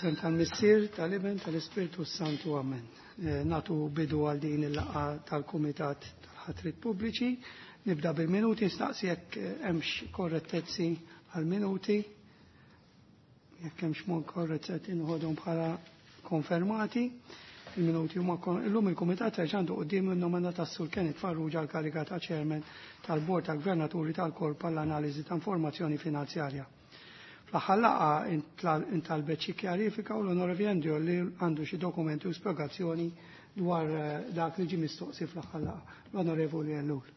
Fl-isem tal-Missier, tal-Iben, tal-Ispirtu Santu, Amen. Eh, natu bidu għal din il-laqgħa tal-Kumitat tal-Ħatrit Pubbliċi. Nibda bil-minuti, nistaqsi jekk eh, hemmx korrettezzi għal-minuti. Jekk hemmx mod korrettezzi inħodhom bħala konfermati. Il-minuti huma illum il-Kumitat reġa' għandu quddiem in-nomina tas-Sur Kenneth Farrugia għall-kariga ta' Chairman tal-Bord tal-Gvernaturi tal-Korp għall-Analiżi ta' Informazzjoni Finanzjarja. Fl-aħħar laqgħa intalbet xi kjarifika u l-Onorevoli Andrew li għandu xi dokumenti u spjegazzjoni dwar eh, dak li ġie mistoqsi fl-aħħar laqgħa. L-Onorevoli Ellul.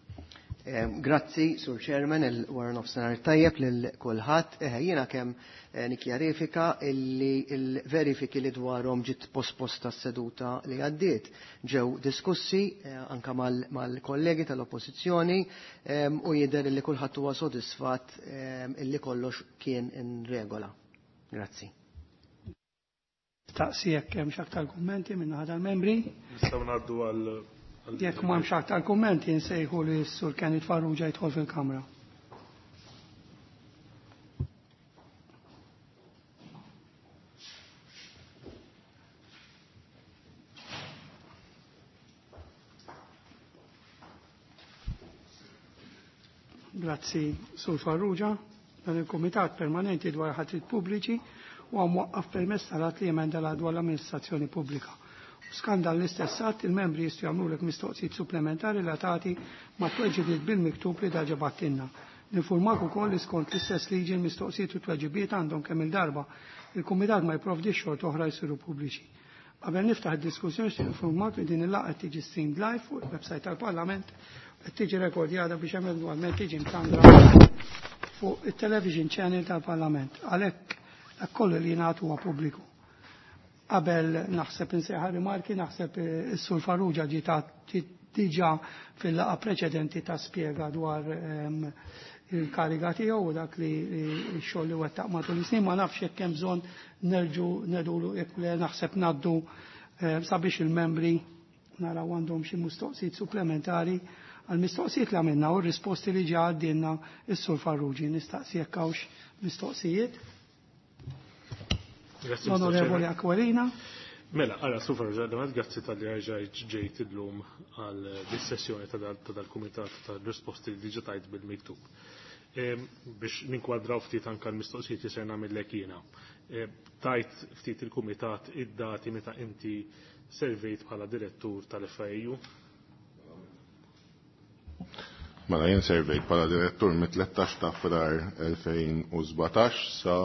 Grazzi, Sur Chairman, il-wara nofsinhar tajjeb lil kulħadd. Eh, jiena kemm eh, nikkjarifika illi l-verifiki li dwarhom ġiet posposta s-seduta li għaddiet ġew diskussi anka mal-kollegi tal-Oppożizzjoni u jidher li kulħadd huwa sodisfatt illi kollox kien in regola. Grazzi. Staqsi jekk hemmx aktar kummenti minn naħa tal-membri. Nistgħu ngħaddu għal Jekk ma hemmx aktar kummenti nsejħu li s-Sur Kenneth Farrugia jidħol fil-Kamra. Grazzi, Sur Farrugia. Dan il-Kumitat Permanenti dwar ħatrit Pubbliċi huwa mwaqqaf permezz tal-att li jemenda l dwar l-amministrazzjoni pubblika. U skont dan l-istess att il-membri jistgħu jagħmlulek mistoqsijiet supplementari relatati ma' tweġibiet bil-miktub li diġà bgħattilna. Ninfurmak ukoll li skont l-istess liġi l-mistoqsijiet u tweġibiet għandhom kemm il-darba il-Kumitat ma jipprovdix xorta oħra jsiru pubbliċi. Qabel niftaħ id-diskussjoni nixtieq infurmak li din il-laqgħa tiġi streamed live fuq il-website tal-Parlament qed tiġi rekordjata biex eventwalment tiġi mxandra fuq it-television channel tal-Parlament. Għalhekk dak kollu li jingħad huwa pubbliku. Qabel naħseb insejħa rimarki, naħseb is-Sur Farrugia ġie diġà fil-laqgħa preċedenti ta' spjega dwar ehm, il-kariga tiegħu u dak li x-xogħol li wettaq matul is-snin, ma nafx jekk hemm bżonn nerġu nedulu jekk le naħseb ngħaddu eh, sabiex il-membri naraw għandhom xi mistoqsijiet supplementari għal mistoqsijiet li għamilna u r-risposti li ġa għaddilna is-Sur Farrugia. Nistaqsi jekk hawnx mistoqsijiet. Grazzi, Mr. L-Onorevoli Chairman. Aquilina. Mela, għara, Sur Farrugia, grazzi talli ġejt ġejt illum għal dis-sessjoni ta' dal-kumitat ta' risposti li diġà tajt bil-miktub. Biex ninkwadraw ftit anka l-mistoqsijiet li ser nagħmellek jiena. Tajt ftit il-kumitat id-dati meta inti servejt bħala direttur tal-FIAU. Mela jien servejt bħala direttur mit-13 ta' Frar 2017 sa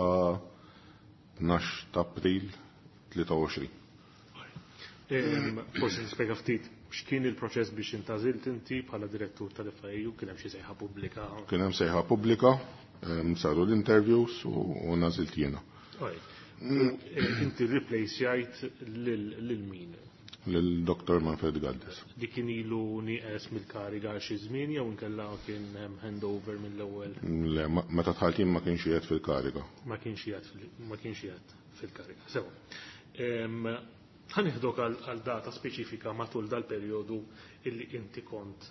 12 ta' April 23. Forsi nispjega ftit x'kien il-proċess biex intgħażilt inti bħala direttur tal-FIAU, kien hemm xi sejħa pubblika. Kien hemm sejħa pubblika, saru l-interviews u ngħażilt jiena. U inti replace lil min? Lil Dr. Manfred Galdes. Di kien ilu nieqes mill-kariga għal xi żmien jew inkella kien hemm handover mill-ewwel? Le, meta dħalt jien ma kienx qiegħed fil-kariga. Ma kienx qiegħed fil-kariga. Sewa. Ħa nieħdok għal data speċifika matul dal-perjodu illi inti kont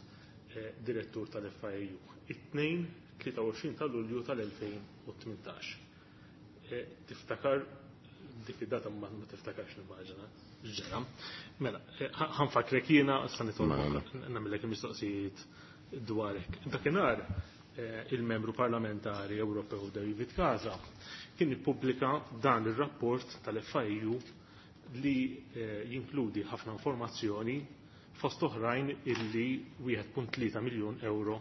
direttur tal-FIAU. It-tnejn 23 ta' Lulju tal-2018. Tiftakar dik id-data ma tiftakarx nimmaġina. Ġera. Mela, ħa nfakkrek jiena issa nitolbok Mela. nagħmellek il-mistoqsijiet dwarek. Dakinhar il-membru parlamentari Ewropew David Casa kien ippubblika dan ir-rapport tal-FIAU li jinkludi ħafna informazzjoni fost oħrajn illi 1.3 miljun euro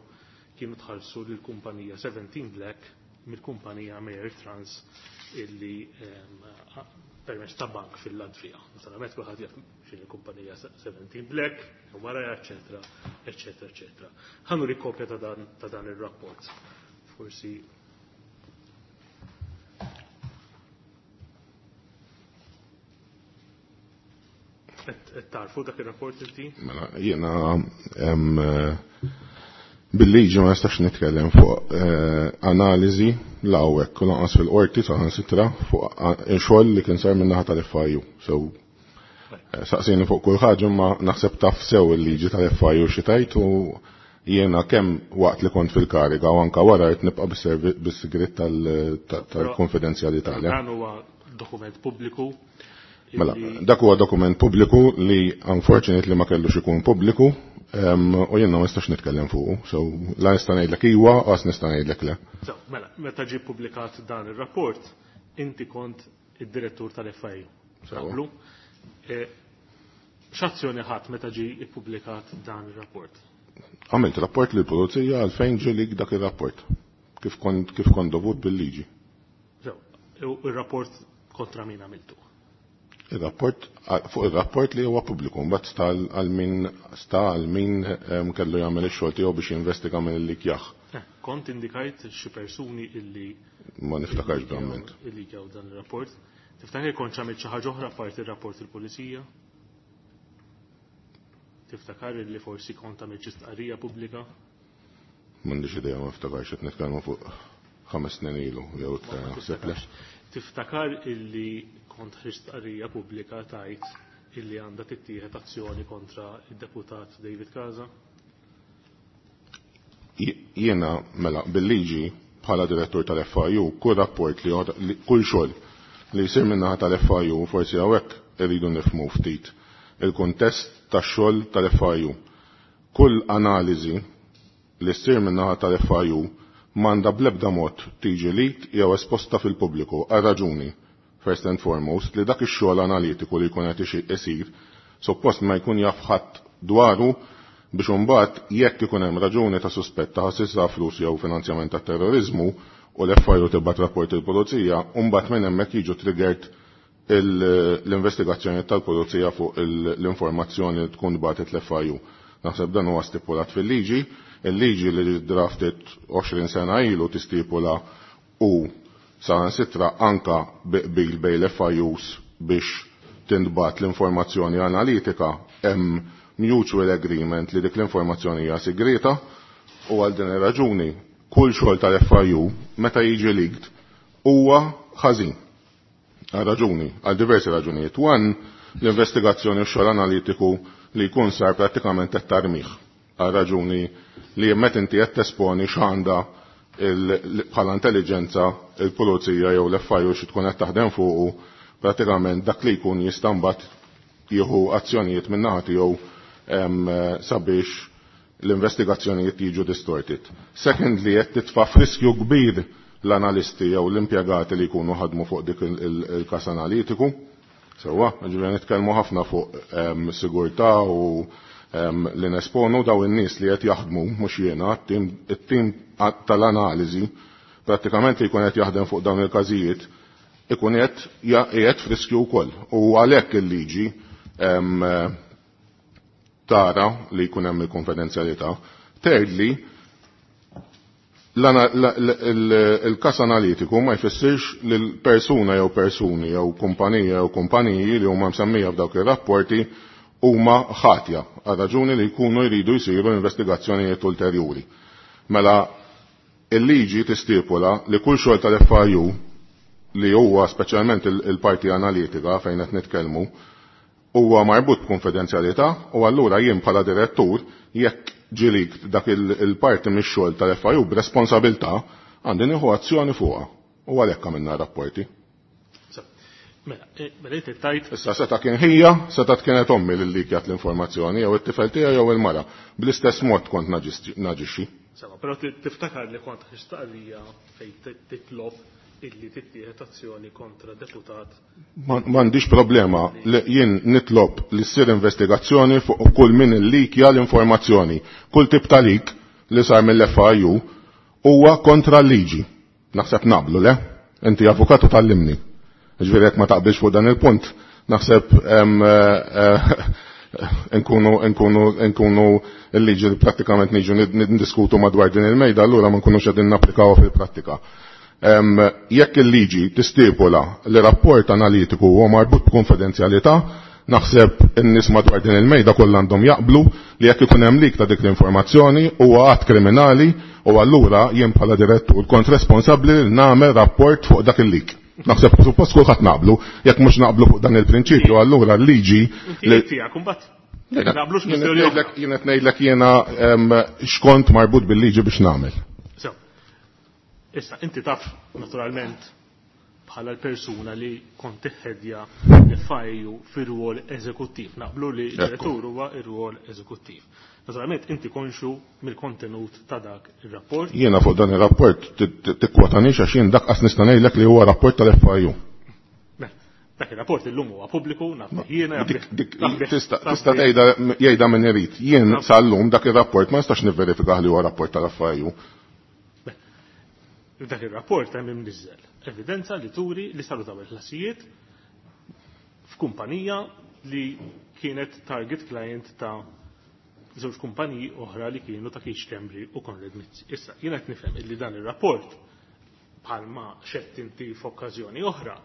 kienu tħallsu lill-kumpanija 17 Black mill-kumpanija Mayer Trans illi permezz ta' bank fil-Latvija. Naturalment kulħadd jaf x'inhi l-kumpanija 17 Black, u wara, eċetera, eċetera, eċetera. Ħa nuri kopja ta' dan ir-rapport. Forsi qed tarfu dak ir-rapport inti? Mela, jiena bil-liġi ma nistax nitkellem fuq analiżi la hawnhekk u lanqas fil-qorti saħansitra fuq xogħol li kien sar min-naħa tal-FIAU. So saqsini fuq kull ħaġa ma naħseb taf sew il-liġi tal-FIAU xi tgħid u jiena kemm waqt li kont fil-kariga u anka wara qed nibqa' bis-sigriet tal-konfidenzjalità. Dan huwa dokument pubbliku. Mela, dak huwa dokument pubbliku li unfortunately ma kellux ikun pubbliku u jiena ma nistax nitkellem fuqu, so la nista' ngħidlek iwa, qas nista' ngħidlek le. So, mela, meta ġie ppubblikat dan ir-rapport, inti kont id-direttur tal-FIU. Naqblu? X'azzjoni ħadd meta ġie ppubblikat dan ir-rapport? Għamilt rapport lill pulizija għalfejn ġie lik dak ir-rapport. Kif kont kif kont dovut bil-liġi. So, ir-rapport kontra min għamiltu? Il-rapport fuq ir-rapport li huwa pubbliku mbagħad sta għal min sta għal min kellu jagħmel ix-xogħol tiegħu biex jinvestiga minn li kjaħ. Kont indikajt xi persuni illi ma niftakarx verament. Illi ġew dan ir-rapport. Tiftakar kont għamilt xi ħaġa oħra parti ir-rapport il-pulizija? Tiftakar illi forsi kont għamilt xi stqarrija pubblika? M'għandix idea, ma niftakarx, qed nitkellmu fuq 5 snin ilu jew iktar naħseb le. Tiftakar illi kont ħriġt stqarrija pubblika tajt illi għandha tittieħed azzjoni kontra id-deputat David Casa? Jiena mela bil-liġi bħala direttur tal-FIU kull rapport li kull xogħol li jsir min-naħa tal-FIU, forsi hawnhekk irridu nifhmu ftit il-kuntest tax-xogħol tal-FIU. Kull analiżi li ssir min-naħa tal-FIU m'għandha bl-ebda mod tiġi leaked jew esposta fil-pubbliku għal raġuni, first and foremost, li dak ix-xogħol analitiku li jkun qed isir suppost ma jkun jaf ħadd dwaru biex imbagħad jekk ikun hemm raġuni ta' suspett ta' ħasil ta' flus jew finanzjament ta' terrorizmu u l-FIU tibgħat rapport il-pulizija, u mbagħad minn hemmhekk jiġu triggered l-investigazzjoni tal-pulizija fuq l-informazzjoni li tkun bagħtet l-FIU. Naħseb dan huwa stipulat fil-liġi, il-liġi li drafted 20 sena ilu tistipula u saħansitra anka bil bej l-FIUs biex tintbat l-informazzjoni analitika hemm mutual agreement li dik l-informazzjoni hija segreta u għal din ir-raġuni kull xogħol tal-FIU meta jiġi leaked huwa ħażin. Għal raġuni, għal diversi raġunijiet. One, l-investigazzjoni u xogħol analitiku li jkun sar prattikament qed tarmih. Għal raġuni li meta inti qed tesponi x'għandha bħala intelligenza il-pulizija jew l-FIU xi tkun qed taħdem fuqu, prattikament dak li jkun jista' mbagħad jieħu azzjonijiet min-naħa tiegħu sabiex l-investigazzjonijiet jiġu distorted. Secondly, qed titfa' f'riskju kbir l-analisti jew l-impjegati li jkunu ħadmu fuq dik il-kas analitiku. Sewwa, ġifieri nitkellmu ħafna fuq sigurtà u li nesponu daw in-nies li qed jaħdmu mhux jiena, it-tim tal-analiżi prattikament li jkun qed jaħdem fuq dawn il-każijiet ikun qed qiegħed f'riskju wkoll. U għalhekk il-liġi tara li jkun hemm il-konfidenzjalità. Thirdly, il-kas analitiku ma jfissirx li l-persuna jew persuni jew kumpanija jew kumpaniji li huma msemmija f'dawk ir-rapporti huma ħatja għal raġuni li jkunu jridu jsiru investigazzjonijiet ulterjuri. Mela il-liġi tistipula li kull xogħol tal-FIU li huwa speċjalment il-parti analitika fejn qed nitkellmu huwa marbut b'konfidenzjalità u allura jien bħala direttur jekk ġilik dak il-parti mix-xogħol tal-FIU b'responsabilità għandi nieħu azzjoni fuqha u għalhekk għamilna rapporti. Mela, mela inti tajt. Issa seta' kien ħija, seta' kienet ommi li likjat l-informazzjoni jew it-tifel tiegħi jew il-mara. Bl-istess mod kont naġixxi. Sema, però tiftakar li kont ħistaqrija fejn titlob illi tittieħed azzjoni kontra deputat. M'għandix problema li jien nitlob li ssir investigazzjoni fuq kull min illikja l-informazzjoni. Kull tip ta' lik li sar mill-FIU huwa kontra l-liġi. Naħseb naqblu, le? Inti avukatu tallimni. Ġifieri jekk ma taqbilx fuq dan il-punt, naħseb nkunu l-liġi li prattikament niġu niddiskutu madwar din il-mejda, allura ma nkunux qegħdin napplikawha fil-prattika. Jekk il-liġi tistipula li rapport analitiku huwa marbut b'konfidenzjalità, naħseb in-nies madwar din il-mejda kollha għandhom jaqblu li jekk ikun hemm lik ta' dik l-informazzjoni huwa att kriminali u allura jien bħala direttur kont responsabbli li nagħmel rapport fuq dak il-lik. Naħseb suppost kulħadd naqblu, jekk mhux naqblu fuq dan il-prinċipju, allura l-liġi li tiegħek imbagħad naqblux kwistjoni oħra. Jien qed ngħidlek jiena x'kont marbut bil-liġi biex nagħmel. So, issa inti taf naturalment bħala l-persuna li kont tiħħedja l-FIU fir-rwol eżekuttiv. Naqblu li d-direttur huwa ir-rwol eżekuttiv. Naturalment inti konxu mill-kontenut ta' dak ir-rapport. Jiena fuq dan ir-rapport tikkwotanix għax jien dak qas nista' ngħidlek li huwa rapport tal-FIU. Dak ir-rapport illum huwa pubbliku, naf jiena. Tista' tgħidha jgħidha min irid. Jien sal-lum dak ir-rapport ma nistax nivverifika li huwa rapport tal-FIU. Dak ir-rapport hemm imniżżel evidenza li turi li saru dawn il-ħlasijiet f'kumpanija li kienet target client ta' żewġ kumpaniji oħra li kienu ta' Keith Schembri u Konrad Mizzi. Issa, jiena qed nifhem illi dan ir-rapport bħalma xedt inti f'okkażjoni oħra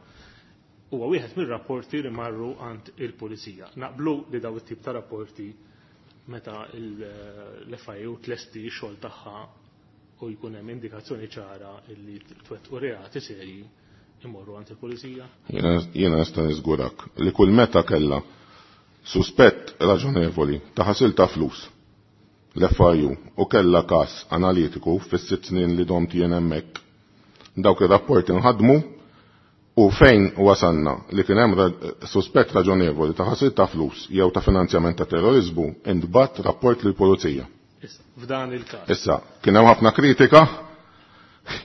huwa wieħed mir-rapporti li marru għand il-pulizija. Naqblu li daw it-tip ta' rapporti meta l-FIU tlesti x-xogħol tagħha u jkun hemm indikazzjoni ċara li twettqu reati serji imorru għand il-pulizija? Jiena nista' niżgurak li kull meta kellha suspett raġonevoli ta' ħasil ta' flus l-FIU u kellha każ analitiku fis-6 snin li domt jien hemmhekk, dawk ir-rapporti nħadmu u fejn wasalna li kien hemm suspett raġonevoli ta' ħasil ta' flus jew ta' finanzjament ta' terrorizmu intbagħat rapport lill-pulizija. Issa, f'dan il-każ. Issa, kien hemm ħafna kritika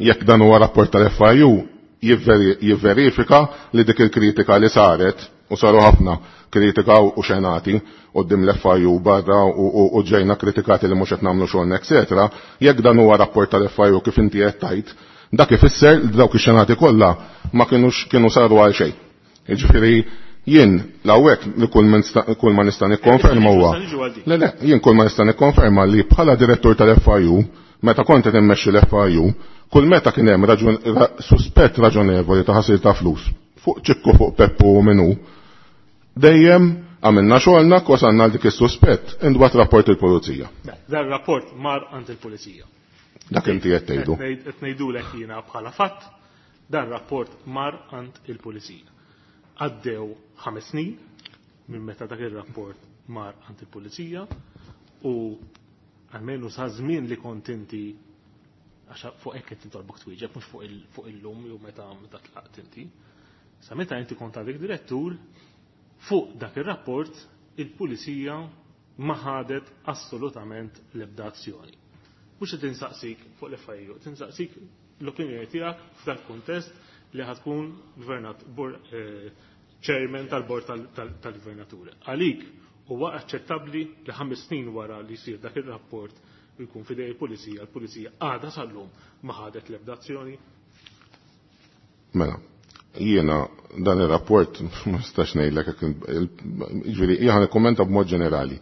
jekk dan huwa rapport tal-FIU jivverifika li dik il-kritika li saret u saru ħafna kritika u xenati qudiem l-FIU barra u ġejna kritikati li mhux qed nagħmlu xogħolna, eċetera, jekk dan huwa rapport tal-FIU kif inti qed tgħid, dak ifisser li dawk ix-xenati kollha ma kinux kienu saru għal xejn. Jiġifieri jien l-hawnhekk li kull ma nista' nikkonferma huwa. Le le, jien kull ma nista' nikkonferma li bħala direttur tal-FIU, meta kont qed immexxi l-FIU, kull meta kien hemm suspett raġonevoli ta' ħasil ta' flus fuq ċikku fuq Peppu u minu, dejjem għamilna xogħolna wasalna għal dik is-suspett intbagħat rapport il-pulizija. Dan rapport mar għand il-pulizija. Dak inti qed tgħidu. Qed ngħidulek jiena bħala fatt, dan rapport mar għand il-pulizija. Għaddew 5 snin minn meta dak ir-rapport mar għand il-pulizija u almenu sa żmien li kont inti għax fuq hekk qed nitolbok twieġeb mhux fuq illum jew meta tlaqt inti. Sa meta inti kont għadek direttur, fuq dak ir-rapport il-pulizija ma ħadet assolutament l-ebda azzjoni. Mhux qed insaqsik fuq l-FIU, qed insaqsik l-opinjoni tiegħek f'dak kuntest li ħatkun chairman tal-bord tal-gvernaturi. Għalik huwa aċċettabbli li 5 snin wara li jsir dak ir-rapport u jkun fidej il-pulizija, il-pulizija għadha sal-lum ma ħadet l-ebda azzjoni? Mela, jiena dan ir-rapport ma nistax ngħidlek hekk, jiġifieri jiena nikkummenta b'mod ġenerali.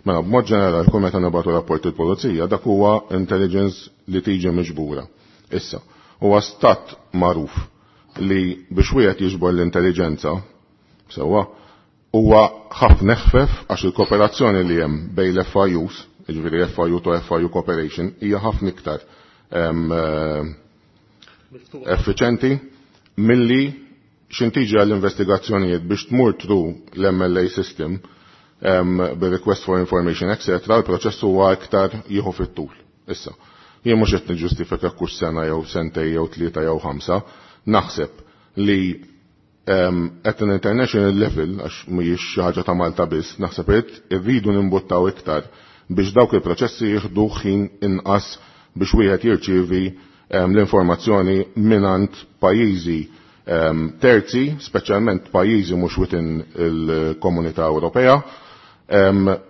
Mela, b'mod ġenerali kull meta nibgħatu rapport il-pulizija dak huwa intelligence li tiġi miġbura. Issa, huwa stat magħruf li biex wieħed jiġbor l-intelligenza, sewwa, huwa ħafna eħfef għax il-kooperazzjoni li hemm bejn l-FIUs, jiġifieri FIU to FIU cooperation, hija ħafna iktar effiċenti milli x'intiġi għall-investigazzjonijiet biex tmur through l-MLA system bir-request for information, etc., il-proċess huwa iktar jieħu fit-tul. Issa, jien mhux qed niġġustifika kull sena jew sentej jew 3 jew 5, naħseb li at an international level, għax mhijiex xi ħaġa ta' Malta biss, naħseb irridu nimbuttaw iktar biex dawk il-proċessi jieħdu ħin inqas biex wieħed jirċievi l-informazzjoni minant pajjiżi terzi, speċjalment pajjiżi mhux within il-Komunità Ewropea,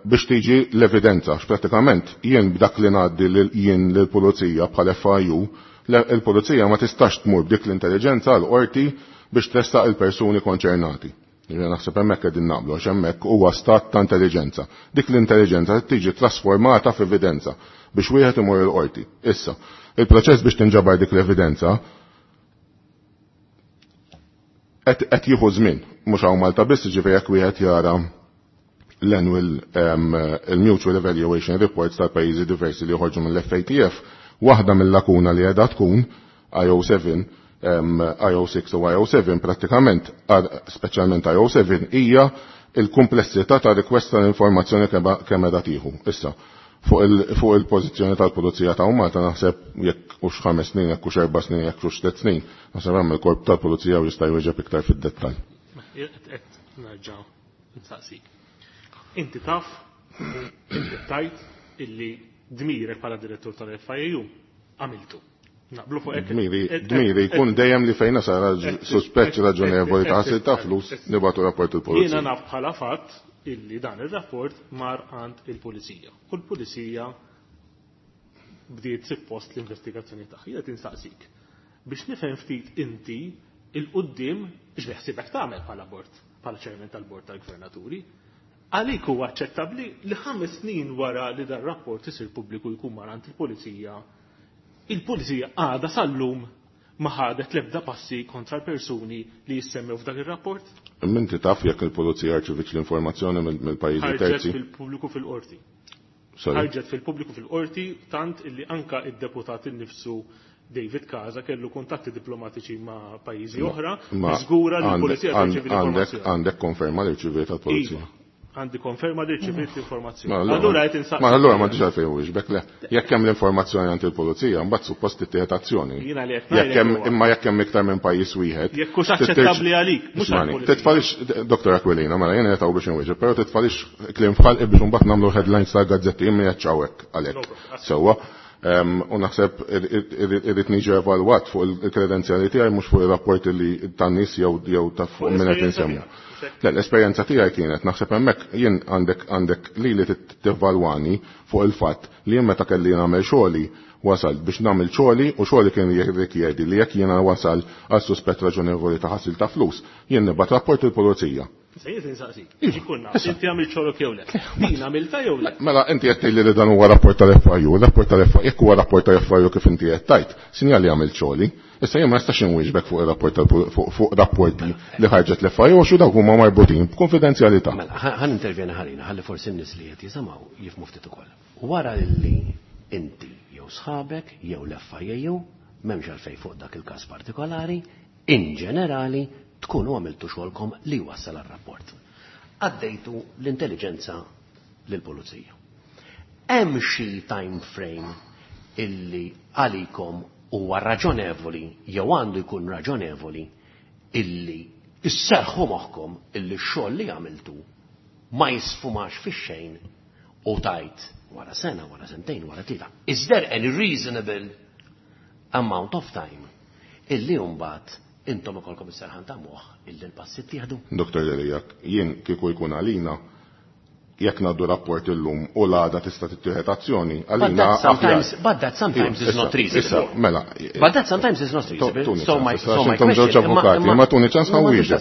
biex tiġi l-evidenza. Pratikament jien b'dak li ngħaddi jien lill-pulizija bħal FIU, il-pulizija ma tistax tmur b'dik l-intelligenza għal qorti biex tressaq il-persuni konċernati. Jiena naħseb hemmhekk qegħdin naqblu għax hemmhekk huwa stat ta' intelligenza. Dik l-intelligenza tiġi trasformata f'evidenza biex wieħed imur il-qorti. Issa, il-proċess biex tinġabar dik l-evidenza qed jieħu żmien, mhux hawn Malta biss, jiġifieri jekk wieħed jara l-annual il-Mutual Evaluation Reports tal-pajjiżi diversi li joħorġu mill-FATF, waħda mill-lakuna li qiegħda tkun IO7, IO6 u IO7 prattikament, speċjalment IO7, hija il-komplessità ta' request tal-informazzjoni kemm qiegħda tieħu. Issa, Fuq il-pożizzjoni tal-Pulizija ta' Malta naħseb jekk hux 5 snin, jekk hux 4 snin, jekk hux 3 snin, naħseb hemm il-korp tal-Pulizija u jista' jwieġeb iktar fid-dettall. Qed nerġa' nsaqsik. Inti taf, inti tajt illi dmirek bħala direttur tal-FIAU għamiltu. Naqblu fuq hekk. Dmiri jkun dejjem li fejn sar suspett raġonevoli ta' ħasil ta' flus nibgħatu rapport il-pulizija. Jiena naf bħala fatt illi dan ir-rapport mar għand il-pulizija. U l-pulizija bdiet suppost l-investigazzjoni tagħha. Jiena tinsaqsik biex nifhem ftit inti il-qudiem x'beħsibek tagħmel bħala bord, bħala chairman tal-bord tal-gvernaturi. Għalik huwa aċċettabbli li 5 snin wara li dan rapport isir pubbliku jkun mar għand il-pulizija, il-pulizija għadha sal-lum ma ħadet l-ebda passi kontra l-persuni li jissemmew f'dak ir-rapport? Inti taf jekk il-pulizija rċevitx l-informazzjoni mill-pajjiżi terzi? Ħarġet fil-pubbliku fil-qorti. Ħarġet fil-pubbliku fil-qorti tant illi anka id-deputat innifsu David Casa kellu kuntatti diplomatiċi ma' pajjiżi oħra, żgura li l-pulizija tirċievi l-informazzjoni. Għandek konferma li rċeviet tal-pulizija? Għandi konferma li rċeviet l-informazzjoni. Allura qed insaqsi. Ma allura m'għandix għalfejn wieġbek le. Jekk hemm l-informazzjoni għand il-pulizija, mbagħad suppost tittieħed azzjoni. Jiena li qed Jekk hemm imma jekk hemm iktar minn pajjiż wieħed. Jekk hux aċċettabbli għalik, mhux għall-pulizija. Titfalix Dr. Aquilina, mela jiena qed biex inwieġeb, però titfalix kliem f'ħalqi biex imbagħad nagħmlu headlines tal-gazzetti jien m'iniex hawnhekk għalhekk. Sewwa. U naħseb irrid niġi evalwat fuq il-kredenzjali tiegħi mhux fuq ir-rapporti li tan-nies jew ta' fuq minn qed insemmu. Le, l-esperjenza tiegħi kienet naħseb hemmhekk jien għandek lili tivvalwani fuq il-fatt li jien meta kelli nagħmel xogħli wasal biex nagħmel xogħli u xogħli kien jirrikjedi li jekk jiena wasal għal suspett raġonevoli ta' ħasil ta' flus, jien nibgħat rapport il-pulizija. Se jien insaqsik. Ikun naf, inti għamilt xogħlok jew le. Din għamilta jew le? Mela inti qed tgħidli li dan huwa rapport tal-FIU, rapport tal-FIU, jekk huwa rapport tal-FIU kif inti qed tgħid, sinjali għamilt xogħli. Issa jien ma nistax inwieġbek fuq ir-rapport fuq rapporti li ħarġet l-FIU għax dawk huma marbutin b'konfidenzjalità. Mela, ħan intervjeni ħalina, ħalli forsi n-nies li qed jisimgħu jifhmu ftit ukoll. Wara li inti jew sħabek jew l-FIU m'hemmx għalfejn fuq dak il-każ partikolari, in ġenerali tkunu għamiltu xogħolkom li wassal għar-rapport. Għaddejtu l-intelligenza lill-pulizija. Hemm xi time frame illi għalikom huwa raġonevoli jew għandu jkun raġonevoli illi isserħu moħħkom illi x-xogħol li għamiltu ma jisfumax fix-xejn u tajt wara sena, wara sentejn, wara tlieta. Is there any reasonable amount of time illi mbagħad intom ikolkom is-serħan ta' moħħ illi l-passi ttieħdu? Dr. Delia, jien kieku jkun għalina jekk ngħaddu rapport illum u l-għada tista' tittieħed azzjoni, għalina But that sometimes is not reasonable. Mela. But that sometimes is not reasonable. So my question. Żewġ avukati, ma tuni ċans ħa nwieġeb.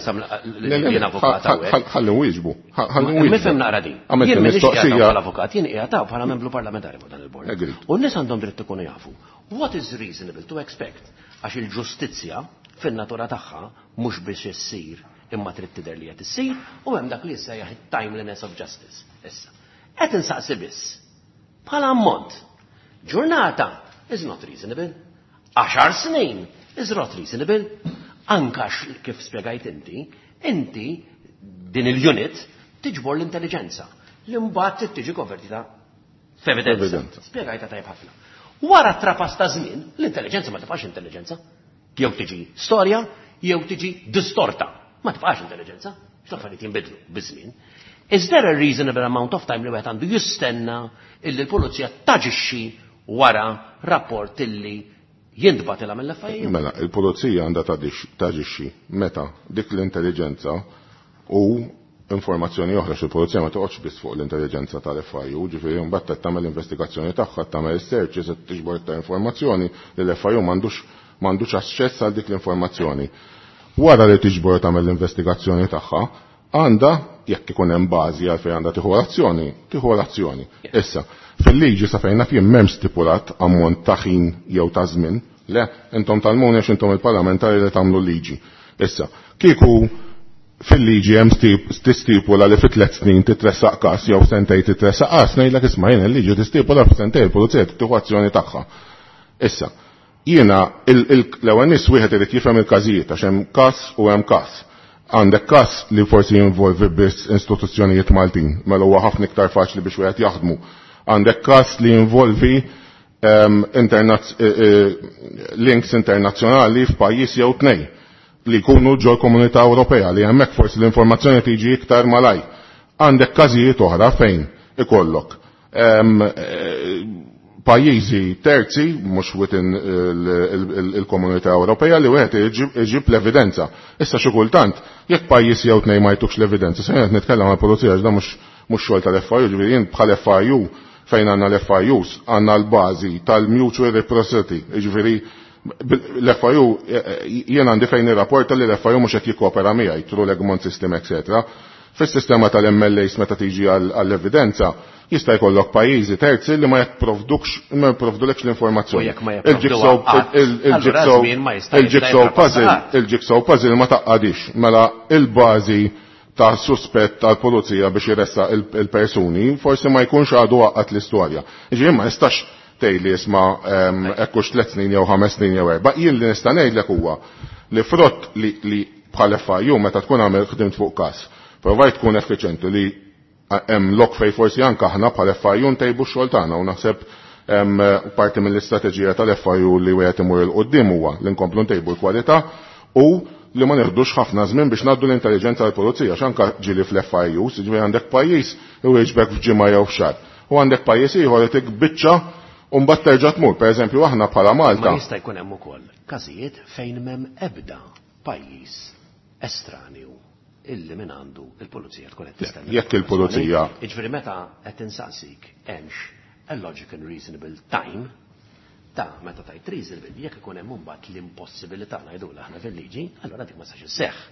Jien avukat hawnhekk. Ħalli nwieġbu. Ħalli nwieġbu. Nifhem naqra din. Jien m'iniex qiegħed bħala avukat, jien qiegħed bħala membru parlamentari fuq dan il-bord. U n-nies għandhom dritt ikunu jafu. What is reasonable to expect? Għax il-ġustizzja fin-natura tagħha mhux biex issir imma trid tidher li qed issir u hemm dak li jissejjaħ it-timeliness of justice. Issa. Qed insaqsi biss. Bħala ammont. Ġurnata is not reasonable. 10 snin is not reasonable. Anka kif spjegajt inti, inti din il-unit tiġbor l-intelligenza li mbagħad tiġi konvertita f'evidenza. Spjegajta tajjeb ħafna. Wara trapas ta' żmien, l-intelligenza ma tibqax intelligenza. Jew tiġi storja, jew tiġi distorta. Ma tibqax intelligenza, x'affarijiet jinbidlu biż-żmien. Is there a reasonable amount of time li wieħed għandu jistenna illi l-pulizija taġixxi wara rapport illi jintbatilha mill-FIU? Mela, il-pulizija għandha taġixxi meta dik l-intelligenza u informazzjoni oħra xi pulizija ma toqgħodx biss fuq l-intelligenza tal-FIU, ġifieri mbagħad tagħmel investigazzjoni tagħha, tagħmel searches, tiġbor iktar informazzjoni li l-FIU m'għandux aċċess għal dik l-informazzjoni. Wara li tiġbor tagħmel l-investigazzjoni tagħha, għandha jekk ikun hemm bażi għal fejn għandha tieħu l-azzjoni, tieħu l-azzjoni. Issa, fil-liġi sa fejn naf jien m'hemm stipulat ammont ta' ħin jew ta' żmien, le, intom tal-muni għax intom il-parlamentari li tagħmlu liġi. Issa, kieku fil-liġi hemm tistipula li fi 3 snin titressaq każ jew sentej titressaq każ, ngħidlek isma' jien il-liġi tistipula f'sentej il-pulizija tieħu azzjoni tagħha. Issa, jiena l-ewwel nies wieħed irid jifhem il-każijiet għax hemm każ u hemm każ. Għandek każ li forsi jinvolvi biss istituzzjonijiet Maltin, mela huwa ħafna iktar faċli biex wieħed jaħdmu. Għandek każ li jinvolvi links internazzjonali f'pajjiż jew tnej li jkunu ġol komunità Ewropea li hemmhekk forsi l-informazzjoni tiġi iktar malaj. Għandek każijiet oħra fejn ikollok pajjiżi terzi, mhux within il-Komunità Ewropea li wieħed iġib l-evidenza. Issa xi kultant, jekk pajjiż jew tnejn ma jtukx l-evidenza, se qed nitkellem għall-pulizija għax dan mhux xogħol tal-FIU, ġifieri jien bħal FIU fejn għandna l-FIUs għandna l-bażi tal-mutual reciprocity, jiġifieri l-FIU jien għandi fejn irrapporta li l-FIU mhux qed jikkopera miegħi through l-Egmont System, etc. Fis-sistema tal-MLAs meta tiġi għall-evidenza, jista' jkollok pajjiżi terzi li ma jipprovdukx ma jipprovdulekx l-informazzjoni. Il-jigsaw puzzle, il-jigsaw puzzle ma taqqadix, mela il-bażi ta' suspett tal-pulizija biex jressa il-persuni, forsi ma jkunx għadu għaqqat l-istorja. Ġifieri ma nistax tgħidli isma' hekk hux 3 snin jew 5 snin jew 4. Jien li nista' ngħidlek huwa li frott li bħal FIU meta tkun għamel ħdimt fuq każ, provajt tkun effiċenti li hemm lok fej forsi anke aħna bħal FIU ntejbu x-xogħol tagħna u naħseb parti mill-istrateġija tal-FIU li wieħed imur il quddiem huwa li nkomplu ntejbu l-kwalità u li ma neħdux ħafna żmien biex ngħaddu l-intelligenza tal-pulizija x'anka ġieli fl-FIU, jiġifieri għandek pajjiż iwieġbek f'ġimgħa jew f'xahar. U għandek pajjiż ieħor li biċċa u mbagħad terġa' tmur. Pereżempju aħna bħala Malta. Ma jista' jkun hemm ukoll każijiet fejn m'hemm ebda pajjiż estranju illi minn għandu il-pulizija tkun qed tistenna. Jekk il-pulizija. Jiġifieri meta qed insaqsik hemmx a logic and reasonable time ta' meta tajt reasonable jekk ikun hemm imbagħad l-impossibilità ngħidulha aħna fil-liġi, allura dik ma sax isseħħ.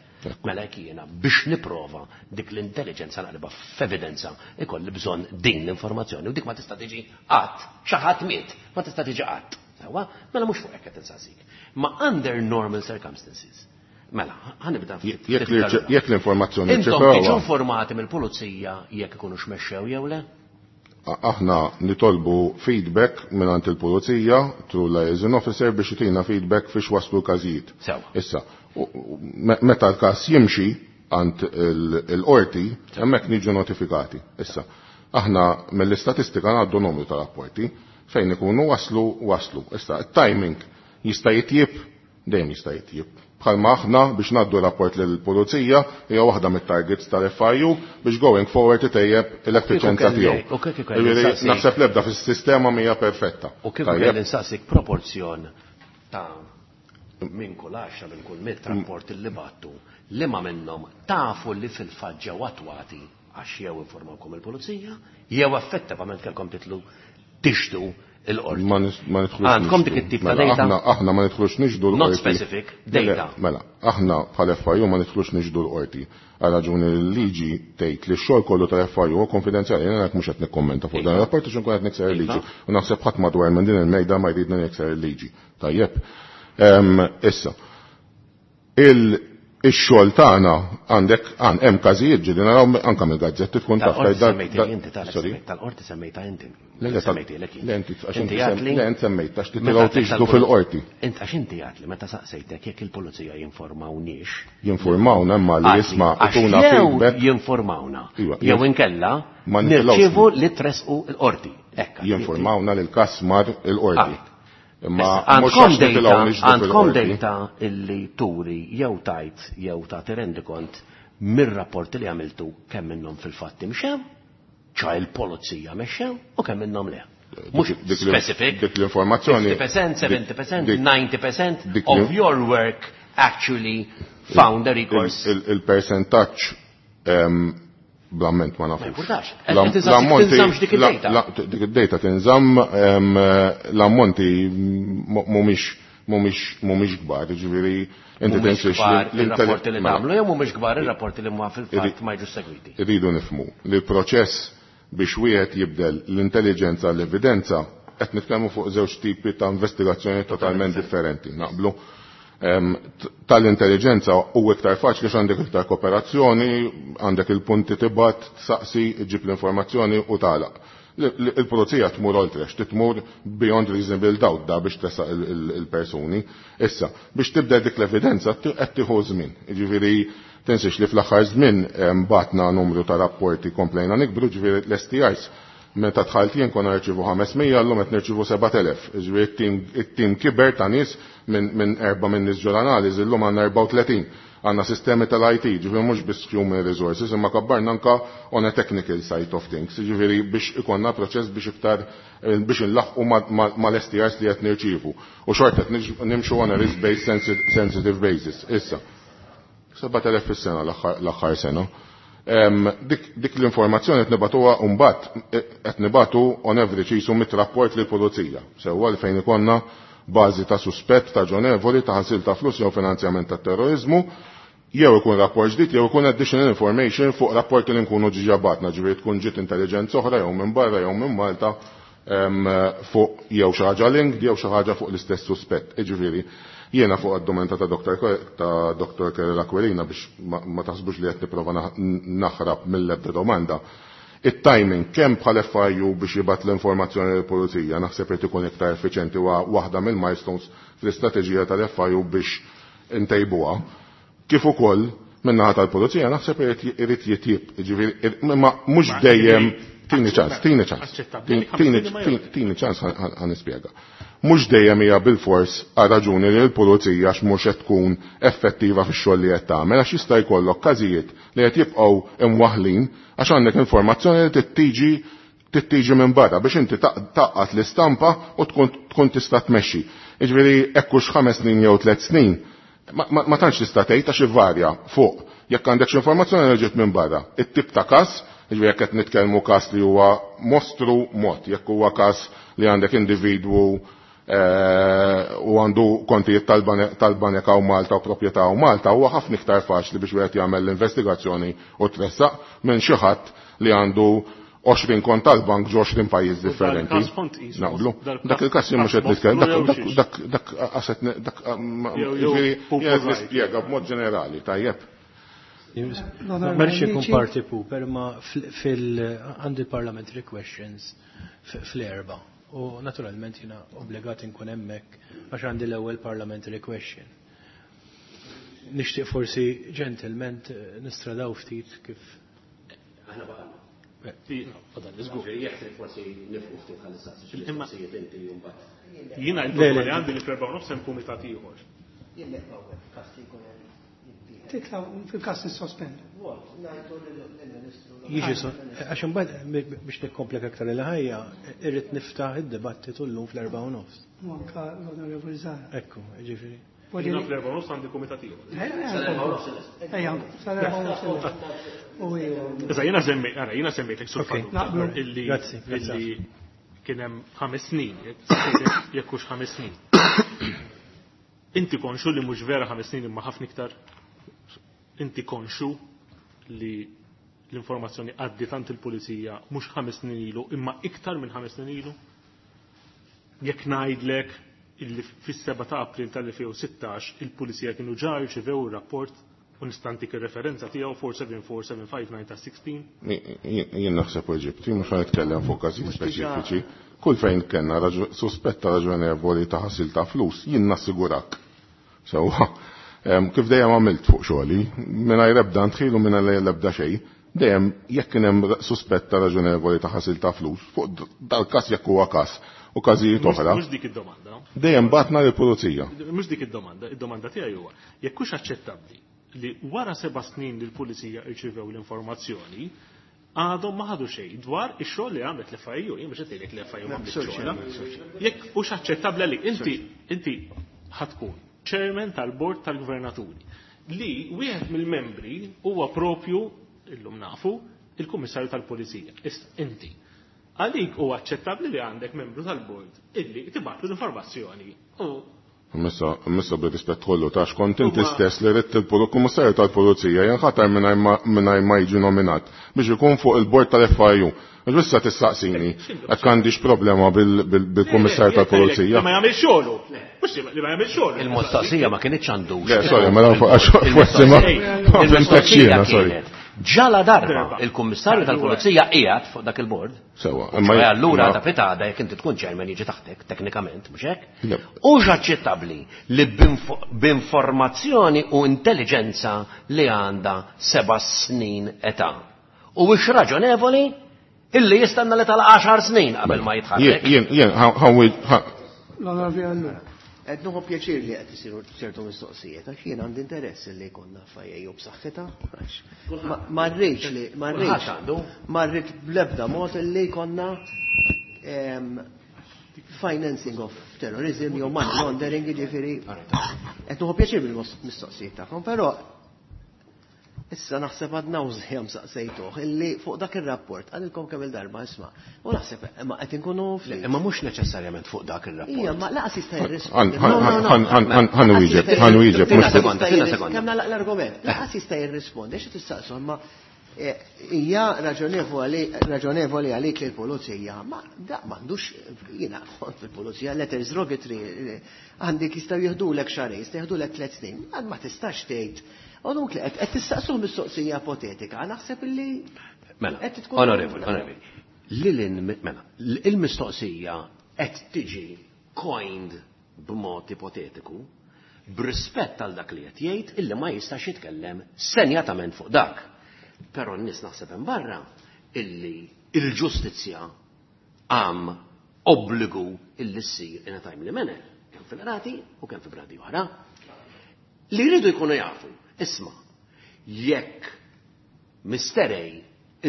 Mela jekk jiena biex nipprova dik l-intelligenza naqlibha f'evidenza ikolli bżonn din l-informazzjoni u dik ma tista' tiġi qatt, xi ħadd miet, ma tista' tiġi qatt. Sewwa, mela mhux fuq hekk qed insaqsik. Ma under normal circumstances. Mela, ħanibda Jekk l-informazzjoni Intom tiġu informati mill-pulizija jekk ikunu xmexxew jew le? Aħna nitolbu feedback mingħand il-pulizija through liaison officer biex itina feedback fiex waslu każijiet. Issa, meta l-każ jimxi għand il-qorti, hemmhekk niġu notifikati. Issa, aħna mill-istatistika ngħaddu numru ta' rapporti fejn ikunu waslu waslu. Issa, it-timing jista' jitjieb, dejjem jista' jitjieb. Bħalma aħna biex ngħaddu rapport lill-pulizija hija waħda mit-targets tal-FIU biex going forward itejjeb l-effiċenza tiegħu. Naħseb l-ebda fis-sistema mhija perfetta. U kieku kelli nsaqsik proporzjon ta' minn kull 10 minn kull 100 rapport li battu li ma minnhom tafu li fil-fatt ġew attwati għax jew informawkom il-pulizija jew effettivament kellkom titlu tixdu il-qorti. Ma nidħlux. Għandkom dik it-tip ta' data? Aħna ma nidħlux nixdu l-qorti. Not specific, data. Mela, aħna bħal FIU ma nidħlux nixdu l-qorti. Għal raġuni l-liġi tgħid li x-xogħol kollu tal-FIU huwa konfidenzjali, jiena mhux qed nikkommenta fuq dan ir-rapport għax inkun qed nikser il-liġi. U naħseb ħadd madwar minn din il-mejda ma jridna nikser il-liġi. Tajjeb. Issa, ix-xogħol tagħna għandek hemm każijiet ġieli naraw anke mill-gazzetti tkun taf. Tal-qorti semmejta inti. Le inti għax semmejt għax titilgħu tixdu fil-qorti. Int għax inti għad li meta saqsejtek jekk il-pulizija jinformawniex. Jinformawna imma li jisma' ituna feedback. Jinformawna. Jew inkella nirċievu li tresqu l-qorti. Jinformawna li l-każ mar il-qorti. Imma għandkom data illi turi jew tajt jew ta' rendikont mir-rapporti li għamiltu kemm minnhom fil-fatt imxew, ċa il-polizija mexxew u kemm minnhom le. Mhux specific. Dik l-informazzjoni. 50%, 70%, 90% of your work actually found a recourse. Il-percentaġġ bl-amment ma nafux. Ma importax. Tinżammx dik id-data. Dik id-data tinżamm l-ammonti mhumiex kbar, jiġifieri inti tinsiex l-rapporti li tagħmlu jew mhumiex kbar ir-rapporti li huma fil-fatt ma jiġux segwiti. Irridu nifhmu li l-proċess biex wieħed jibdel l-intelligenza l-evidenza qed nitkellmu fuq żewġ tipi ta' investigazzjoni totalment differenti. Naqblu tal-intelligenza u iktar faċli għax għandek iktar kooperazzjoni, għandek il-punti tibgħat, tsaqsi, ġib l-informazzjoni u tagħlaq. Il-pulizija tmur oltre, tmur beyond reasonable doubt da biex tesaq il-persuni. Issa, biex tibda dik l-evidenza qed tieħu żmien. Jiġifieri tinsiex li fl-aħħar żmien batna numru ta' rapporti komplejna nikbru, ġifieri l-STIs Meta dħalt jien konna nirċievu 500, llum qed nirċievu 7000. Jiġifieri it-tim kiber ta' nies minn erba' minn nies ġol-analiżi, llum għandna 34. Għandna sistemi tal-IT, ġifieri mhux biss human resources, imma kabbarna anka on a technical side of things, ġifieri biex ikonna proċess biex iktar biex inlaħqu mal-STRs li qed nirċievu. U xorta qed nimxu on a risk-based sensitive basis. Issa, 7000 fis-sena l-aħħar sena. Dik l-informazzjoni qed nibatuha mbagħad qed nibatu on average jisu mit-rapport lill-pulizija. Sewwa li fejn ikollna bażi ta' suspett ta' ġonevoli ta' ħasil ta' flus jew finanzjament ta' terrorizmu, jew ikun rapport ġdid jew ikun additional information fuq rapporti li nkunu ġiġa batna, ġifieri tkun ġiet intelligenza oħra jew minn barra jew minn Malta fuq jew xi ħaġa linked jew xi ħaġa fuq l-istess suspett. Jiġifieri jiena fuq id-domanda ta' Dr. Kerry Aquilina biex ma taħsbux li qed nipprova naħrab mill-ebda domanda. It-timing kemm bħal FIU biex jibgħat l-informazzjoni lill-pulizija naħseb irid ikun iktar effiċjenti huwa waħda mill-milestones fl-istrateġija tal-FIU biex intejbuha. Kif ukoll min-naħa tal-pulizija naħseb irid jitjieb, jiġifieri imma mhux dejjem tini ċans, tini ċans. Tini ċans ħa nispjega. Mhux dejjem hija bilfors għal raġuni li l-pulizija għax mhux qed tkun effettiva fix-xogħol li qed tagħmel għax jista' jkollok każijiet li qed jibqgħu imwaħħlin għax għandek informazzjoni li tittiġi minn barra biex inti taqqat l-istampa u tkun tista' tmexxi. Jiġifieri hekk hux 5 snin jew 3 snin, ma tantx tista' tgħid għax ivarja fuq jekk għandek xi informazzjoni li ġiet minn barra. It-tip ta' każ, jiġifieri jekk qed nitkellmu każ li huwa mostru mod, jekk huwa każ li għandek individwu u għandu kontijiet tal-banek hawn Malta u proprjetà hawn Malta, huwa ħafna iktar faċli biex wieħed jagħmel l-investigazzjoni u tressaq minn xi ħadd li għandu 20 kont tal-bank ġo 20 pajjiż differenti. Naqblu. Dak il-każ jien mhux qed nitkellem, dak dak dak jiġifieri qed nispjega b'mod ġenerali, tajjeb. Ma rridx ikun party pooper, ma fil għandi parliamentary questions fl-4. U naturalment jiena obbligat inkun hemmhekk għax għandi l-ewwel parliamentary question. Nixtieq forsi gentlemen nistradaw ftit kif. Aħna baqgħna. Jekk forsi nifqu ftit ħalli saqsi xi mistoqsijiet inti u mbagħad. Jiena l-problema li għandi li fl-erba' nofs hemm kumitat ieħor. Jien nifqgħu hekk każ li jkun hemm. Titla' fil-każ nissospendu. Jiġi għax imbagħad biex nikkomplika aktar il-ħajja, irrid niftaħ id-dibattitu llum fl-erba' u nofs. U anka l-Onorevoli Zahra. Ekku, jiġifieri. Jiena fl-erba' u nofs għandi kumitat ieħor. Ejja, sal-erba' u nofs. Issa jiena semmejt, ara, jiena semmejtek sur Naqblu. Illi Grazzi, grazzi. illi kien hemm 5 snin, jekk hux 5 snin. Inti konxu li mhux vera 5 snin imma ħafna iktar. Inti konxu li l-informazzjoni għaddi tant il-pulizija mhux 5 snin ilu imma iktar minn 5 snin ilu. Jekk ngħidlek illi fis-7 ta' April tal-2016 il-pulizija kienu ġa rċevew ir-rapport u nistantik ir-referenza tiegħu 474759 ta' 16. Jien naħseb u Eġipti, mhux ħa nitkellem fuq każijiet speċifiċi. Kull fejn kellna suspetta raġonevoli ta' ħasil ta' flus, jien nassigurak. Sewwa, kif dejjem għamilt fuq xogħli, mingħajr ebda ndħil u mingħajr ebda xejn, dejjem jekk kien hemm suspetta raġonevoli ta' ħasil ta' flus, fuq dal-każ jekk huwa każ u każijiet oħra. Mhux dik id-domanda. Dejjem batna lill-pulizija. Mhux dik id-domanda, id-domanda tiegħi huwa jekk hux aċċettabbli li wara 7 snin li l-pulizija rċivew l-informazzjoni għadhom ma ħadu xejn dwar ix-xogħol li għamlet l-FIU, jien mhux qed ngħidlek li l-FIU m'għamlet xogħolha. Jekk hux aċċettabbli li inti ħatkun chairman tal-bord tal-gvernaturi li wieħed mill-membri huwa propju illum nafu il-kummissarju tal-pulizija. Issa inti għalik huwa aċċettabbli li għandek membru tal-bord illi tibgħatlu l-informazzjoni u Missa bir-rispett kollu ta' xkont inti stess li ridt il-kummissarju tal-pulizija jinħatar mingħajr ma jiġi nominat biex ikun fuq il-bord tal-FIU. Għax issa tistaqsini jekk għandix problema bil-kummissarju tal-pulizija. Li ma jagħmel xogħlu. Mhux li ma jagħmel xogħlu. Il-mistoqsija ma kienx għandux. Le, sorry, mela għax forsi ma fhimtekx jiena, sorry. Ġala darba il-kummissarju tal-pulizija qiegħed fuq dak il-bord. Sewa, imma allura imma ta' pitada jekk inti tkun chairman jiġi taħtek teknikament, mhux hekk? Le. Hux aċċettabbli li b'informazzjoni u intelligenza li għandha 7 snin età. U hux raġonevoli Illi jistenna li tal-10 snin qabel ma jitħarrek. Jien, L-Onorevoli Ellul. Qed nieħu pjaċir li qed isiru ċertu mistoqsijiet, għax jien għandi interess li jkollna FIAU b'saħħitha, għax ma rridx li ma rridx ma rrid bl-ebda mod li jkollna financing of terrorism jew money laundering, jiġifieri qed nieħu pjaċir bil-mistoqsijiet tagħkom, però issa naħseb għad nawżi saqsejtuh illi fuq dak ir-rapport qalilkom kemm il-darba isma' u naħseb imma qed inkunu ftit. Imma mhux neċessarjament fuq dak ir-rapport. Ija, ma laqas jista' jirrispondi. Ħa nwieġeb, ħa nwieġeb. Tina sekonda, tina sekonda. Kemm nagħlaq l-argument. Laqas jista' jirrispondi, xi tistaqsu imma hija raġonevoli għalik li l-pulizija ma da m'għandux jiena kont fil-pulizija letters rogatory għandek jistgħu jieħdulek xahrejn, jistgħu jieħdulek 3 snin, ma tistax tgħid. U dunk li qed tistaqsuh mistoqsija ipotetika, naħseb illi Mela, qed tkun onorevoli, onorevoli. Lilin, mela, il-mistoqsija qed tiġi coined b'mod ipotetiku b'rispett għal dak li qed jgħid illi ma jistax jitkellem senjatament fuq dak. Però n-nies naħseb hemm barra illi il-ġustizzja għam obbligu illi ssir in a timely manner, kemm fil-qrati u kemm fi bradi oħra. Li jridu jkunu jafu, isma', jekk Mr. A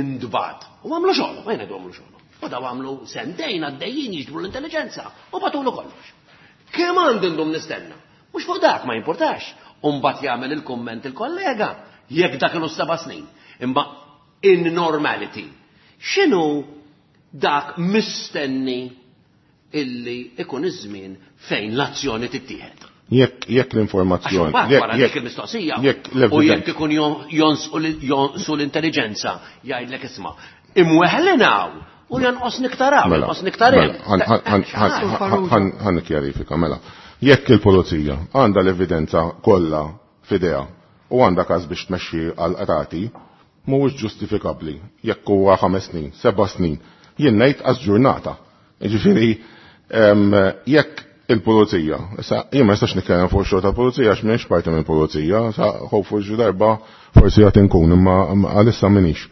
indbat, u għamlu xogħol, ma jgħidu għamlu xogħol. U daw għamlu sentejn għaddejjin jiġbru l-intelligenza u batulu kollox. Kemm għandi ndum nistenna? Mhux fuq dak ma jimpurtax. U mbagħad jagħmel il-kumment il-kollega jekk dak ilu 7 snin. Imma in normality, x'inhu dak mistenni illi ikun iż-żmien fejn l-azzjoni tittieħed? Jekk l-informazzjoni, Għax mbagħad wara dik il-mistoqsija, jekk u l-evidenza. jekk ikun jonqsu l-intelligenza, jgħidlek isma', imweħlinaw u jonqos niktaraw, Mela, jonqos niktar hemm. mela, ħan nikkjarifika, mela. Jekk il-pulizija għandha l-evidenza kollha f'idejha u għandha każ biex tmexxi għal qrati, mhuwiex ġustifikabbli jekk huwa 5 snin, 7 snin, jien ngħid għaż ġurnata. Jiġifieri, jekk il-pulizija, issa jien ma nistax nitkellem fuq xogħol tal-pulizija għax m'iniex parti mill-pulizija, sa hopefully xi darba forsi qed inkun imma għalissa m'iniex.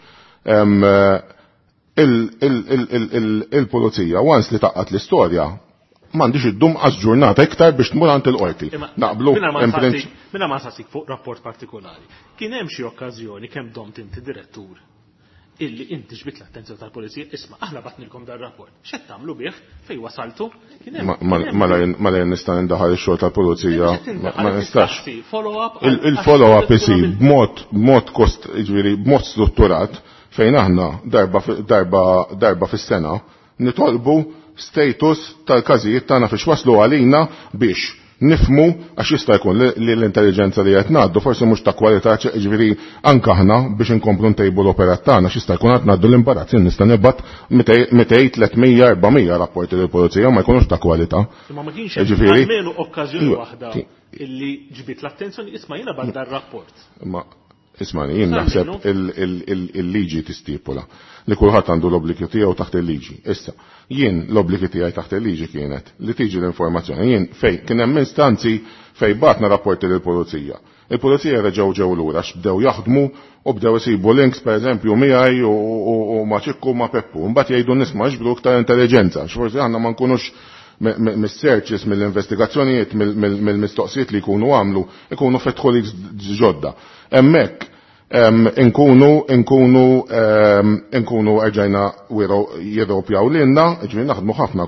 Il-pulizija once li taqqat l-istorja m'għandix iddum għaż ġurnata iktar biex tmur għand il-qorti. Naqblu in prinċ- Minna ma nsaqsik fuq rapport partikolari. Kien hemm xi okkażjoni kemm domt inti direttur illi inti ġbit l-attenzjoni tal-pulizija, isma' aħna batnilkom dar rapport. X'qed tagħmlu bih fejn wasaltu? Kien hemm- kien hemm Mela jien nista' nindaħal ix-xogħol tal-pulizija, X'qed tindaħal? ma nistax. Tistaqsi, follow-up Il-follow-up għal- isir b'mod kost, jiġifieri b'mod strutturat fejn aħna darba fis-sena nitolbu status tal-każijiet tagħna fiex waslu għalina biex nifmu għax jista' jkun li l-intelligenza li qed ngħaddu forsi mhux ta' kwalità, jiġifieri anke aħna biex inkomplu ntejbu l-operat tagħna x'jista' jkun qed ngħaddu l-imbarazz, jien nista' nibgħat 200, 300, 400 rapporti lill-pulizija ma jkunux ta' kwalità. Imma ma kienx hemm Jiġifieri almenu okkażjoni Iva, waħda illi ġbit l-attenzjoni, isma' jiena bad dar-rapport. Imma ismani, jien Sar naħseb minnu? il-liġi tistipula li kulħadd għandu l-obbligi tiegħu taħt il-liġi. Issa, jien l-obbligi tiegħi taħt il-liġi kienet li tiġi l-informazzjoni. Jien fej kien hemm instanzi fej batna rapporti lill-pulizija. Il-pulizija reġgħu ġew lura għax bdew jaħdmu u bdew isibu links pereżempju miegħi u ma' Ċikku u ma' Peppu. Mbagħad jgħidu n-nies ma jiġbru iktar intelligenza, għax forsi aħna ma nkunux mis-searches, mill-investigazzjonijiet, mill-mistoqsijiet li jkunu għamlu, ikunu fetħu li ġodda. Hemmhekk inkunu erġajna jirropjaw lilna, ġifieri naħdmu ħafna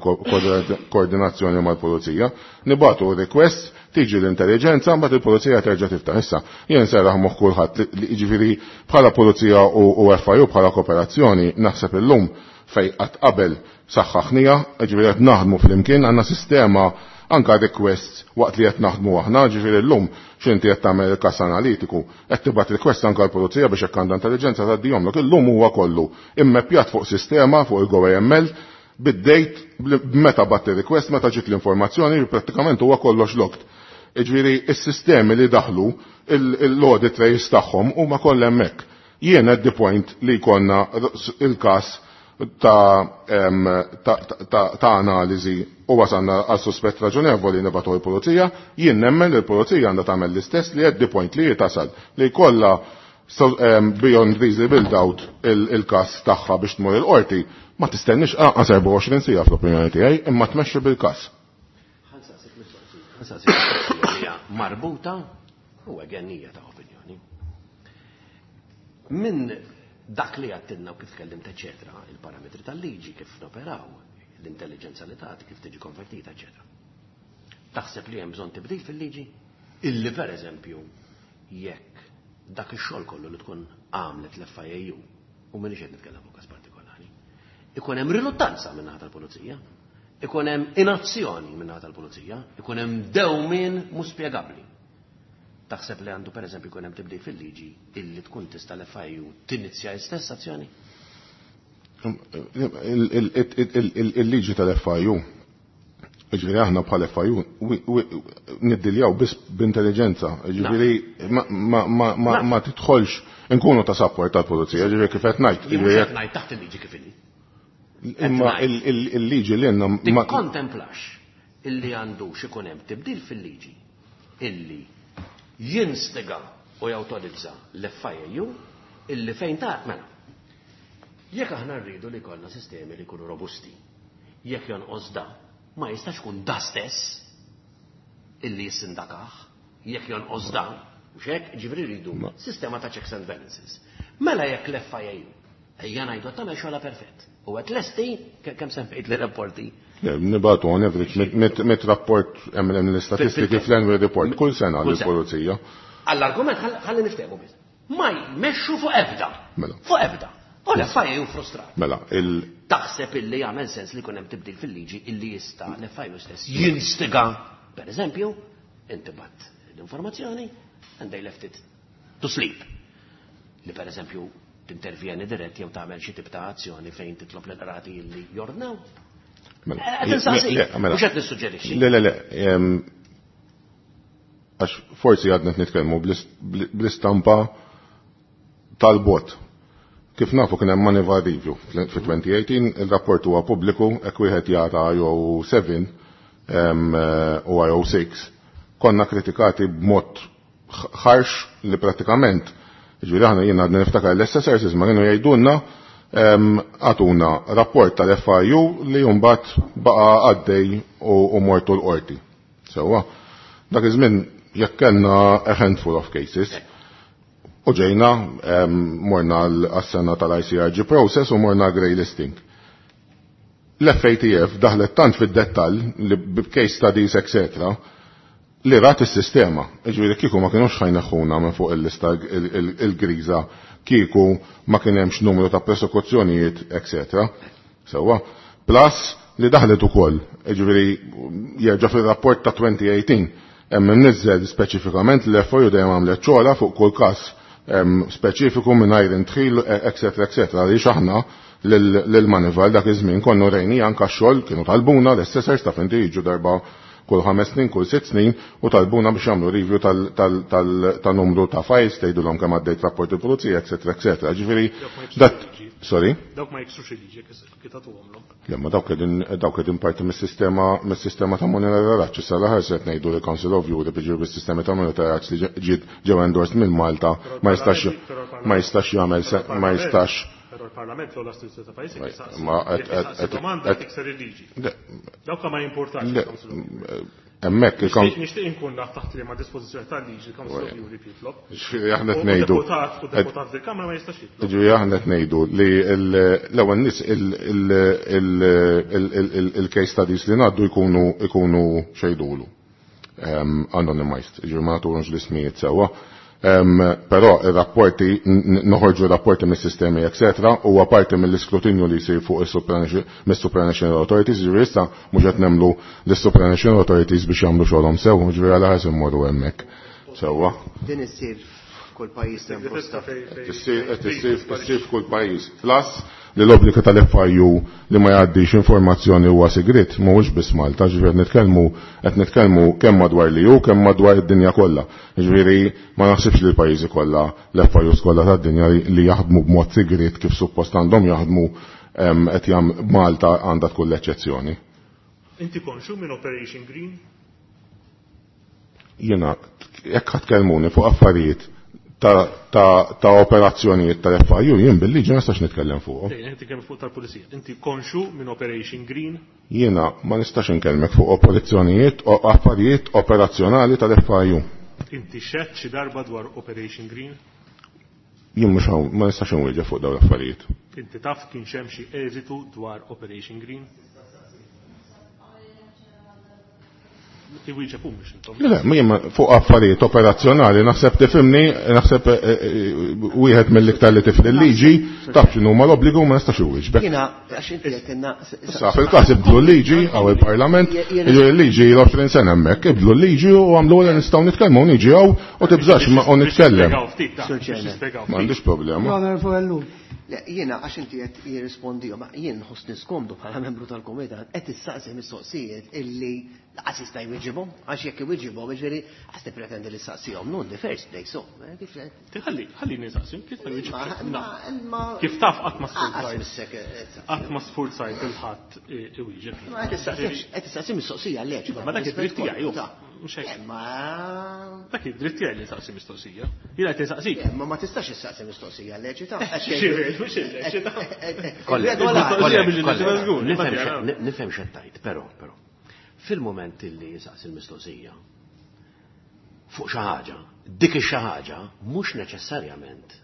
koordinazzjoni mal-pulizija, nibatu request, tiġi l-intelligenza, mbagħad il-pulizija terġa' tiftaħ. Issa, jien serraħ moħħ kulħadd li jiġifieri bħala pulizija u FIU bħala kooperazzjoni naħseb illum fej qatt qabel saħħaħnija, ġifieri qed naħdmu flimkien, għandna sistema anka request waqt li qed naħdmu aħna, ġifieri llum x'inti qed tagħmel il-każ analitiku, qed tibgħat request anka l-pulizija biex hekk għandha intelligenza tgħaddihomlok. Illum huwa kollu immeppjat fuq sistema fuq il-GoAML bid-date meta bat il-request, meta ġiet l-informazzjoni, prattikament huwa kollox locked. Ġifieri is-sistemi li daħlu l-audit trace tagħhom huma kollha hemmhekk. Jien at the point li jkollna il-każ ta' analiżi u wasalna għal suspett raġonevoli nibgħatu l-pulizija, jien nemmen li l-pulizija għandha tagħmel l-istess li at the point li tasal li jkollha So, beyond reasonable doubt il-kas tagħha biex tmur il-qorti, ma tistennix anqas 24 siegħa fl-opinjoni tiegħi, imma tmexxi bil-kas. Ħa nsaqsik mistoqsija li hija marbuta u għennija ta' opinjoni. Min dak li għattinna u kif tkellimt eċetera, il-parametri tal-liġi kif noperaw, l-intelligenza li tagħti kif tiġi konvertita, eċetera. Taħseb li hemm bżonn tibdil fil-liġi? Illi per eżempju, jekk dak ix-xogħol kollu li tkun għamlet l-FIAU, u m'iniex qed nitkellem fuq każ partikolari, ikun hemm riluttanza minn naħa tal-pulizija, ikun hemm inazzjoni minn naħa tal-pulizija, ikun hemm dewmien mhux spjegabbli. Taħseb li għandu per eżempju jkun hemm tibdil fil-liġi illi tkun tista' l-FIU tinizja l-istess azzjoni? Il-liġi tal-FIU, ġifieri aħna bħal FIU niddiljaw biss b'intelligenza, ġifieri ma tidħolx inkunu ta' support tal-pulizija, ġifieri kif qed ngħid. Jien mhux qed ngħid taħt il-liġi kif inhi. Imma il-liġi li għandna ma Tikkontemplax illi għandu x'ikun hemm tibdil fil-liġi illi jinstiga u jawtorizza l-FIAU illi fejn ta' mela. Jekk aħna rridu li jkollna sistemi li jkunu robusti, jekk jonqos da, ma jistax ikun da stess illi jissindakah, jekk jonqos da, mhux hekk, ġifieri rridu sistema ta' checks and balances. Mela jekk l-FIAU, ejja ngħidu qed tagħmel xogħla perfett. U qed lesti, kemm semmejt li rapporti? Nibatu on average mit rapport hemm l-istatistiki fl-annual report kull sena lill-pulizija. Għall-argument ħalli niftehmu biss. Ma jmexxu fuq ebda. Mela. Fuq ebda. U l-FIAU frustrat. Mela, il Taħseb illi jagħmel sens li jkun hemm tibdil fil-liġi illi jista' l-FIAU stess jinstiga, per eżempju, inti bat l-informazzjoni and they left it to sleep. Li per eżempju tintervjeni dirett jew tagħmel xi tip ta' azzjoni fejn titlob l-qrati illi jordnaw. Mela, Qed insaqsik, le, mela. mhux qed nissuġġerixxi. Le, le, le, għax forsi għadna qed nitkellmu bl-istampa tal-bot. Kif nafu kien hemm Moneyval review fi 2018, il-rapport huwa pubbliku, hekk wieħed jara IO7 u IO6, konna kritikati b'mod ħarx li pratikament, ġifieri aħna jiena għadna niftakar l-assessors ma kienu jgħidulna għatuna rapport tal-FIU li mbagħad baqa' għaddej u mortu l-qorti. Sewwa, dak iż-żmien jekk kellna a handful of cases, u ġejna morna għas-sena tal-ICRG process u morna grey listing. L-FATF daħlet tant fid-dettall li b'case studies, etc., li rat is-sistema. Ġifieri kieku ma kinux ħajneħħuna minn fuq il-lista il-griża, kieku ma kien hemmx numru ta' persekuzzjonijiet, etc. Sewwa. Plus li daħlet ukoll, ġifieri jerġa' fir-rapport ta' 2018, hemm imniżżel speċifikament li l-FIU dejjem għamlet xogħla fuq kull każ speċifiku mingħajr intħil, etc., etc. Għaliex aħna lil Moneyval dak iż-żmien konnu rejni anke x-xogħol kienu talbuna l-assessors ta' fejn jiġu darba kull 5 snin, kull 6 snin u talbuna biex jagħmlu review ta' numru ta' files, tgħidulhom kemm għaddejt rapport il-pulizija, etc., etc. Ġifieri, dat sorry? Dawk ma jiksrux il-liġi kif tagħtuhomlhom. Le, ma dawk qegħdin parti mis-sistema ta' monitoraġġ. Issa l-aħħar se qed ngħidu li Council of Europe jiġu bis-sistema ta' monitoraġġ li ġew endorsed minn Malta ma jistax ma jistax jagħmel se, ma jistax. Però l-Parlament l-ogħla istituzzjoni ta' pajjiż Ma, jistaqsi. ma, Jekk jistaqsi domanda tikser il-liġi. Le. Dawk ma jimportax Le, il-Council of Europe. hemmhekk il-Council Nixtieq inkun naf taħt liema dispożizzjoni tal-liġi il-Council of Europe jitlob. Ġifieri aħna qed U ngħidu. deputat fil-Kamra ma jistax jitlob. Ġifieri aħna qed ngħidu li l-ewwel nies il-case studies li ngħaddu jkunu xejdulu. Anonymized, ġifieri ma nagħtuhomx l-ismijiet sewwa. Però ir-rapporti, noħorġu rapporti mis-sistemi, eccetera, huwa parti mill-iskrutinju li jsir fuq mis-supranational authorities, ġifieri issa mhux qed nemmlu lis-supranational authorities biex jagħmlu xogħolhom sew, ġifieri għal ħares immorru hemmhekk. Sewwa. Din issir f'kull pajjiż hemm posta. Issir f'kull pajjiż. Plus li l-obbligu tal-FIU li ma jgħaddix informazzjoni huwa sigrit, mhuwiex biss Malta, ġifieri qed nitkellmu kemm madwar li hu, kemm madwar id-dinja kollha. Ġifieri ma naħsibx li l-pajjiżi kollha, l-FIUs kollha tad-dinja li jaħdmu b'mod sigrit kif suppost għandhom jaħdmu, qed jam Malta għandha tkun l-eċċezzjoni. Inti konxu minn Operation Green? Jiena, jekk ħadd kellmuni fuq affarijiet ta' operazzjonijiet tal-FIU jien bil-liġi ma nistax nitkellem fuqhom. Dejn, inti kemm fuq tal-pulizija. Inti konxu minn Operation Green? Jiena ma nistax inkellmek fuq operazzjonijiet u affarijiet operazzjonali tal-FIU. Inti xedt xi darba dwar Operation Green? Jien mhux hawn ma nistax inwieġeb fuq dawn l-affarijiet. Inti taf kien hemm xi eżitu dwar Operation Green? Iwieġeb hu mhux intom. Le, ma jien fuq affarijiet operazzjonali naħseb tifhimni, naħseb wieħed mill-iktar li tifli l-liġi, taf x'inhu huma l-obbligu ma nistax iwieġbek. Jiena għax inti qed inna Issa fil-każ ibdlu l-liġi għaw il-Parlament, jiġifieri l-liġi l-20 sena hemmhekk, ibdlu l-liġi u għamlu li nistgħu nitkellmu niġi hawn u tibżax ma u nitkellem. M'għandix problema. L-Onorevoli Ellul. Le, jiena għax inti qed jirrispondihom, jien nħossni skomdu bħala membru tal-kumitat qed issaqsi mistoqsijiet illi laqas jista' jwiġibhom, għax jekk iwiġibhom, jiġifieri għas tippretendi li ssaqsihom, no in the first place, so, kif Ħalli, ħalli nistaqsi, kif ta' jwiġib? Ma Kif taf qatt ma Qas sfurzajt. missek, Qatt ma sfurzajt il-ħadd iwieġeb. Ma qed issaqsi mistoqsija leġ. Ma dak id-dritt tiegħi, ju. Mhux hekk. Ma Dak id-dritt tiegħi li saqsi mistoqsija. Jiena qed insaqsik. Ma ma tistax issaqsi mistoqsija leġita. Xi, mhux il-leġita. Kollega, Mistoqsija kollega, biex kollega, nġiba żgur, nifhem ma nifhem x'qed tgħid, però fil-moment illi jisaqsi l-mistoqsija fuq xi ħaġa, dik ix-xi ħaġa mhux neċessarjament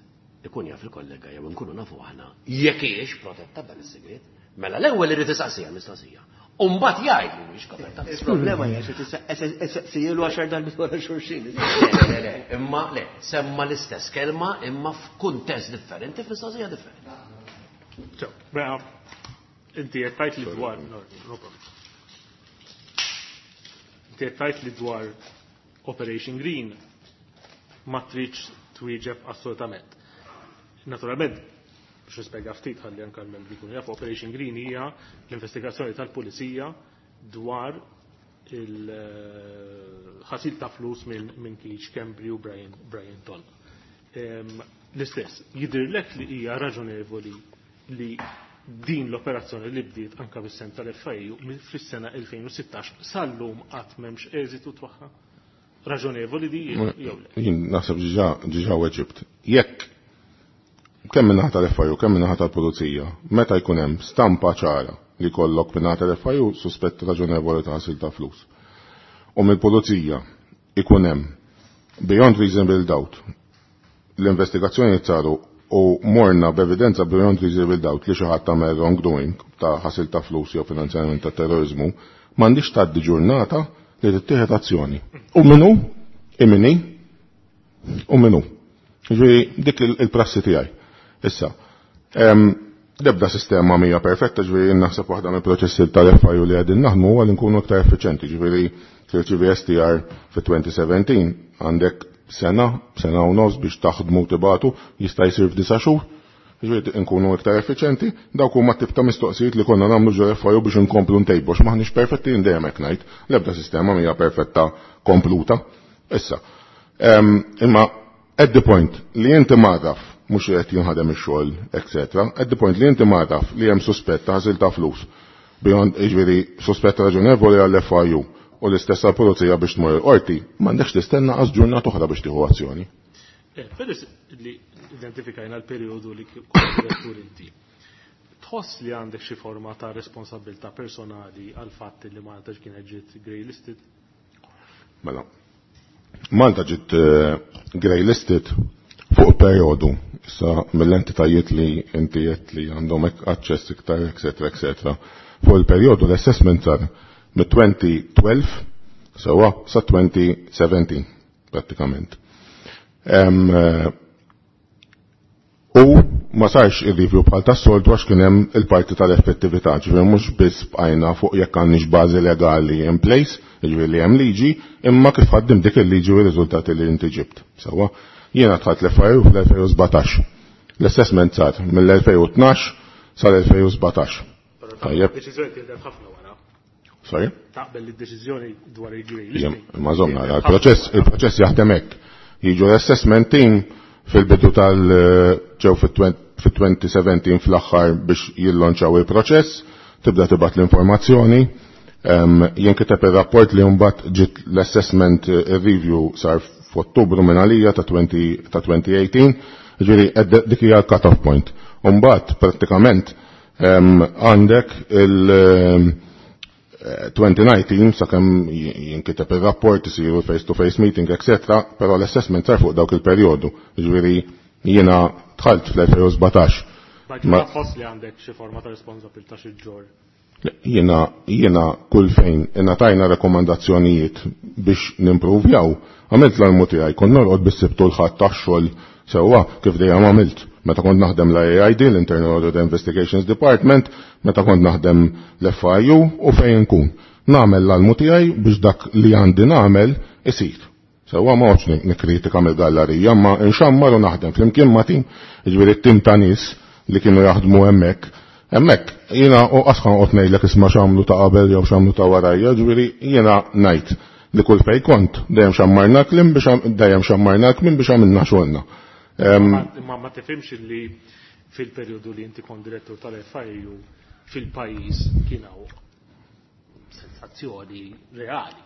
ikun jaf il-kollega jew inkunu nafu aħna jekk hijiex protetta b'dan is-sigriet. Mela l-ewwel irid isaqsiha l-mistoqsija. U mbagħad jgħid li mhix koperta. Il-problema hija xi tissaqsijielu 10 darbiet wara xulxin. Le, le, le, imma le, semma l-istess kelma imma f'kuntest differenti, f'mistoqsija differenti. So, mela, inti qed tgħid li dwar, no, no problem. Inti qed tgħid li dwar Operation Green ma tridx twieġeb assolutament. Naturalment, biex nispjega ftit ħalli anke l-membri jkunu jafu, Operation Green hija l-investigazzjoni tal-Pulizija dwar il-ħasil ta' flus minn Keith Schembri u Brian Tonna. L-istess, jidhirlek li hija raġonevoli li din l-operazzjoni li bdiet anka bis-sem tal-FIU fis-sena 2016 sal-lum qatt m'hemmx eżitu tagħha? Raġonevoli di jew le? Jien naħseb ġiġa weġibt. Jekk kemm min-naħa tal-FIU, kemm min-naħa tal-Pulizija, meta jkun hemm stampa ċara li kollok min-naħa tal-FIU suspett raġonevoli ta' ħasil ta' flus. U mill-Pulizija ikun hemm beyond reasonable doubt l-investigazzjoni saru u morna b'evidenza beyond reasonable doubt li xi ħadd tagħmel wrongdoing ta' ħasil ta' flus jew finanzjament ta' terrorizmu, m'għandix tgħaddi ġurnata li tittieħed azzjoni. U minnu, imini, u minnu. Ġifieri dik il-prassi tiegħi. Issa, l-ebda sistema mhija perfetta, ġifieri naħseb waħda mill-proċessi tal-FIU li qegħdin naħdmu huwa li nkunu aktar effiċjenti, ġifieri tirċievi STR fi 2017 għandek sena, sena u nofs biex taħdmu tibatu, jista' jsir f'disa' xhur. Ġifieri nkunu iktar effiċjenti, dawk huma tip ta' mistoqsijiet li konna nagħmlu ġo FIU biex inkomplu ntejbu, għax m'aħniex perfetti dejjem hekk ngħid, l-ebda sistema mhija perfetta kompluta. Issa, imma at the point li inti magħraf mhux qed jinħadem ix-xogħol, et cetera, at the point li inti magħraf li hemm suspett ta' ħasil ta' flus, beyond jiġifieri suspett raġonevoli għall-FIU u l-istess għall-pulizija biex tmur il-qorti, m'għandekx tistenna qas ġurnata oħra biex tieħu azzjoni. Peress li identifikajna l-perjodu li kont direttur inti, tħoss li għandek xi forma ta' responsabilità personali għal fatt li Malta kienet ġiet grey listed? Mela, Malta ġiet grey listed fuq perjodu, issa mill-entitajiet li inti qed li għandhom aċċess iktar, et cetera, et cetera. Fuq il-perjodu l-assessment sar mit-2012 sewa sa 2017 prattikament. U ma sarx il-review bħal tas-soltu għax kien hemm il-parti tal-effettività, ġifieri mhux biss bqajna fuq jekk għandniex bażi legali in place, ġifieri li hemm liġi, imma kif ħaddim dik il-liġi u r-riżultati li inti ġibt. Sewwa, jiena dħalt l-FIU fl-2017. L-assessment sar mill-2012 sal-2017. Tajjeb. Deċiżjoni tieħdet ħafna wara. Sorry? Taqbel li d-deċiżjoni dwar il-grey Jem, listing. ma żomna, il-proċess jaħdem hekk. Jiġu l-assessment team fil-bidu tal-ġew fit-2017 fl-aħħar biex jillonċaw il-proċess, tibda tibgħat l-informazzjoni, jinkiteb ir-rapport li mbagħad ġiet l-assessment review sar f'Ottubru minn għalija ta' 2018, ġifieri dik hija cut-off point. Umbagħad prattikament għandek il-2019 sakemm jinkiteb ir-rapport isiru face-to-face meeting, etc., però l-assessment sar fuq dawk il-perjodu. Ġifieri jiena dħalt fl-2017. Ma tħoss li għandek xi forma ta' responsabilità xi ġġorr? Jiena kull fejn ingħatajna rekomandazzjonijiet biex nimpruvjaw, għamilt l-almu tiegħi, kont norqod bis-Sibt u l-Ħadd tax-xogħol sewwa kif dejjem għamilt. Meta kont naħdem l-IAID, l-Internal Audit Investigations Department, meta kont naħdem l-FIU u fejn nkun. Nagħmel l-almu tiegħi biex dak li għandi nagħmel isir. Sewwa ma noqgħodx nikkritika mill-gallerija, ma nxammar u naħdem flimkien ma' tim, jiġifieri t-tim ta' nies li kienu jaħdmu hemmhekk. Hemmhekk jiena u qas ħa noqgħod ngħidlek isma' x'għamlu ta' qabel jew x'għamlu ta' warajja, ġifieri jiena ngħid li kull fejn kont dejjem xammarna kliem biex dejjem xammarna kliem biex għamilna xogħolna. Imma ma tifhimx li fil-perjodu li inti kont direttur tal-FIU fil-pajjiż kien hawn sensazzjoni reali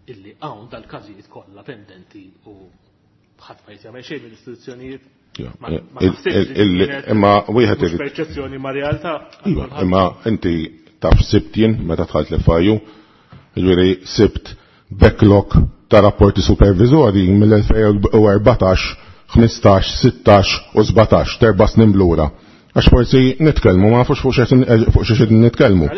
illi hawn dal-każijiet kollha pendenti u ħadd ma jagħmel xejn mill-istituzzjonijiet. Ma naħsibx li kienet Imma wieħed mhux irid perċezzjoni ma' realtà. Iva, imma inti taf sibt jien meta dħalt l-FIU, jiġifieri sibt backlog ta' rapporti supervizori mill-2014, 15, 16 u 17, terba' snin lura. Għax forsi nitkellmu, ma nafux fuq xi qegħdin nitkellmu.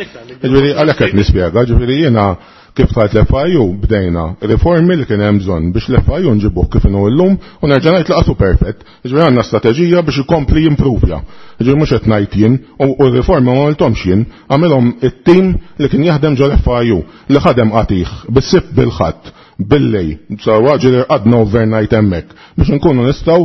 Jiġifieri għalhekk qed nispjega, jiġifieri jiena kif dħalt l-FIU bdejna riformi li kien hemm bżonn biex l-FIU nġibuh kif inhu llum u nerġa' ngħid laqatu perfett. Jiġifieri għandna strateġija biex ikompli jimpruvja. Jiġifieri mhux qed ngħid jien u r-riformi ma għamilthomx jien, għamilhom it-tim li kien jaħdem ġol FIU li ħadem qatih bis-sibt bil-ħadd billej, sewwa ġieli rqadna overnight hemmhekk biex inkunu nistgħu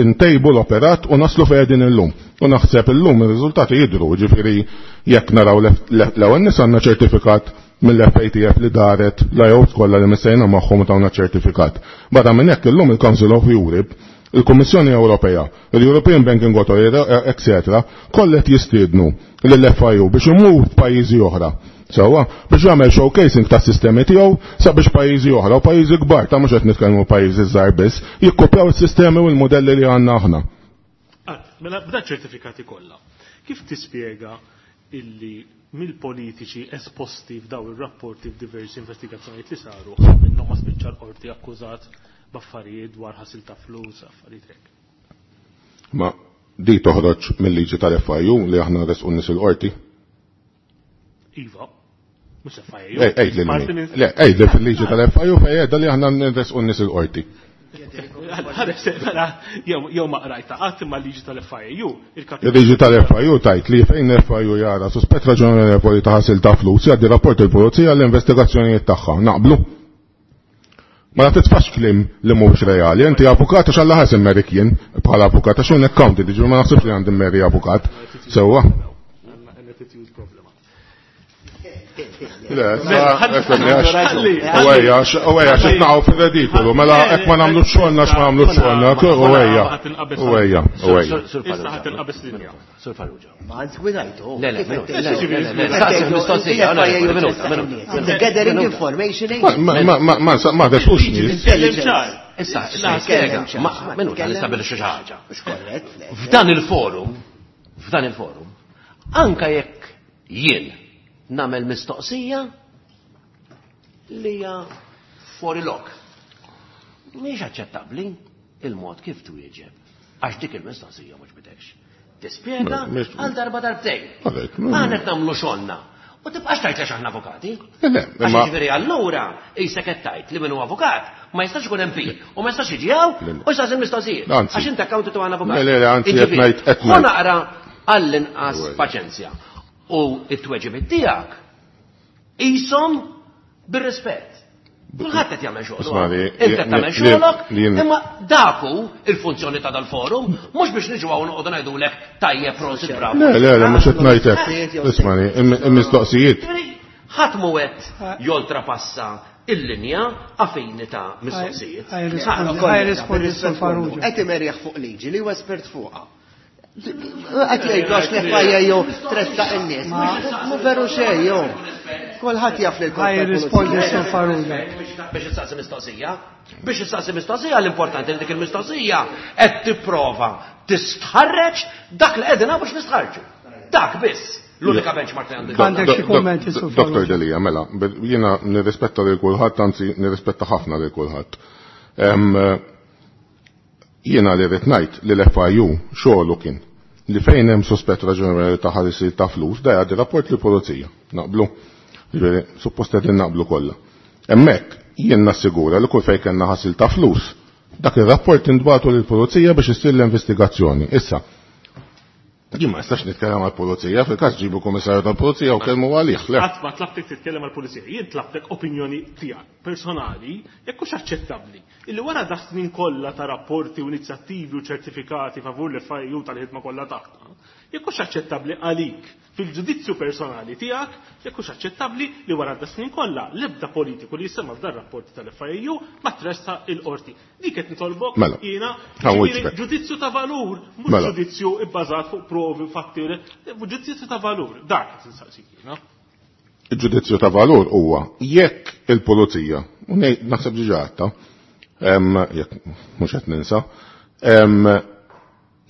intejbu l-operat u naslu fejn qegħdin illum. U naħseb illum ir-riżultati jidhru, jiġifieri jekk naraw l-ewwel nies għandna ċertifikat mill-FATF li daret l-IOs kollha li missejna magħhom u tawna ċertifikat. Barra minn hekk illum il-Council of Europe, il-Kummissjoni Ewropea, il-European Banking Authority, etc., kollet jistiednu lill-FIU biex imur f'pajjiżi oħra. Sewwa, biex jagħmel showcasing tas sistemi tiegħu sabiex pajjiżi oħra u pajjiżi kbar, ta' mhux qed nitkellmu pajjiżi żgħar biss, jikkopjaw is-sistemi u l-modelli li għandna aħna. Mela b'da ċertifikati kollha, kif tispjega illi mill-politiċi esposti f'daw ir-rapporti f'diversi investigazzjonijiet li saru, ħadd minnhom ma spiċċa l-qorti akkużat b'affarijiet dwar ħasil ta' flus, affarijiet hekk? Ma di toħroġ mill-liġi tal-FIU li aħna resqu nies il-qorti? Iva. Mhux FIU. Ej, li Le, ej, li fil-liġi tal-FIU fejn qiegħda li aħna nresqu nies il-qorti. Jew ma qrajta qatt imma l-liġi tal-FIU. Il-liġi tal-FIU tajt li fejn l-FIU jara suspett raġonevoli ta' ħasil ta' flus jgħaddi rapport il-pulizija l-investigazzjonijiet tagħha. Naqblu? Ma titfax kliem li mhux reali. Inti avukat għax Alla ħares immerik jien bħala avukat għax hawn accountant, jiġifieri ma naħsibx li għandi mmeri avukat. Sewwa. Le, u ejja, xi tnaqgħu fir-redikolu, mela hekk ma nagħmlux xogħolna x'ma nagħmlux xogħolna, u ejja, u ejja, u ejja. Issa ħadd inqabes linja. Sur Farrugia. Ma għandx gwidajtu. Le, le, le, saqsi mistoqsija, minuta, minuta. The gathering information. Ma, ma, ma, ma, desux nies. Issa, spjega, minuta, nistabilixxu xi ħaġa. F'dan il-forum, f'dan il-forum, anka jekk jien nagħmel mistoqsija li hija fuori lok. Mhix aċċettabbli il-mod kif twieġeb għax dik il-mistoqsija mhux bidekx. Tispjega għal darba darbtejn. Aħna qed nagħmlu xogħolna. U tibqax tgħid għax aħna avukati. Għax jiġifieri allura qisek qed tgħid li min hu avukat ma jistax ikun MP u ma jistax jiġi hawn u jsaqsi l-mistoqsijiet. Għax inti accountant u aħna avukat. Le, le, anzi qed ngħid qed ngħid. Naqra għall-inqas paċenzja. U t-tweġibiet tiegħek qishom bir-rispett. Kulħadd qed jagħmel xogħlu. Inti qed tagħmel xogħlok, imma dak hu il-funzjoni ta' dal-forum, mhux biex niġu hawn noqogħdu ngħidulek tajjeb prosit bravo. Le, le, le, mhux qed ngħidlek. Ismani, il-mistoqsijiet. Ħadd mhu qed joltrapassa il-linja għafini ta' mistoqsijiet. Qed imerjaħ fuq liġi li huwa espert fuqha. Qed jgħidu għax l-FIA jew tressaq in-nies. Mhu veru xejn jew. Kulħadd jaf li l-Korp. Rispondi Sur Farrugia. Biex issaqsi mistoqsija. Biex issaqsi mistoqsija l-importanti li dik il-mistoqsija qed tipprova tistħarreġ dak li qegħdin biex nistħarġu. Dak biss. L-unika benchmark li għandi. Għandek xi kummenti Sur Dr. Delia, mela, jiena nirrispetta lil kulħadd, anzi nirrispetta ħafna lil kulħadd. Jiena li rrid ngħid li l-FIU xogħlu kien li fejn hemm suspett raġonevoli ta' ħarisir ta' flus, da jgħaddi rapport li pulizija. Naqblu. Ġifieri, suppost qegħdin naqblu kollha. Hemmhekk jien nassigura li kull fejn kellna ħasil ta' flus, dak ir-rapport intbagħtu lill-pulizija biex issir l-investigazzjoni. Issa, jien ma nistax nitkellem għall-pulizija, fil-każ ġibu kummissarju tal-pulizija u kellmu għalih. Qatt ma tlabtek titkellem għall-pulizija, jien tlabtek opinjoni tiegħek personali jekk hux aċċettabbli illi wara da snin kollha ta' rapporti u inizjattivi u ċertifikati favur l-FIU tal-ħidma kollha tagħna, jekk hux aċċettabbli għalik fil-ġudizzju personali tiegħek, jekk hux aċċettabbli li wara da snin kollha l-ebda politiku li jisemma f'dan rapporti tal-FIU ma tressa il-qorti. Dik qed nitolbok Mela. jiena ġifieri ġudizzju ta' valur, mhux Mela. ġudizzju ibbażat fuq provi, fatti, ġudizzju ta' valur. Dak qed insaqsik jiena. Il-ġudizzju ta' valur huwa jekk il-pulizija, u naħseb diġà għadta, jekk mhux qed ninsa,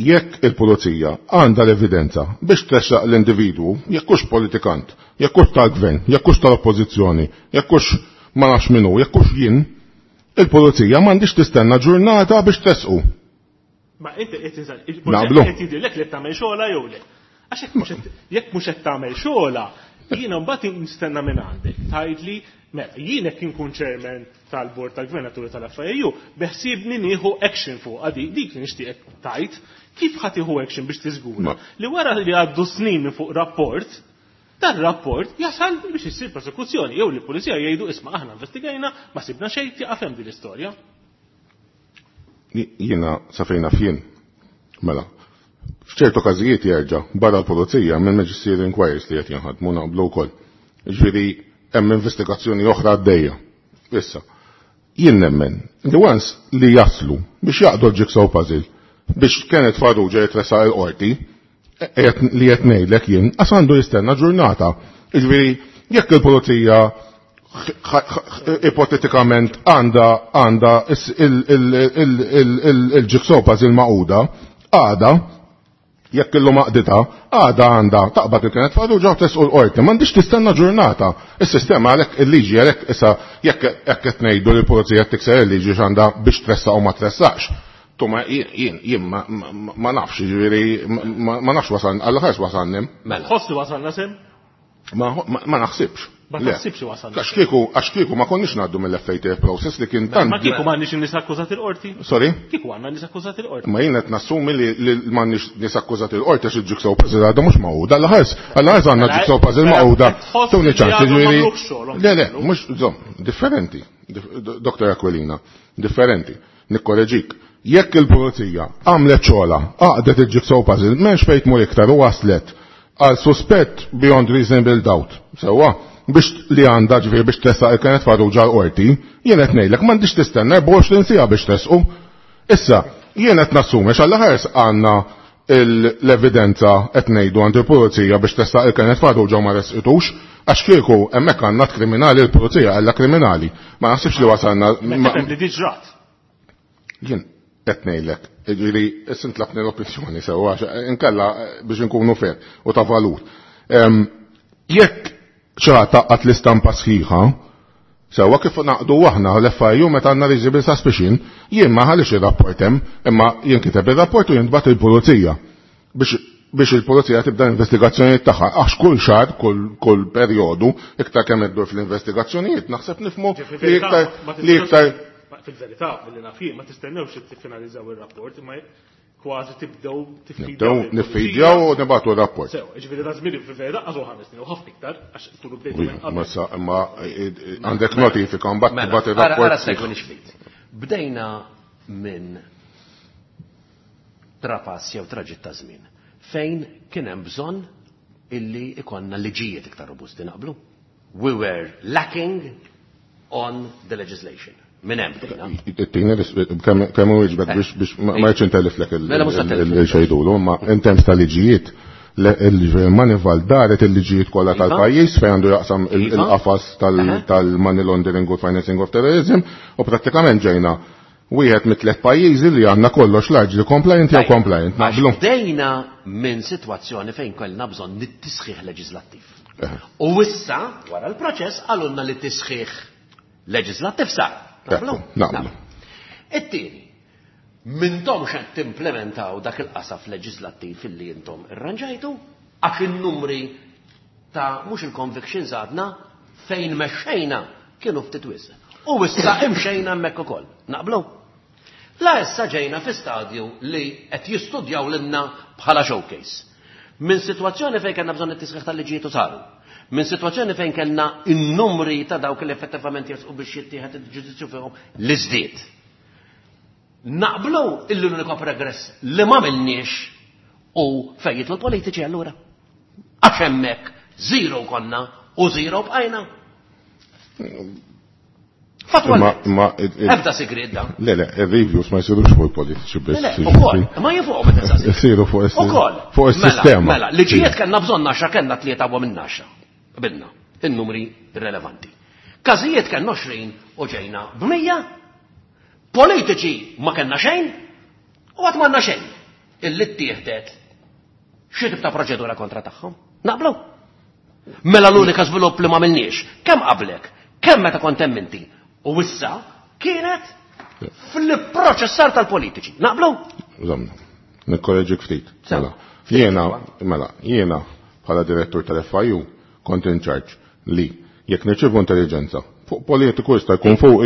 jekk il-pulizija għandha l-evidenza biex tressaq l-individwu, jekk hux politikant, jekk hux tal-gvern, jekk hux tal-oppożizzjoni, jekk hux ma nafx min hu, jekk hux jien, il-pulizija m'għandix tistenna ġurnata biex tressqu. Ma inti qed tinsal, il-pulizija Naqblu. qed jidhirlek li qed tagħmel xogħla jew le. Għax jekk mhux qed tagħmel xogħla, jiena mbagħad nistenna minn għandek. Tgħidli, mela, jien jekk inkun chairman tal-Bord tal-Gvernaturi tal-FIU, beħsiebni nieħu action fuq għadi, dik li nixtieqek tgħid, kif ħa tieħu action biex tiżgura li wara li għaddu snin minn fuq rapport, dan rapport jasal biex issir prosekuzzjoni, jew li l-pulizija jgħidu isma' aħna investigajna, ma sibna xejn, tieqaf hemm din l-istorja. Jiena sa fejn naf jien. Mela, f'ċertu każijiet jerġa' barra l-pulizija minn magisterial inquiries li qed jinħadmu naqblu wkoll. Ġifieri hemm investigazzjoni oħra għaddejja. Issa, jien nemmen li once li jaslu biex jaqdu l-jigsaw puzzle biex Kenneth Farrugia jitressaq il-qorti, li qed ngħidlek jien, qas għandu jistenna ġurnata. Ġifieri jekk il-pulizija ipotetikament għandha il-jigsaw puzzle maquda, għada, jekk illum għaqditha, għada għandha taqbad il-Kenneth Farrugia u tressqu l-qorti, m'għandix tistenna ġurnata. Is-sistema għalhekk il-liġi għalhekk issa jekk qed ngħidu li l-pulizija tikser il-liġi x'għandha biex tressaq u ma tressaqx. Tuma jien ma nafx, jiġifieri, ma nafx wasalna, għal ħares wasalni. Mela. Tħoss li wasalna sem? Ma naħsibx. Ma Le. taħsibx li wasalna. Għax kieku ma konniex ngħaddu mill-FATF process li kien tant. Ma kieku m'għandniex nies akkużati l-qorti? Sorry? Kieku għandna nies akkużati l-qorti. Ma jien qed nassumi li m'għandniex nies akkużati l-qorti għax il-jigsaw puzzle għadha mhux magħquda. Għal ħares għandna Mela, jigsaw puzzle mela, magħquda. qed tħoss Tuni li ċans, għadhom jiġifieri m'għamlux xogħolhom. Le, le, mhux, żomm, differenti. Dr. Aquilina, differenti. Nikkoreġik. Jekk il-pulizija għamlet xogħla, għaqdet il-jigsaw puzzle, m'hemmx fejn tmur iktar u waslet għal suspett beyond reasonable doubt. Sewwa, biex li għandha ġifieri biex tressaq il-Kenneth Farrugia l-qorti, jien qed ngħidlek m'għandix tistenna 24 siegħa biex tressqu. Issa, jien qed nassumi x'għal ħares għandna l-evidenza qed ngħidu għand il-pulizija biex tressaq il-Kenneth Farrugia u ma resqitux, għax kieku hemmhekk għandna kriminali l-pulizija għalla kriminali. Ma naħsibx li wasalna Ma ma- tifhem li diġrat. Jien qed ngħidlek, jiġifieri issa ntlabni l-opinjoni sewwa għax inkella biex inkunu fair u ta' valur. Jekk xi ħadd taqqat l-istampa sħiħa, sewwa kif naqdu aħna l-FIU meta għandna reasonable suspicion, jien ma ħalix ir-rapport hemm, imma jinkiteb ir-rapport u jintbagħat il-pulizija biex il-pulizija tibda l-investigazzjonijiet tagħha, għax kull xahar, kull perjodu, iktar kemm iddur fl-investigazzjonijiet, naħseb nifhmu Ġifieri li iktar ma li iktar Ma fil-verità, mill-li naf jien, ma tistennewx li tiffinalizzaw ir-rapport, imma kważi tibdew tiffidjaw Nibdew lill-pulizija. niffidjaw u nibgħatu r-rapport. Sew, ġifieri da żmien fil-verità għażu 5 snin u ħafna iktar għax tulu bdejtu minn qabel. Ma sa, imma għandek notifika mbagħad Mela, tibgħat ir-rapport. Ara segwi nixfit. Bdejna minn trapass jew traġitt ta' żmien fejn kien hemm bżonn illi ikonna liġijiet iktar robusti naqblu. We were lacking on the legislation. Minn hemm bdejna. It-tieni kemm hu jiġbek biex ma jridx intelliflek Mela, mhux ħa telliflek. il-xejdulu, imma in terms ta' liġijiet, Il-Manival daret il-liġijiet kollha tal-pajjiż fejn għandu jaqsam il-qafas tal-money laundering u financing of terrorism u prattikament ġejna wieħed mit-tliet pajjiżi li għandna kollox largely compliant jew compliant. Naqblu. Bdejna minn sitwazzjoni fejn kellna bżonn nit-tisħiħ leġislattiv. U issa, wara l-proċess, qalulna li tisħiħ leġislattiv sar. Naqblu? Naqblu. It-tieni, m'intomx qed timplementaw dak il-qasaf leġislattiv illi intom irranġajtu, għax in-numri ta' mhux il-convictions għadna fejn mexxejna kienu ftit wisq. U issa imxejna hemmhekk ukoll. Naqblu? La issa ġejna fi stadju li qed jistudjaw lilna bħala showcase. Minn sitwazzjoni fejn kellna bżonn it-tisħiħ tal-liġijiet u saru. Minn sitwazzjoni fejn kellna n-numri ta' dawk li effettivament jersqu biex jittieħed il-ġudizzju fihom li żdied. Naqblu illi l-unika progress li ma minniex u fejn jidħlu l-politiċi allura. Għax hemmhekk zero konna u zero bqajna. Fatwalment. Ebda sigriet da. Le, le, il-reviews ma jsirux fuq il-politiċi biss. Le, ukoll, ma jien fuqhom qed insaqsi. Isiru fuq Ukoll. is-sistema. Mela, liġijiet kellna bżonn għaxra kellna tlieta u minn għaxra. Qbilna, in-numri rilevanti. Każijiet kellna 20 u ġejna b'mija. Politiċi ma kellna xejn u għad m'għandna xejn. Illi ttieħdet xi tip ta' proċedura kontra tagħhom. Naqblu? Mela l-unika żvilupp li ma għamilniex, kemm qablek, kemm meta kont hemm inti, u issa kienet fil-proċessar tal-politiċi. Naqblu? Żomna, nikkoreġik ftit. Mela, jiena, mela, jiena bħala direttur tal-FIU kont in charge li jekk nirċievu intelligenza fuq politiku jista' jkun fuq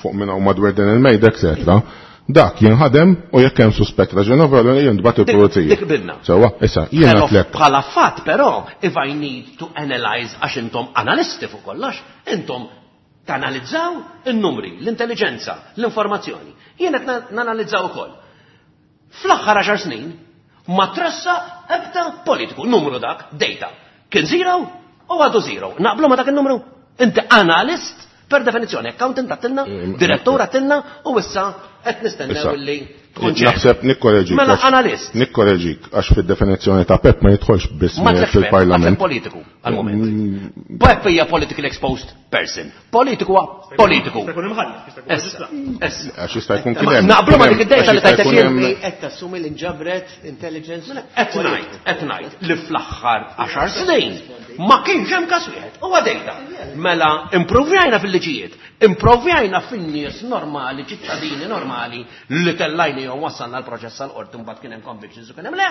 fuq minn hawn madwar din il-mejda, eccetera, dak jinħadem u jekk hemm suspett raġonevoli jintbagħat il-pulizija. Dik bilna. Sewwa, issa jiena tlek. Bħala fatt però, if I need to analyze għax intom analisti fuq kollox, intom tanalizzaw in-numri, l-intelligenza, l-informazzjoni. Jien qed nanalizzaw ukoll. Fl-aħħar 10 snin ma tressa ebda politiku, numru dak, data. Kien zero u għadu zero. Naqblu ma dak il-numru? Inti analist per definizzjoni, accountant għattilna, direttur għattilna, u issa qed nistennew illi tkun ċert. Naħseb nikkoreġik. Mela analist. Nikkoreġik għax fid-definizzjoni ta' PEP ma jidħolx biss Ma tlekx PEP, fil-parlament. għatlek politiku għal-moment. PEP hija politically exposed person. Politiku huwa politiku. Jista' jkun imħallef, jista' jkun Issa, maġistrat. issa. Għax jista' jkun kien hemm. Naqblu ma kien dik id-dejta hemm- li għax jista' tajtek jkun jien. hemm- Qed tassumi li nġabret intelligence. Qed ngħid, qed ngħid li fl-aħħar 10 snin ma kienx hemm każ wieħed. Huwa dejta. Mela improvjajna fil-liġijiet, improvjajna fin-nies normali, ċittadini normali li tellajni jew wassalna l-proċess għall-qorti mbagħad kien hemm convictions u kien hemm le.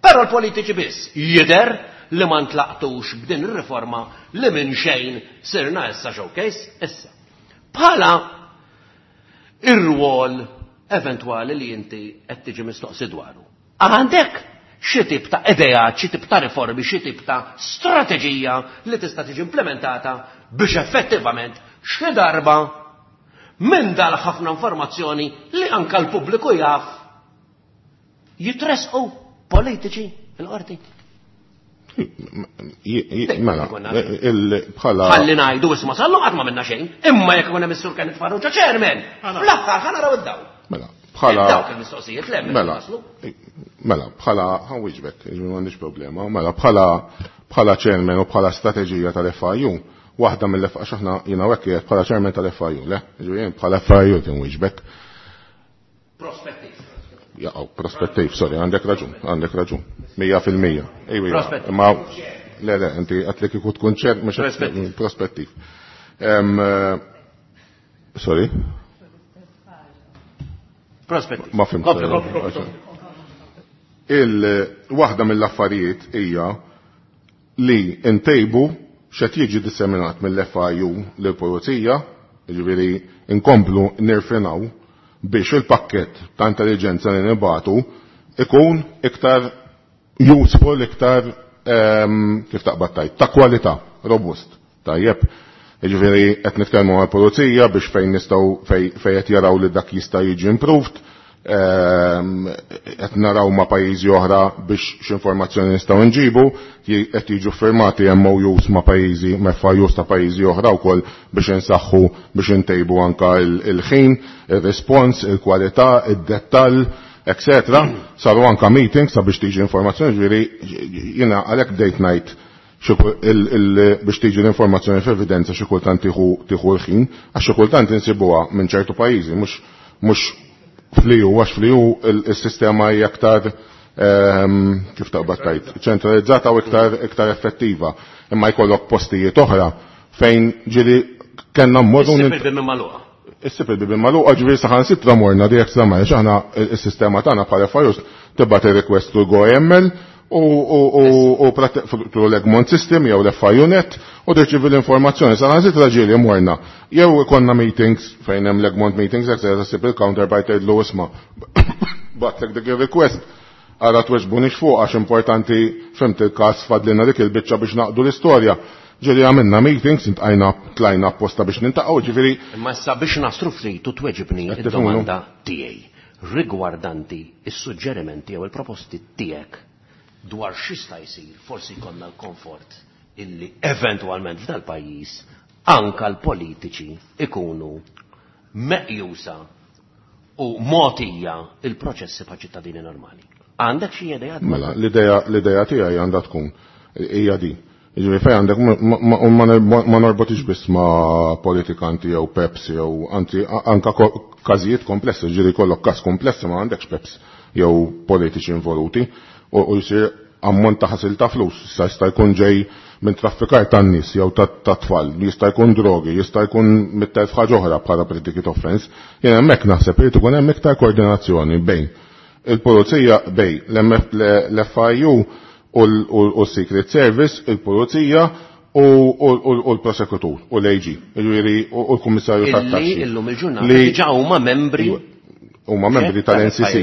Però l-politiċi biss jidher li ma ntlaqtux b'din ir-riforma li minn xejn sirna issa showcase issa. Bħala ir-rwol eventwali li inti qed tiġi mistoqsi dwaru. Għandek xi tip ta' ideat, xi tip ta' riformi, xi tip ta' strateġija li tista' tiġi implementata biex effettivament xi darba minn dal ħafna informazzjoni li anka l-pubbliku jaf jitresqu politiċi il-qorti. Mela, bħala. Ħalli ngħidu isma' sallu qatt ma minna xejn, imma jekk ikun hemm is-Sur Kenneth Farrugia chairman, fl-aħħar ħa naraw id-dawl. Mela, bħala. Dawk il-mistoqsijiet le Mela, mela, bħala, ħanwiġbek, m'għandix problema, mela, bħala bħala chairman u bħala strateġija tal-FIU, waħda mill-F għax aħna jiena hekk qiegħed bħala chairman tal-FIU, le, ġifieri bħala FIU tinwiġbek. Prospettiv. Jaqgħu, prospettiv, sorry, għandek raġun, għandek raġun. 100%. Ejwa, Prospettiv. imma le, le, inti qed li kieku tkun ċer, mhux qed- Prospettiv. Prospettiv. Sorry? Prospettiv. Ma fimt. Kompli, kompli, kompli. Il-waħda mill-affarijiet hija li ntejbu x'qed jiġi disseminat mill-FIU lill-pulizija, jiġifieri nkomplu nirfinaw biex il-pakket ta' intelligenza li nibatu ikun iktar useful, iktar kif taqbad tajt, ta' kwalità, robust. Tajjeb. Jiġifieri qed nitkellmu mal-pulizija biex fejn nistgħu fejn qed jaraw li dak jista' jiġi improved, qed naraw ma' pajjiżi oħra biex x'informazzjoni nistgħu nġibu, qed jiġu firmati MOUs ma' pajjiżi, ma' FIUs ta' pajjiżi oħra wkoll biex insaħħu biex intejbu anka il-ħin, ir-respons, il-kwalità, id-dettall. etc. Saru anka meetings sabiex tiġi informazzjoni, ġifieri jiena għalhekk bdejt ngħid biex tiġi l-informazzjoni f'evidenza xi kultant tieħu l-ħin, għax xi kultant insibuha minn ċertu pajjiżi, mhux fl-EU, għax fl-EU il-sistema hija aktar kif taqbad tajt, ċentralizzata u iktar effettiva. Imma jkollok postijiet oħra fejn ġieli kellna mmorru. Issib il-bibien magħluqa. Issib il-bibien magħluqa, ġifieri saħansitra morna di extra mile, aħna s-sistema tagħna bħala FIUs tibgħat ir-request to go AML u through l-Egmont system jew l-FIU net u tirċievi l-informazzjoni. Saħansitra ġieli morna. Jew ikollna meetings fejn hemm l-Egmont meetings, eccetera, ssib il-counterpart tgħidlu isma' batlek dik ir-request. Ara tweġbunix fuq għax importanti fimt il-każ fadlina dik il-biċċa biex naqdu l-istorja. Ġieli għamilna meetings, intqajna tlajna apposta biex nintaqgħu, ġifieri. Imma issa biex naslu ftit u tweġibni id-domanda tiegħi rigwardanti is-suġġerimenti jew il-proposti tiegħek dwar x'jista' jsir, forsi jkollna l-komfort illi eventwalment f'dal-pajjiż anka l-politiċi ikunu meqjusa u mogħtija il-proċessi pa' ċittadini normali. Għandek xi idea? Mela, l-idea tiegħi għandha tkun hija di. Jiġifieri fejn għandek ma norbotix biss ma' politikanti jew peps jew anzi anka każijiet komplessi, ġieli jkollok każ komplessi ma għandekx peps jew politiċi involuti u jsir ammont ta' ħasil ta' flus, issa jista' jkun ġej minn traffikar tan-nies jew ta' tfal, jista' jkun drogi, jista' jkun mit-telf ħaġa oħra bħala predicate offense. Jien hemmhekk naħseb irid ikun hemm iktar koordinazzjoni bejn il-pulizija, bejn l-FIU u l-Secret Service, il-pulizija u l-prosekutur u l-AG, jiġifieri u l-Kummissarju tat-Taxxi. Illi illum il-ġurnata diġà huma membri. Huma membri tal-NCC,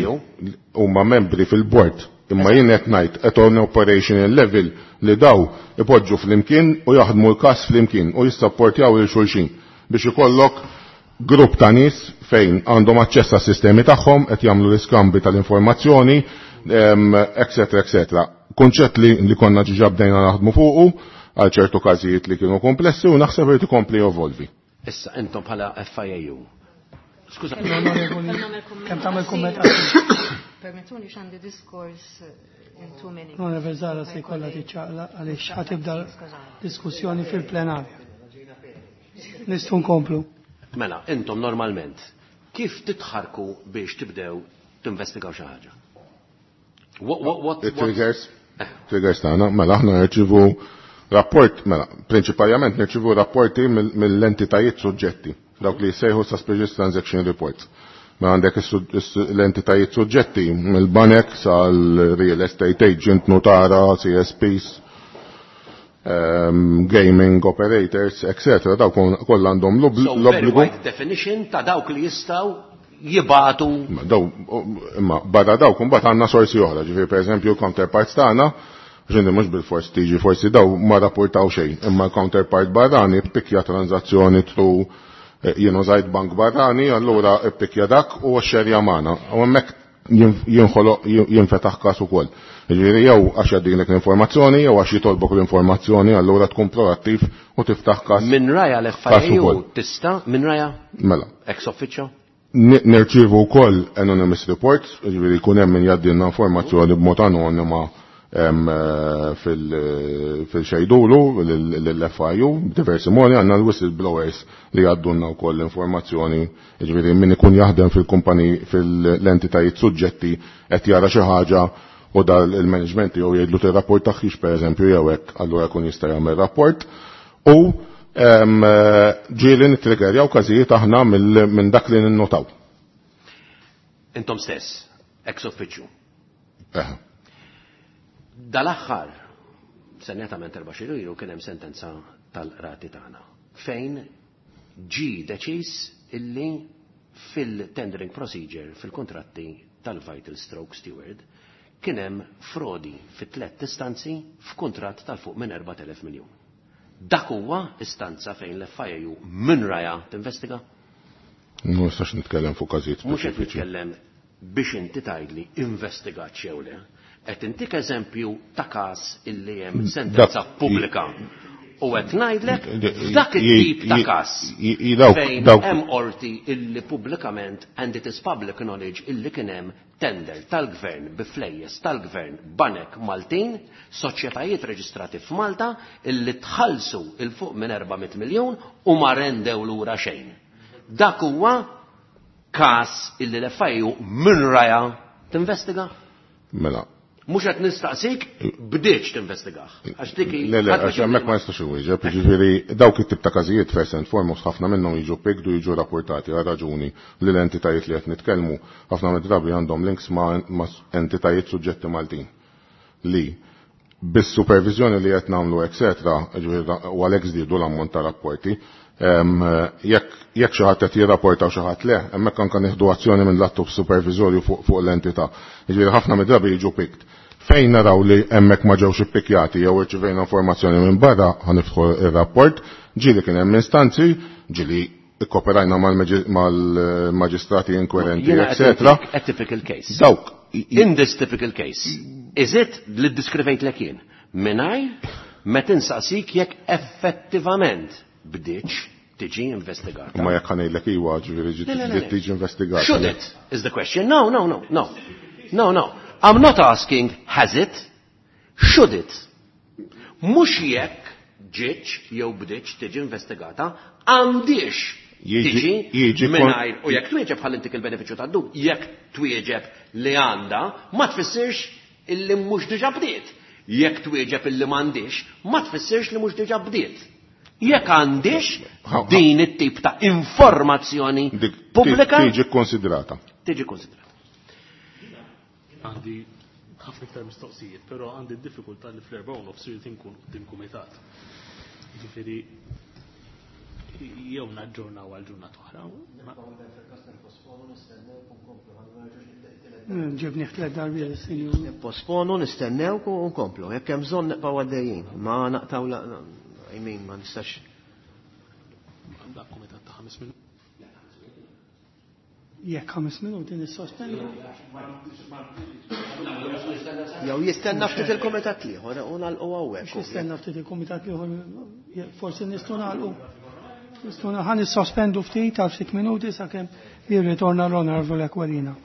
huma membri fil-bord. Imma jien qed ngħid at on operational level li daw ipoġġu flimkien u jaħdmu l-każ flimkien u jissapportjaw lil xulxin biex ikollok grupp ta' nies fejn għandhom aċċess għas-sistemi tagħhom qed jagħmlu l-iskambi tal-informazzjoni, eccetera, eccetera. Kunċett li konna ġiġa bdejna naħdmu fuqu għal ċertu każijiet li kienu komplessi u naħseb irid ikompli evolvi. Issa intom bħala FIAU. Skuża. Kemm tagħmel kumment? Permettuni x'għandi diskors in 2 minutes. Onorevole Zara se jkollha tiċċaqla għaliex ħatibda diskussjoni fil-plenarja. Nistgħu nkomplu. Mela, intom normalment kif titħarku biex tibdew tinvestigaw xi ħaġa? What Triggers? Triggers tagħna, mela aħna nirċivu rapport, mela, prinċipalment nirċivu rapporti mill-entitajiet suġġetti, dawk li jsejħu suspicious transaction reports. Ma għandek l-entitajiet suġġetti mill-banek sal-real estate agent, notara, CSPs, gaming operators, etc. Dawk kollha għandhom l-obbligu. Very wide definition ta' dawk li jistgħu jibatu. Daw, imma barra dawk imbagħad għandna sorsi oħra, ġifieri pereżempju counterparts tagħna, ġindi mhux bil-fors tiġi forsi daw ma rapportaw xejn, imma counterpart barrani ppikja tranzazzjoni through jien użajt bank barrani, allura ppikja dak u xerja magħna. U hemmhekk jinħoloq jinfetaħ każ ukoll. Jiġifieri jew għax jgħaddilek l-informazzjoni jew għax jitolbok l-informazzjoni, allura tkun proattiv u tiftaħ każ. Minn raja l-FIU tista' minn raja? Mela. Ex officio? Nirċievu wkoll anonymous reports, jiġifieri jkun hemm min jgħaddilna informazzjoni b'mod anonima fil-xejdulu l-FIU, diversi modi għandna l-whistleblowers li jgħaddulna wkoll l-informazzjoni, jiġifieri min ikun jaħdem fil-kumpani fil-entitajiet suġġetti qed jara xi ħaġa u dal il-management jew jgħidlu tir-rapport tagħhiex pereżempju jew hekk, allura jkun jista' jagħmel rapport. U ġieli nittriggerjaw każijiet aħna minn dak li ninnotaw. Intom stess, ex officio. Dal-aħħar, senjatament 4 xhur ilu kien hemm sentenza tal-qrati tagħna fejn ġi deċiż illi fil-tendering procedure fil-kontratti tal-Vital Stroke Steward kien hemm frodi fi 3 istanzi f'kuntratt tal-fuq minn 4,000 miljun. Dak huwa istanza fejn l-FIU minn raja tinvestiga? Ma nistax nitkellem fuq każijiet Mhux qed speċifiċi. nitkellem biex inti tgħidli investigat xew le. Qed intik eżempju ta' każ illi hemm sentenza pubblika. U qed ngħidlek f'dak it-tip ta' każ fejn hemm qorti illi pubblikament and it is public knowledge illi kien hemm tender tal-gvern bi flejjes tal-gvern banek Maltin, soċjetajiet reġistrati f'Malta illi tħallsu il fuq minn 400 miljun u ma rendew lura xejn. Dak huwa każ illi l-FIU minn raja tinvestiga? Mela. Mhux qed nistaqsik bdietx tinvestigah. Għax dik Le, le, għax hemmhekk ma nistax inwieġeb, jiġifieri dawk it-tip ta' każijiet first and foremost ħafna minnhom jiġu picked u jiġu rapportati għal raġuni li l-entitajiet li qed nitkellmu ħafna mid-drabi għandhom links ma' entitajiet suġġetti Maltin li bis-supervizjoni li qed nagħmlu etc. u għalhekk żdiedu l-ammont ta' rapporti. Jekk xi ħadd qed jirrapporta u xi ħadd le, hemmhekk anke nieħdu azzjoni minn l-attu supervizorju fuq l-entità. Jiġifieri ħafna mid-drabi jiġu picked. Fejn naraw li hemmhekk ma ġewx ippikjati jew irċivejna informazzjoni minn barra ħa niftħu ir-rapport, ġieli kien hemm instanzi, ġieli ikkoperajna mal-maġistrati inkwirenti, etc. A typical case. Dawk. In this typical case, is it li ddiskrivejtlek jien? Mingħajr ma tinsaqsik jekk effettivament bdietx tiġi investigata. Ma jekk ħa ngħidlek iwa, ġifieri ġiet tiġi investigata. Should it is the question. No, no, no, no. No, no. I'm not asking has it, should it. Mhux jekk ġietx jew bdietx tiġi investigata, għandix tiġi mingħajr u jekk twieġeb ħalli ntik il-benefiċċju tad-dub, jekk twieġeb li għandha, ma tfissirx illi mhux diġà bdiet. Jekk twieġeb illi m'għandix, ma tfissirx li mhux diġà bdiet. Jekk għandix din it-tip ta' informazzjoni pubblika. Tiġi konsidrata. Tiġi konsidrata. Għandi ħafna iktar mistoqsijiet, però għandi diffikultà li fl-4:30 irid inkun quddiem kumitat. Jiġifieri jew naġġornaw għal ġurnata oħra. Ġibni tliet darbiet is-sinjur. Nipposponu, nistennew u nkomplu. Jekk hemm bżonn nibqgħu għaddejjin. Ma naqtaw la, I mean, ma nistax. Għandha kumitat ta' 5 minuti. Jekk 5 minuti nissospendu. Jew jistenna ftit il-kumitat l-ieħor u nagħlqu hawnhekk. Jistenna ftit il-kumitat l-ieħor, forsi nistgħu nagħlqu. Nistgħu ħa nissospendu ftit għal ftit minuti sakemm jirritorna l-Onorevole Aquilina.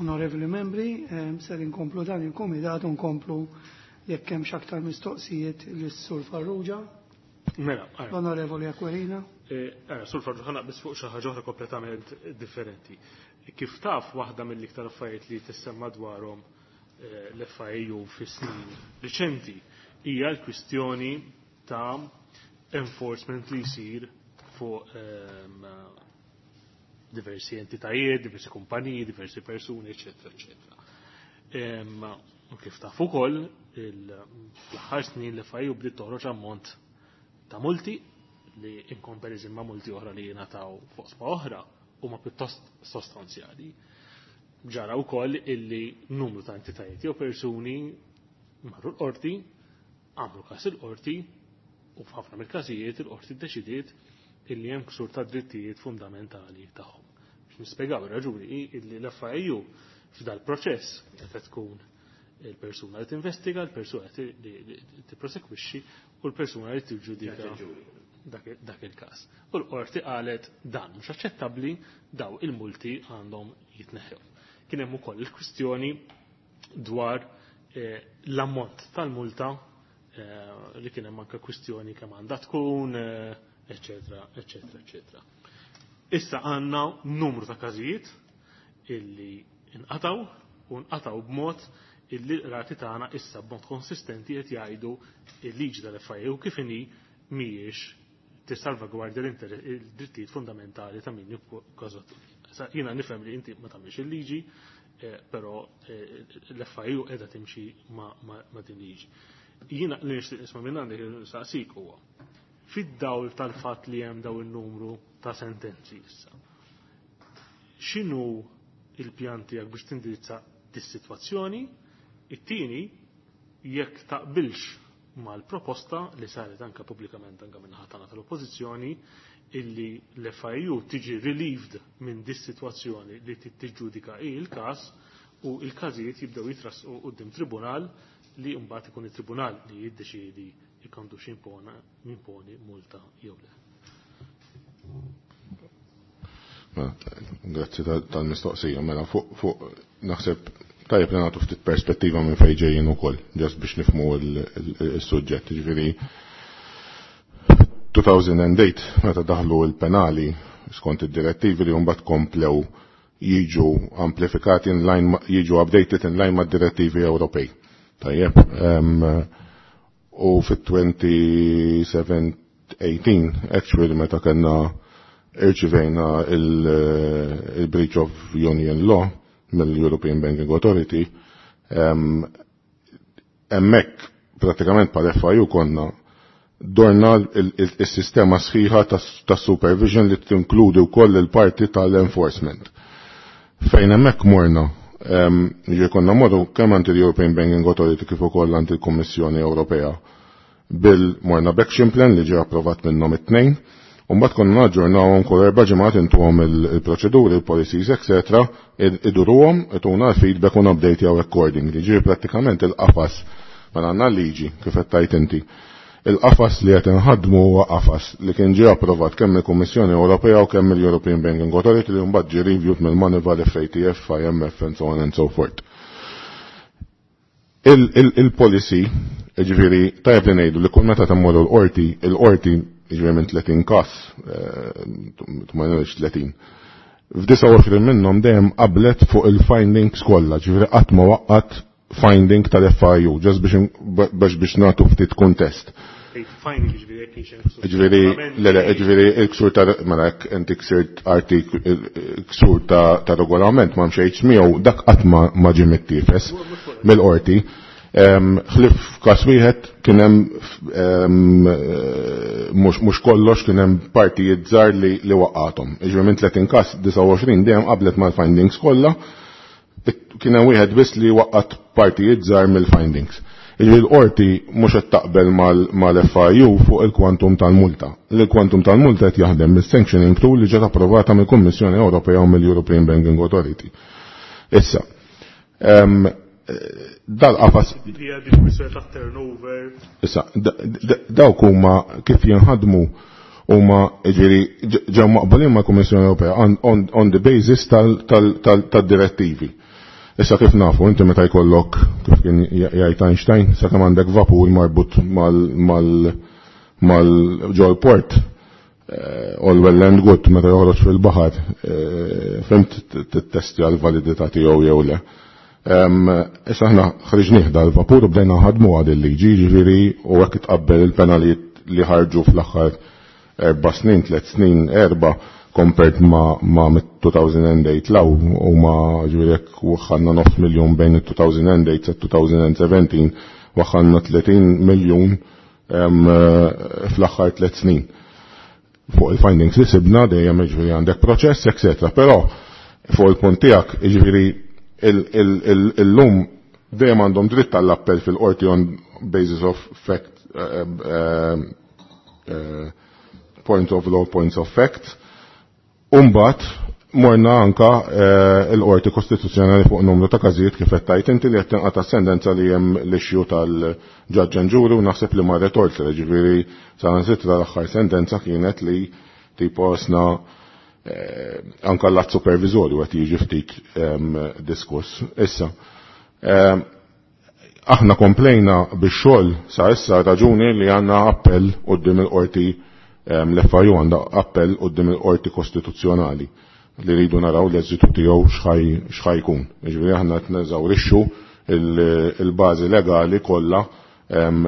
Onorevoli membri, ser inkomplu dan il-komitat u nkomplu jekk hemm aktar mistoqsijiet lis-Sur Farrugia. Mela, ara. L-Onorevoli Aquilina. Ara, Sur Farrugia, ħa naqbeż fuq xi ħaġa oħra kompletament differenti. Kif taf, waħda mill-iktar affarijiet li tissemma dwarhom l-FIAU fi snin riċenti hija l-kwistjoni ta' enforcement li jsir fuq diversi entitajiet, diversi kumpaniji, diversi persuni, eccetera, eccetera. U kif taf ukoll, fl-aħħar snin l-FIAU bdiet toħroġ ammont ta' multi li in comparison ma' multi oħra li jingħataw fuq sma oħra huma pjuttost sostanzjali. Ġara wkoll illi numru ta' entitajiet jew persuni marru l-qorti, għamlu każ il-qorti u f'ħafna mill-każijiet il-qorti ddeċidiet illi hemm ksur ta' drittijiet fundamentali tagħhom. Biex nispjegaw ir-raġuni hi illi l-FIAU f'dal proċess qed tkun il-persuna li tinvestiga, il-persuna li tipprosekwixxi u l-persuna li tiġġudika dak il-każ. U l-qorti qalet dan mhux aċċettabbli, daw il-multi għandhom jitneħħew. Kien hemm ukoll il-kwistjoni dwar l-ammont tal-multa li kien hemm anke kwistjoni kemm għandha tkun, eccetera, eccetera, eccetera. Issa għandna numru ta' każijiet illi inqataw u nqataw b'mod illi l-qrati tagħna issa b'mod konsistenti qed jgħidu il-liġi tal-FIAU kif inhi mhijiex tissalvagwardja il-drittijiet fundamentali ta' min jikkażat. Sa jiena nifhem li inti ma tagħmilx il-liġi, però l-FIAU qiegħda timxi ma' din liġi. Jiena li nixtieq nisma' minn għandek saqsik huwa fid-dawl tal-fatt li hemm daw in-numru ta' sentenzi issa. X'inhu il-pjan tiegħek biex tindirizza dis-sitwazzjoni? It-tieni, jekk taqbilx mal-proposta li saret anka pubblikament anka minn ħatana tal-Oppożizzjoni illi l-FIAU tiġi relieved minn dis-sitwazzjoni li tiġġudika il-każ u il-każijiet jibdew jitrasqu quddiem tribunal li mbagħad ikun it-tribunal li jiddeċiedi jekk għandux jimponi multa jew le. Mela, grazzi tal-mistoqsija. Mela, fuq naħseb tajjeb li nagħtu ftit perspettiva minn fejn ġejjin ukoll, ġast biex nifhmu il-suġġett. Ġifieri 2008 meta daħlu l-penali skont id-direttivi li mbagħad komplew jiġu amplifikati in line jiġu updated in line mad-direttivi Ewropej. Tajjeb, u fit-2018 actually meta kellna irċivejna il-breach of Union Law mill-European Banking Authority, hemmhekk pratikament pal FIU konna dorna il-sistema sħiħa ta' supervision li tinkludi wkoll il-parti tal-enforcement. Fejn hemmhekk morna, ġi konna morru kemm għand il-European Banking Authority kif ukoll għand il-Kummissjoni Ewropea bil morna b'action plan li ġie approvat minnhom it-tnejn, u mbagħad konna naġġornawhom kull 4 ġimgħat intuhom il-proċeduri, il-policies, eccetera, iduruhom, ituna l-feedback u update jew accordingly. Ġifieri prattikament il-qafas mela għandna liġi kif qed tajt inti. Il-qafas li qed inħaddmu huwa qafas li kien ġie approvat kemm il-Kummissjoni Ewropea u kemm il-European Banking Authority li mbagħad ġie reviewed mill-Moneyval, FATF, IMF and so on and so forth. Il-policy, ġifieri, tajjeb li ngħidu li kull meta temmorru l-qorti, il-qorti ġifieri minn 30 każ, ma ngħidx 30. F'29 minnhom dejjem qablet fuq il-findings kollha, ġifieri qatt ma waqqat finding tal-FIU, ġast biex nagħtu ftit kuntest. Ġifieri, le, le, ġifieri, il-ksur ta', mela, jekk inti ksirt artik, ksur ta' regolament ma mxejtx miegħu, dak qatt ma ġie mittiefes mill-qorti. Ħlif każ wieħed kien hemm, mhux kollox kien hemm partijiet żgħar li waqgħathom. Ġifieri minn 30 każ 29 dejjem qablet mal-findings kollha, kien hemm wieħed biss li waqqat partijiet żgħar mill-findings. Ġifieri l-qorti mhux qed taqbel mal-FIU fuq il-kwantum tal-multa. Il-kwantum tal-multa qed jaħdem mis-sanctioning tool li ġiet approvata mill-Kummissjoni Ewropea u mill-European Banking Authority. Issa, dal-qafas Issa, dawk huma kif jinħadmu huma ġifieri ġew maqbulin mal-Kummissjoni Ewropea on the basis tad-direttivi. Issa kif nafu, inti meta jkollok, kif kien jgħid Einstein, sakemm għandek vapur marbut mal ġol port, all well and good meta joħroġ fil-baħar, fimt tittestja l-validità tiegħu jew le. Issa aħna ħriġnieh dal-vapur u bdejna nħadmu għad il-liġi, jiġifieri u hekk tqabbel il-penalijiet li ħarġu fl-aħħar 4 snin, 3 snin, 4 compared ma mit-2008 law u ma ġifieri jekk waħħalna nofs miljun bejn it-2008 sa 2017 waħħalna 30 miljun fl-aħħar 3 snin. Fuq il-findings li sibna dejjem jiġifieri għandek proċess, etc. Però fuq il-punt tiegħek jiġifieri illum dejjem għandhom dritt għall-appell fil-qorti on basis of fact, point of law, points of fact. Umbat, morna anka il-qorti kostituzzjonali fuq numru ta' każijiet kif qed tgħid inti li qed tinqata' sentenza li hemm l-issue tal-judge and jury u naħseb li marret oltre, ġifieri saħansitra l-aħħar sentenza kienet li tipo sna anka l-att supervizorju qed jiġi ftit diskuss. Issa, aħna komplejna bix-xogħol sa issa raġuni li għandna appell quddiem il-qorti, l-FIU għandha appell quddiem il-qorti kostituzzjonali li rridu naraw l-eżitu tiegħu x'ħaj jkun. Jiġifieri aħna qed neżawrixxu il-bażi legali kollha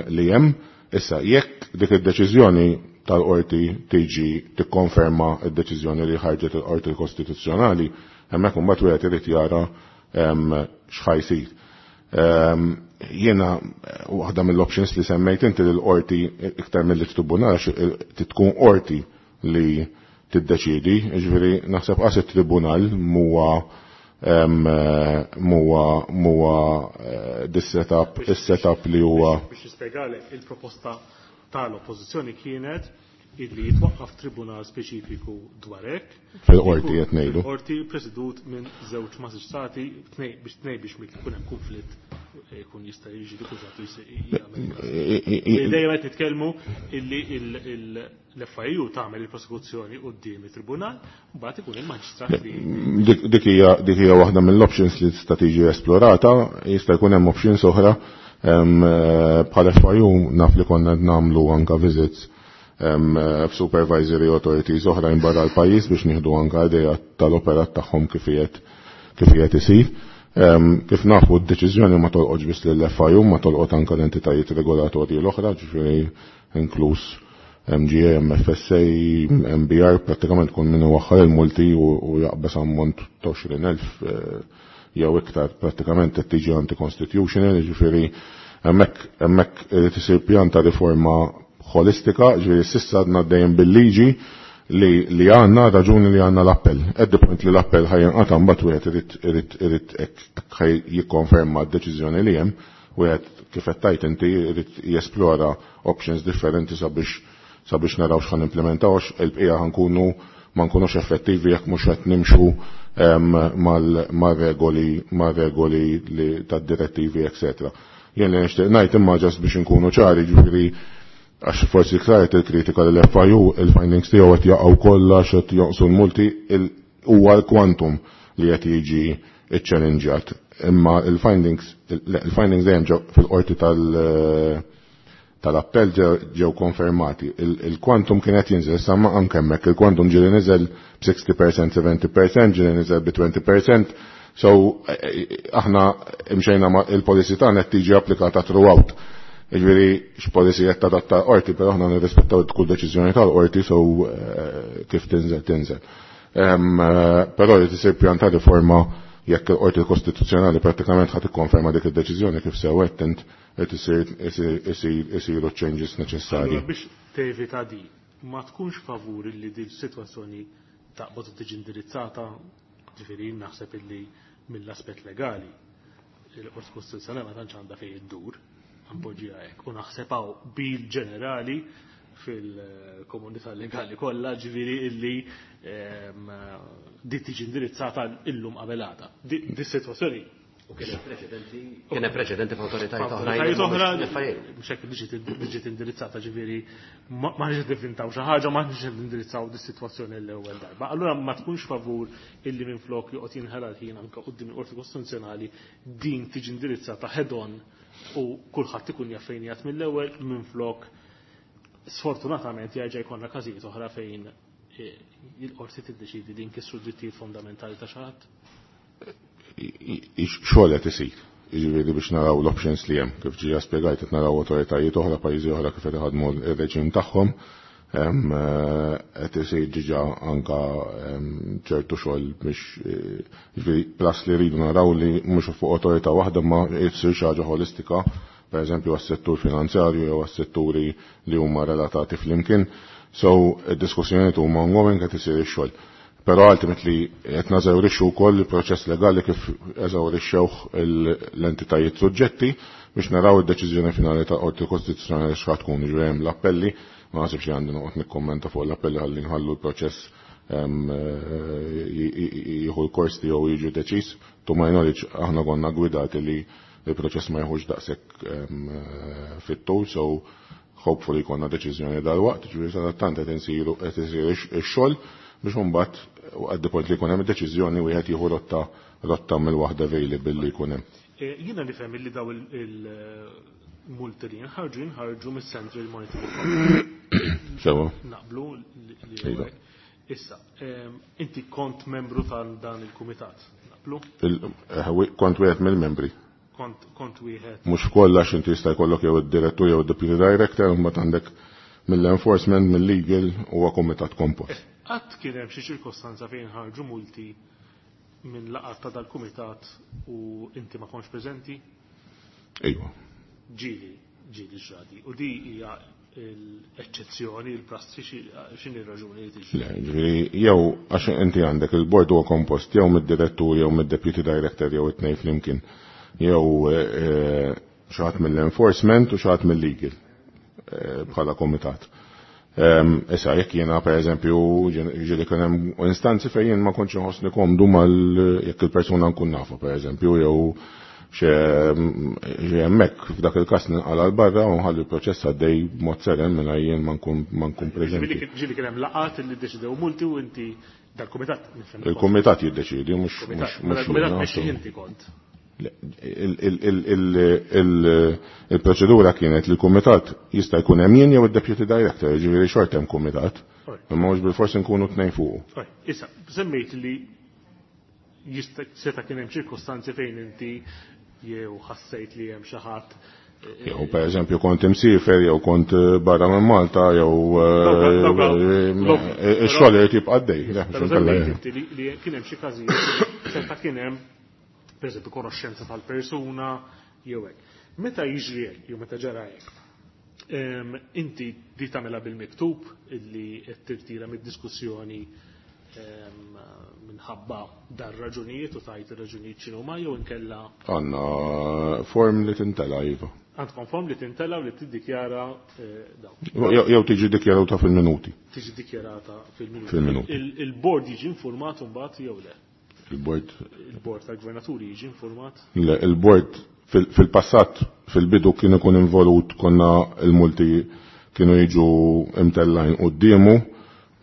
li hemm. Issa jekk dik id-deċiżjoni tal-qorti tiġi tikkonferma d-deċiżjoni li ħarġet il-qorti kostituzzjonali, hemmhekk imbagħad wieħed irid jara x'ħaj jsir. Jiena waħda mill-options li semmejt inti lill-qorti iktar mill-tribunal għax tkun qorti li tiddeċiedi, jiġifieri naħseb qas it-tribunal muwa dis-setup, is-setup li huwa. Biex nispjegalek, il-proposta tal-oppożizzjoni kienet illi jitwaqqaf tribunal speċifiku dwar hekk. Fil-qorti qed ngħidu. Fil-qorti presidut minn żewġ maġistrati biex tnej biex jkun hemm konflitt jkun jista' jiġi dikużat u jagħmel. Dejjem qed nitkellmu illi l-FIU tagħmel il-prosekuzzjoni quddiem it-tribunal, mbagħad ikun il-maġistrat li Dik hija waħda mill-options li tista' tiġi esplorata, jista' jkun hemm options oħra. Bħal FIU naf li konna nagħmlu anke visits f'supervisory authorities oħrajn barra l-pajjiż biex nieħdu anke idea tal-operat tagħhom kif qiegħed isir. Kif nafu d-deċiżjoni ma tolqotx biss lill-FIU, ma tolqot anke l-entitajiet regolatorji l-oħra, ġifieri inkluż MGA, MFSA, MBR, prattikament kun min iwaħħal il-multi u jaqbes ammont ta' 20,000 jew iktar prattikament qed tiġi anti-constitutional, ġifieri hemmhekk irid isir pjan ta' riforma holistika, ġifieri s'issa għadna dejjem bil-liġi li għandna raġuni li għandna l-appell. At the point li l-appell ħajinqata' mbagħad wieħed irid hekk ħaj jikkonferma d-deċiżjoni li hemm, wieħed kif qed tgħid inti irid jesplora options differenti sabiex naraw x'ħan implementaw, għax il-bqija ħankunu ma nkunux effettivi jekk mhux qed nimxu mar-regoli li tad-direttivi, eccetera. Jien li nixtieq ngħid imma ġast biex inkunu ċari, ġifieri għax forsi klar il-kritika li l-FIU il-findings tiegħu qed jaqgħu kollha x'qed jonqsu l-multi, huwa l-kwantum li qed jiġi iċċellinġjat. Imma il-findings dejjem ġew fil-qorti tal-appell ġew konfermati. Il-kwantum kien qed jinżel, issa ma anke hemmhekk il-kwantum ġieli niżel b'60%, 70%, ġieli niżel bi 20%. So aħna imxejna ma il-policy tagħna qed tiġi applikata throughout. Jiġifieri x'policy qed tadatta l-qorti, però aħna nirrispettaw kull deċiżjoni tal-qorti, so kif tinżel tinżel. Però li tisir pjan ta' riforma jekk il-qorti kostituzzjonali prattikament ħadd ikkonferma dik id-deċiżjoni kif sewwet int qed isiru changes neċessarji. Allura biex tevita di, ma tkunx favur li din sitwazzjoni taqbad u tiġi indirizzata, ġifieri naħseb illi mill-aspett legali il-qorti kostituzzjonali ma tantx għandha fejn iddur, għanpoġġiha hekk, u naħseb hawn bil ġenerali fil-komunità legali kollha, ġifieri illi di tiġi indirizzata illum qabel għada. Di sitwazzjoni U kien hemm preċedenti, kien hemm preċedenti f'awtoritajiet oħrajn. Awtoritajiet oħra mhux hekk li ġiet indirizzata ġifieri ma ħniex nivvintaw xi ħaġa, ma ħniex nindirizzaw dis-sitwazzjoni l-ewwel darba. Allura ma tkunx favur illi minflok joqgħod jinħela l-ħin anke quddiem il-Qorti Kostituzzjonali din tiġi indirizzata head on u kulħadd ikun jaf fejn jgħid mill-ewwel minflok sfortunatament jerġa' jkollna każijiet oħra fejn il-qorti tiddeċidi li nkissru drittijiet fondamentali ta' xi ħadd. Xogħol qed isir. Jiġifieri biex naraw l-options li hemm. Kif ġija spjegajt qed naraw awtoritajiet oħra, pajjiżi oħra kif qed iħadmu r-reġim tagħhom. Qed isir diġà anka ċertu xogħol biex jiġifieri plus li rridu naraw li mhux fuq awtorità waħda ma jsir xi ħaġa ħolistika, pereżempju għas-settur finanzjarju jew għas-setturi li huma relatati flimkien. So, id-diskussjonijiet huma ongoing qed isir ix-xogħol. Però ultimately qed nażawrixxu wkoll il-proċess legali kif eżawrixxewh l-entitajiet suġġetti biex naraw id-deċiżjoni finali ta' Qorti Kostituzzjonali x'ħa tkun. Jiġifieri hemm l-appelli, ma naħsibx li għandi noqgħod nikkommenta fuq l-appelli ħalli nħallu l-proċess jieħu l-kors tiegħu jiġi deċiż. To my knowledge aħna konna gwidati li il-proċess ma jieħux daqshekk fit-tul, so hopefully jkollna deċiżjoni dal-waqt, ġifieri sadattant qed insiru qed isir ix-xogħol biex imbagħad at the point li jkun hemm id-deċiżjoni wieħed jieħu rotta mill-waħda available li jkun hemm. Jiena nifhem li daw il-multi li jinħarġu mis-Central Monetary Fund. Sewa. Naqblu li Issa, inti kont membru tal dan il-kumitat, naqblu? Kont wieħed mill-membri. Kont wieħed. Mhux kollha inti jista' jkollok jew id-direttur jew id-deputy director, imbagħad għandek mill-enforcement, mill-legal huwa kumitat kompost. Qatt kien hemm xi ċirkostanza fejn ħarġu multi minn laqgħat ta' dal-kumitat u inti ma kontx preżenti? Ejwa. Ġieli ġradi. U di hija l-eċċezzjoni, il-prassi, x'inhi r-raġuni li tiġi? Le, ġifieri jew għax inti għandek il-board huwa kompost jew mid-direttur jew mid-deputy director jew it-tnejn flimkien. Jew xi ħadd mill-enforcement u xi ħadd mill-legal bħala komitat. Issa jekk jiena pereżempju ġieli kien hemm instanzi fejn jien ma kontx inħossni komdu mal jekk il-persuna nkun nafu pereżempju jew xi hemmhekk f'dak il-każ ninqala' l barra u nħalli l-proċess għaddej b'mod seren mingħajr jien ma nkun preżenti. Ġieli kien hemm laqgħat li ddeċidew multi u inti dal-kumitat nifhem. Il-kumitat jiddeċiedi mhux Il-kumitat mexxi inti kont. Il-proċedura kienet li l-kumitat jista' jkun hemm jien jew id-deputy director, jiġifieri xorta hemm kumitat, imma mhux bilfors inkunu tnejn fuqu. Issa, semmejt li jista' seta' kien hemm ċirkostanzi fejn inti jew ħassejt li hemm xi ħadd. Jew pereżempju kont imsiefer jew kont barra minn Malta jew ix-xogħol irid jibqa' għaddej. Però semmejt inti li kien hemm xi każijiet seta' kien hemm pereżempju konoxxenza tal-persuna jew hekk. Meta jiġri hekk jew meta ġara hekk, inti di tagħmilha bil-miktub illi qed tirtira mid-diskussjoni minħabba dar raġunijiet u tajt ir-raġunijiet x'inhuma jew inkella Għandna form li tintela, iva. Għandkom form li tintela u li tiddikjara dawn. Jew tiġi dikjarata fil-minuti. Tiġi dikjarata fil-minuti. Fil-minuti. Il-board jiġi informat mbagħad jew le? Il-board. Il-board tal-gvernaturi jiġi informat? Le, il-board fil-passat, fil-bidu kien ikun involut, konna il-multi kienu jiġu imtellajn quddiemu.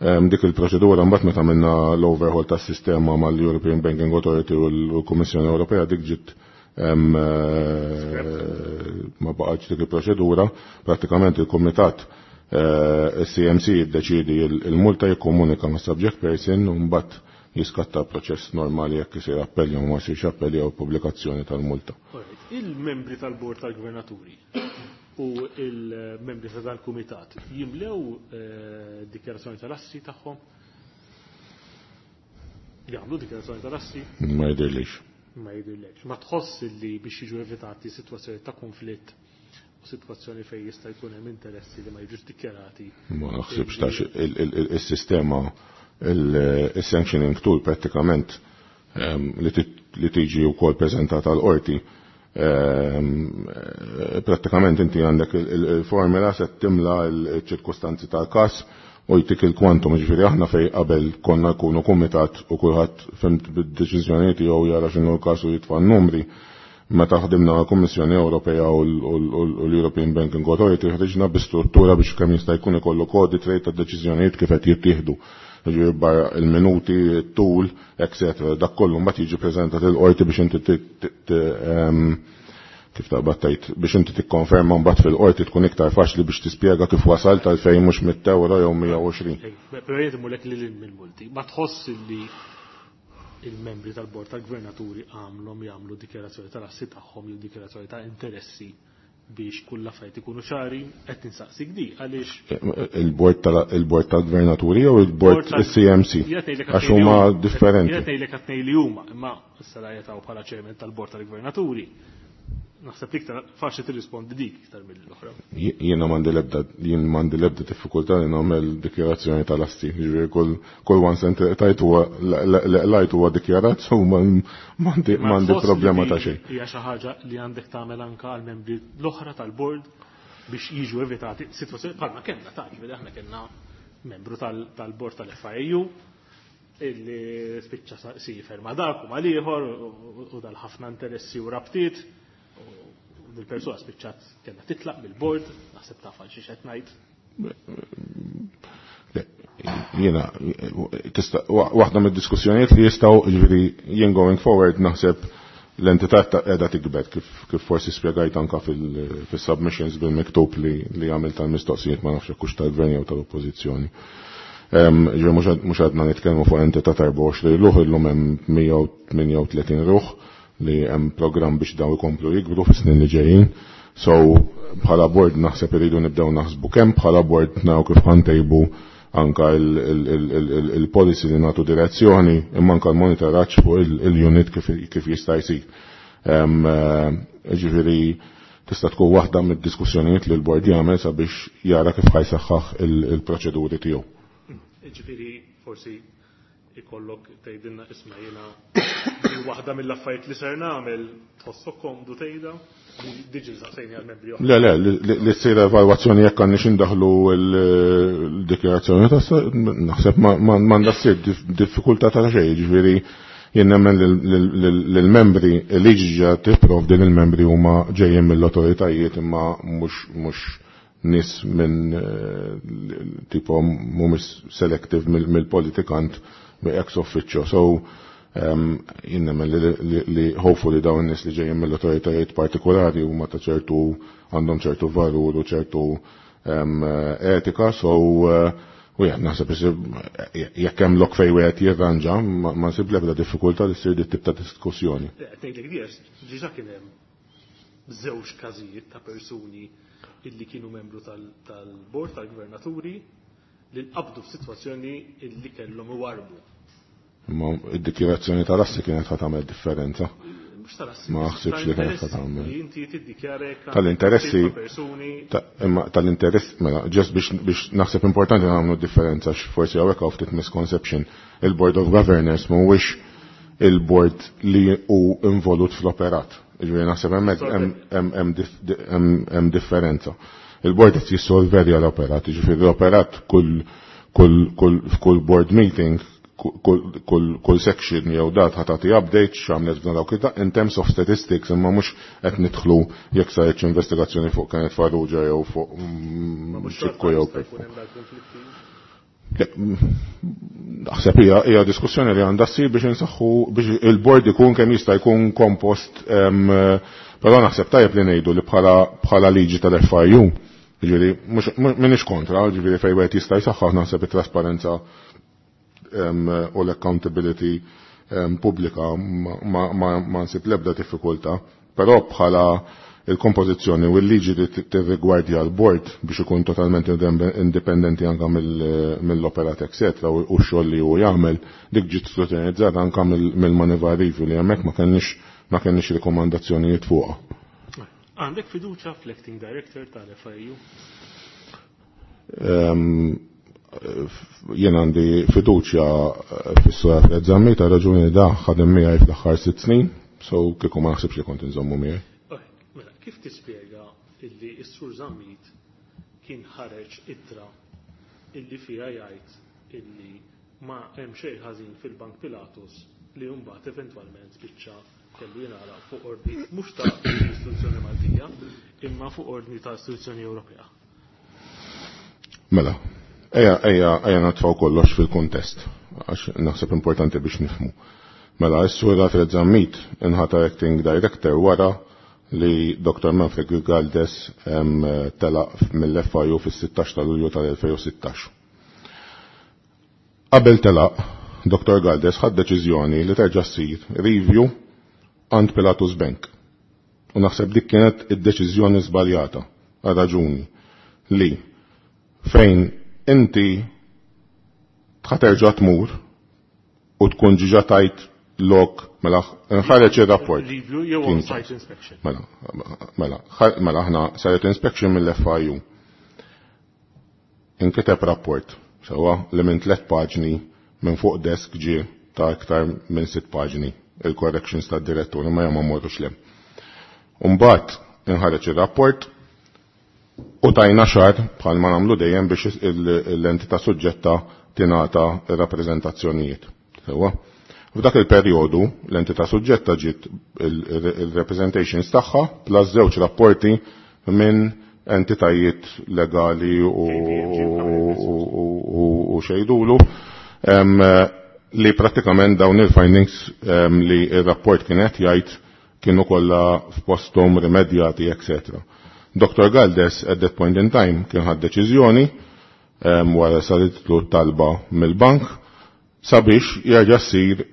Dik il-proċedura mbagħad meta għamilna l-overhaul tas-sistema mal-European Banking Authority u l-Kummissjoni Ewropea dik ġiet ma baqgħetx dik il-proċedura, prattikament il-Kumitat il-CMC jiddeċidi il-multa jikkomunika ma' subject person u mbagħad jiskatta proċess normali jekk isir appell jew ma jsirx appell jew pubblikazzjoni tal-multa. Il-membri tal-Bord tal-Gvernaturi u il-membri ta' dal-Kumitat jimlew dikjarazzjoni tal-assi tagħhom? Jagħmlu dikjarazzjoni tal-assi? Ma jidhirlix. Ma jidhirlix. Ma tħoss li biex jiġu evitati sitwazzjoni ta' konflitt u sitwazzjoni fejn jista' jkun hemm interessi li ma jiġux dikjarati? Ma naħsibx tax il-sistema il-sanctioning tool pratikament li tiġi wkoll preżentata l-qorti. Pratikament inti għandek il-formula se timla l-ċirkustanzi tal-każ u jtik il-kwantum, ġifieri aħna fej qabel konna nkunu kumitat u kulħadd fimt bid-deċiżjonijiet jew jara x'inhu l-każ u jitfa' n-numri. Meta ħdimna mal-Kummissjoni Ewropea u l-European Banking Authority ħriġna bi struttura biex kemm jista' jkun ikollok audit trail tad-deċiżjonijiet kif qed jittieħdu. Jiġifieri barra il-minuti, it-tul, etc. Dak kollu mbagħad jiġi preżentat il-qorti biex inti kif taqbad tgħid biex inti tikkonferma mbagħad fil-qorti tkun iktar faċli biex tispjega kif wasalt għalfejn mhux 100 euro jew 120. Però jien imurlek lil hinn mill-multi. Ma tħoss li il-membri tal-bord tal-gvernaturi għamlhom jagħmlu dikjarazzjoni tal-assi tagħhom jew dikjarazzjoni ta' interessi biex kull affarijiet ikunu ċari, qed ninsaqsik di għaliex Il-bord tal-gvernaturi jew il-bord il-CMC? Għax huma differenti. Jiena ngħidlek qed ngħid li huma, imma issa la jetaw bħala chairman tal-bord tal-gvernaturi. Naħseb li iktar faċli tirrispondi dik iktar mill-oħra. Jiena m'għandi l-ebda jien m'għandi l-ebda diffikultà li nagħmel dikjarazzjoni tal-asti. Jiġifieri kull kull one cent tajt huwa lajt huwa dikjarat so m'għandi problema ta' xejn. Hija xi ħaġa li għandek tagħmel anke għall-membri l-oħra tal-bord biex jiġu evitati sitwazzjoni bħalma kellna ta' ġifieri aħna kellna membru tal-bord tal-FIU illi spiċċa sifer ma' dak u mal-ieħor u dal-ħafna interessi u rabtiet. U dil-persuna spiċċat kellha titlaq mill-bord, naħseb taf għal xi qed ngħid. Jiena, tista' waħda mid-diskussjonijiet li jistgħu, jiġifieri jien going forward naħseb l-entità qiegħda tikber kif forsi spjegajt anka fil-submissions bil-miktub li għamilt tal-mistoqsijiet ma nafx hekk hux tal-gvern jew tal-oppożizzjoni. Ġifieri mhux għadna nitkellmu fuq entità ta' 24 ruħ, illum hemm 138 ruħ li hemm programm biex daw ikomplu jikbru fis-snin li ġejjin. So bħala board naħseb iridu nibdew naħsbu kemm bħala board naraw kif ħantejbu anka il-policy li nagħtu direzzjoni imma anka l-monitoraġġ fuq il-unit kif jista' jsir. Ġifieri tista' tkun waħda mid-diskussjonijiet li l-board jagħmel sabiex jara kif ħajsaħħaħ il-proċeduri tiegħu. Ġifieri forsi ikollok tgħidilna isma' jiena waħda mill-affarijiet li ser nagħmel tħossok komdu tgħidha diġi saqsejni għal membri oħra. Le, le, li ssir evalwazzjoni jekk għandniex indaħlu l-dikjarazzjoni ta' naħseb m'għandha ssir diffikultà ta' xejn, jiġifieri jien nemmen lill-membri liġi ġa tipprovdi li l-membri huma ġejjin mill-awtoritajiet imma mhux nies minn tipo mhumiex selective mill-politikant ex officio. So jien nemmen li hopefully dawn nies li ġejjin mill-awtoritajiet partikolari huma ta' ċertu għandhom ċertu valur u ċertu etika, so u jien naħseb jekk hemm lok fejn wieħed jirranġa ma nsib l-ebda diffikultà li ssir dit tip ta' diskussjoni. Ngħidlek di għax diġà kien hemm żewġ każijiet ta' persuni illi kienu membru tal-bord tal-gvernaturi li nqabdu f'sitwazzjoni illi kellhom iwarbu. Imma id-dikjarazzjoni tal-assi kienet ħa tagħmel differenza. Mhux tal-assi, Ma naħsibx li kienet ħa tagħmel. Li inti tiddikjara jekk Tal-interessi, persuni. imma tal-interess, mela, ġest biex naħseb importanti nagħmlu differenza għax forsi hawnhekk hawn ftit misconception. Il-Board of Governors mhuwiex il-board li hu involut fl-operat. Jiġifieri naħseb hemmhekk hemm differenza. Il-board qed jissolverja l-operat, jiġifieri l-operat kull board meeting, kull section jew dat ħa tagħti update x'għamlet f'dan dawk id-daq in terms of statistics, imma mhux qed nidħlu jekk saritx investigazzjoni fuq Kenneth Farrugia jew fuq Ċikku jew Peppu. Naħseb hija diskussjoni li għandha ssir biex insaħħu biex il-board ikun kemm jista' jkun kompost, però naħseb tajjeb li ngħidu li bħala liġi tal-FIU, jiġifieri m'iniex kontra, jiġifieri fejn wieħed jista' jsaħħaħ naħseb it-trasparenza u l-accountability pubblika ma nsib l-ebda diffikultà, però bħala il-kompożizzjoni u l-liġi li tirrigwardja l-board biex ikun totalment indipendenti anka mill-operat eccetera u x-xogħol li hu jagħmel, dik ġiet skrutinizzata anka mill-Moneyval Review li hemmhekk ma kenniex rikomandazzjonijiet fuqha. Għandek fiduċa fl-acting director tal-FIU? Jien għandi fiduċja fis-Sur Alfred Zammit ta' raġuni da ħadem miegħi fl-aħħar 6 snin, so kieku ma naħsibx li kont inżommu miegħi. Mela, kif tispjega illi s-Sur Zammit kien ħareġ ittra illi fiha jgħid illi ma hemm xejn ħażin fil-Bank Pilatus li mbagħad eventwalment spiċċa kellu jingħalaq fuq ordni mhux ta' istituzzjoni Maltija, imma fuq ordni ta' istituzzjoni Ewropea. Mela, ejja ejja ejja natfaw kollox fil-kuntest, għax naħseb importanti biex nifhmu. Mela, s-sur Alfred Zammit inħatar acting director wara li Dr. Manfred Galdes telaq mill-FIU fis-16 ta' Lulju tal-2016. Qabel telaq, Dr. Galdes ħad deċiżjoni li terġa' ssir review għand Pilatus Bank. U naħseb dik kienet id-deċiżjoni żbaljata għal raġuni li fejn inti ħaterġa' tmur u tkun ġiġa tajt lok mela nħareġ ir-rapport. Review jew on-site inspection. Mela, mela, mela aħna saret inspection mill-FIU. Inkiteb rapport, sewwa li minn 3 paġni minn fuq desk ġie ta' iktar minn 6 paġni il-corrections tad-direttur imma jgħam ma morrux lem. Umbagħad inħareġ ir-rapport u tajna xahar bħalma nagħmlu dejjem biex l-entità suġġetta tingħata r-rappreżentazzjonijiet. Sewwa. F'dak il-perjodu l-entità suġġetta ġiet il-representations tagħha plus żewġ rapporti minn entitajiet legali u xejdulu li prattikament dawn il-findings li il-rapport kienet jgħid kienu kollha f'posthom rimedjati, etc. Dr. Galdes at that point in time kien ħad deċiżjoni wara saritlu talba mill-bank sabiex jerġa' ssir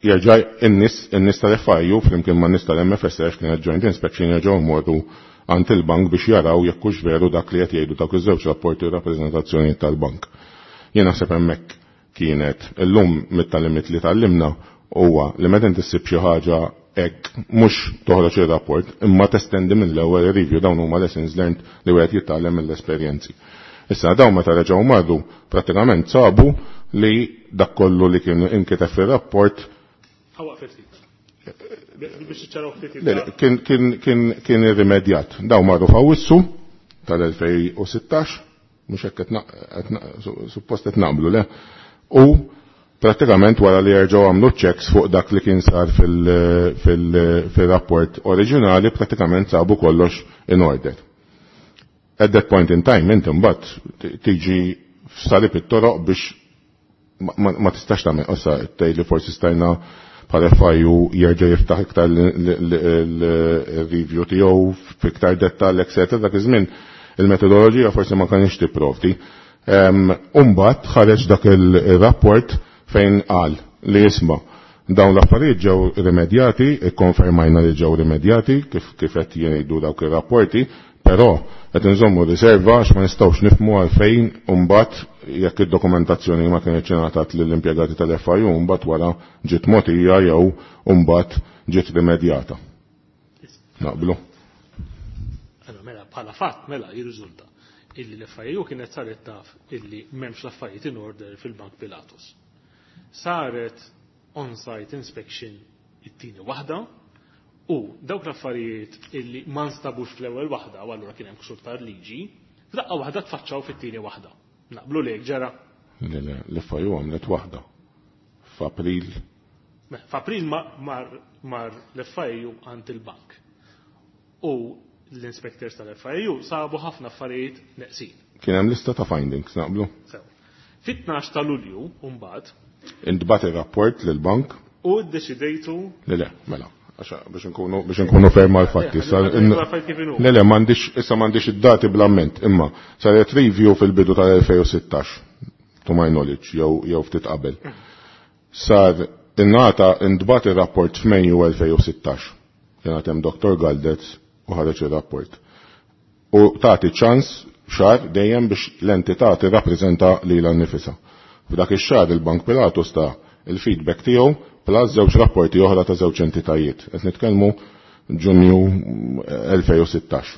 jerġa' in-nies tal-FIU flimkien man nies tal-MFSF kienet joint inspection jerġgħu jmorru għand il-bank biex jaraw jekk hux veru dak li qed jgħidu dawk iż-żewġ rapporti u rappreżentazzjonijiet tal-bank. Jien naħseb hemmhekk kienet illum mit-tagħlimiet li tgħallimna huwa li meta inti ssib xi ħaġa hekk mhux toħroġ ir-rapport imma testendi mill-ewwel review dawn huma lessons learned li wieħed jitgħallem mill-esperjenzi. Issa dawn meta reġgħu marru prattikament sabu li dak kollu li kien inkiteb fir-rapport kien irrimedjat. Dawn marru f'Awwissu tal-2016, mhux hekk suppost qed naqblu le. U prattikament wara li jerġgħu għamlu checks fuq dak li kien sar fil-rapport oriġinali, prattikament sabu kollox in order. At that point in time, inti mbagħad tiġi f'salib it-toroq biex ma tistax tagħmel, issa tgħid li forsi stajna bħala FIU jerġa' jiftaħ iktar il-review tiegħu f'iktar dettall, etc. Dak iż-żmien il-metodoloġija forsi ma kienx tipprovdi. Umbagħad ħareġ dak il-rapport fejn qal li jisma' dawn l-affarijiet ġew rimedjati, ikkonfermajna li ġew rimedjati kif qed jgħidu dawk ir-rapporti, però qed inżommu riserva għax ma nistgħux nifhmu għalfejn mbagħad jekk id-dokumentazzjoni ma kienx ingħatat lill-impjegati tal-FIU mbagħad wara ġiet mogħtija jew mbagħad ġiet rimedjata. Naqblu. Allora mela bħala fatt mela jirriżulta illi l-FIU kienet saret taf illi m'hemmx l-affarijiet in order fil-Bank Pilatus. Saret on-site inspection it-tieni waħda u dawk l-affarijiet illi ma nstabux fl-ewwel waħda u allura kien hemm ksur tal-liġi, f'daqqa waħda tfaċċaw fit-tieni waħda. Naqblu lek ġara? Le, le, l-FIU għamlet waħda. F'April. F'April mar l-FIU għand il-bank. U l-inspectors tal-FIU sabu ħafna affarijiet neqsin. Kien hemm lista ta' findings, naqblu? Sew. Fit-12 ta' Lulju, mbagħad. Intbagħat ir-rapport lill-bank. U ddeċidejtu. Le, le, mela. Biex nkunu ferma l-fatti. Le, le, issa m'għandix id-dati bl-amment, imma saret review fil-bidu tal-2016, to my knowledge, jew ftit qabel. Sar ingħata intbagħat ir-rapport f'Mejju 2016. Kien hemm Dr. Galdez u ħareġ ir-rapport. U tagħti ċans xahar dejjem biex l-entità tirrappreżenta lilha nnifisha. F'dak ix-xahar il-Bank Pilatus ta' il-feedback tiegħu plus żewġ rapporti oħra ta' żewġ entitajiet. Qed nitkellmu Ġunju 2016.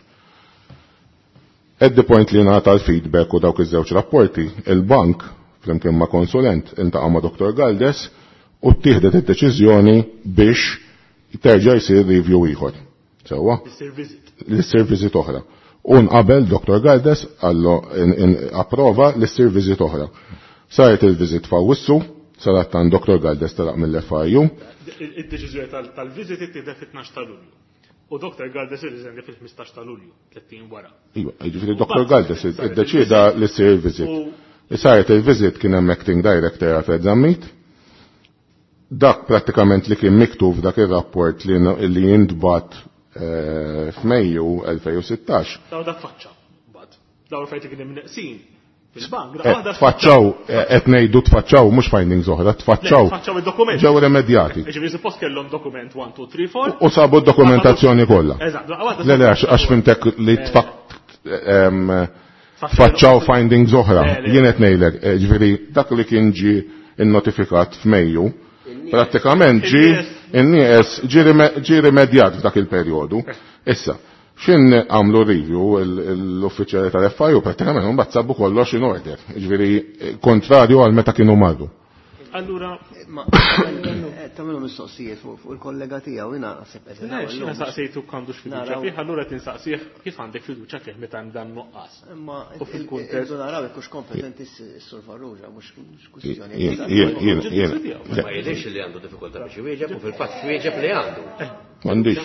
At the point li ngħata l-feedback u dawk iż-żewġ rapporti, il-bank flimkien ma' konsulent iltaqa' ma' Dr. Galdes u ttieħdet id-deċiżjoni biex terġa' jsir review ieħor. Sewwa? L-issir visit oħra. U nqabel Dr. Galdes għallu approva l-issir visit oħra. Saret il-visit f'Awwissu, Sadattant Dr. Galdes telaq mill-FIU. Id-deċiżjoni tal-viżiti tieħdet fit-12 ta' Lulju. U Dr. Galdes irriżenja fil-15 ta' Lulju, 30 wara. Iva, jiġifieri Dr. Galdes iddeċieda li ssir il-viżit. Saret il-viżit kien hemm acting director Alfred Zammit. Dak prattikament li kien miktub f'dak ir-rapport li jintbagħat f'Mejju 2016. Daw dak faċċa, mbagħad. Daw l-affarijiet li kien hemm neqsin fil-bank. Tfaċċaw, qed ngħidu tfaċċaw mhux findings oħra, tfaċċaw. Tfaċċaw id-dokument. Ġew remedjati. Ġifieri suppost kellhom dokument 1, 2, 3, 4. U sabu d-dokumentazzjoni kollha. Eżatt, Le, le, għax fimtek li tfaċċaw findings oħra. Jien qed ngħidlek, ġifieri dak li kien ġie innotifikat f'Mejju, prattikament ġie in-nieqes ġie rimedjat f'dak il-perjodu. Issa, xin għamlu review l-uffiċjali tal-FIU prattikament mbagħad sabu kollox in order, ġifieri kontrarju għal meta kienu marru. Allura ma tagħmlu mistoqsijiet fuq il-kollega tiegħu jiena naħseb qed Le, x'jiena saqsejtu għandux fiduċja fih, allura qed insaqsih kif għandek fiduċja fih meta hemm dan nuqqas. Imma U fil-kuntest irridu naraw jekk hux kompetenti s-Sur Farrugia, mhux kwistjoni. Ma jidhirx li għandu diffikultà biex iwieġeb u fil-fatt wieġeb li għandu. M'għandix,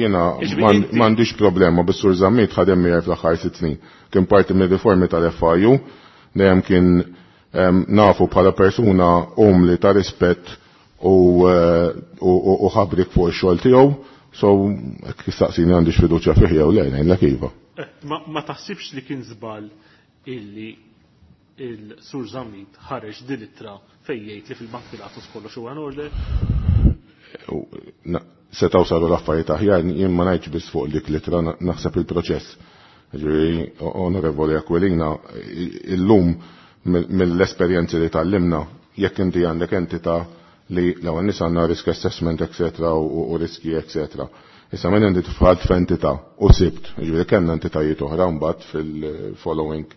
jiena m'għandix problema bis-Sur Zammit ħadem miegħi fl-aħħar 6 snin. Kien parti mir-riformi tal-FIU, dejjem kien nafu bħala persuna umli ta' rispett u ħabrik fuq ix-xogħol tiegħu, so hekk jistaqsini għandix fiduċja fih jew le, ngħidlek iva. Ma taħsibx li kien żball illi il-Sur Zammit ħareġ din ittra fejn jgħid li fil-Bank Pilatus kollox huwa in order? Setgħu saru l-affarijiet aħjar, jien ma ngħidx biss fuq dik l-ittra, naħseb il-proċess. Ġifieri, Onorevoli Aquilina, illum mill-esperjenzi li tgħallimna, jekk inti għandek entità li l-ewwel nies għandna risk assessment, eccetera, u riski, eccetera. Issa minn inti tfalt f'entità u sibt, ġifieri kellna entitajiet oħra mbagħad fil-following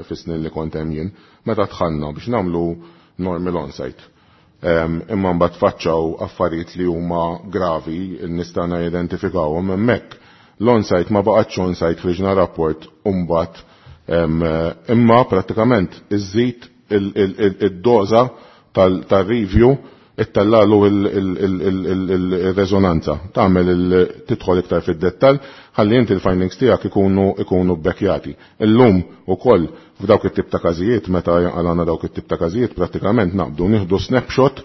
fis-snin li kont hemm jien, meta dħalna biex nagħmlu normal on-site. Imma mbagħad faċċaw affarijiet li huma gravi, nistgħu identifikawhom hemmhekk. L-on-site ma baqgħetx on-site ħriġna rapport u mbagħad imma prattikament iżżid id-doża tal-review ittallalu il-rezonanza, tagħmel tidħol iktar fid-dettall, ħalli inti l-findings tiegħek ikunu bbekkjati. Illum ukoll f'dawk it-tip ta' każijiet, meta għalana dawk it-tip ta' każijiet, prattikament naqbdu nieħdu snapshot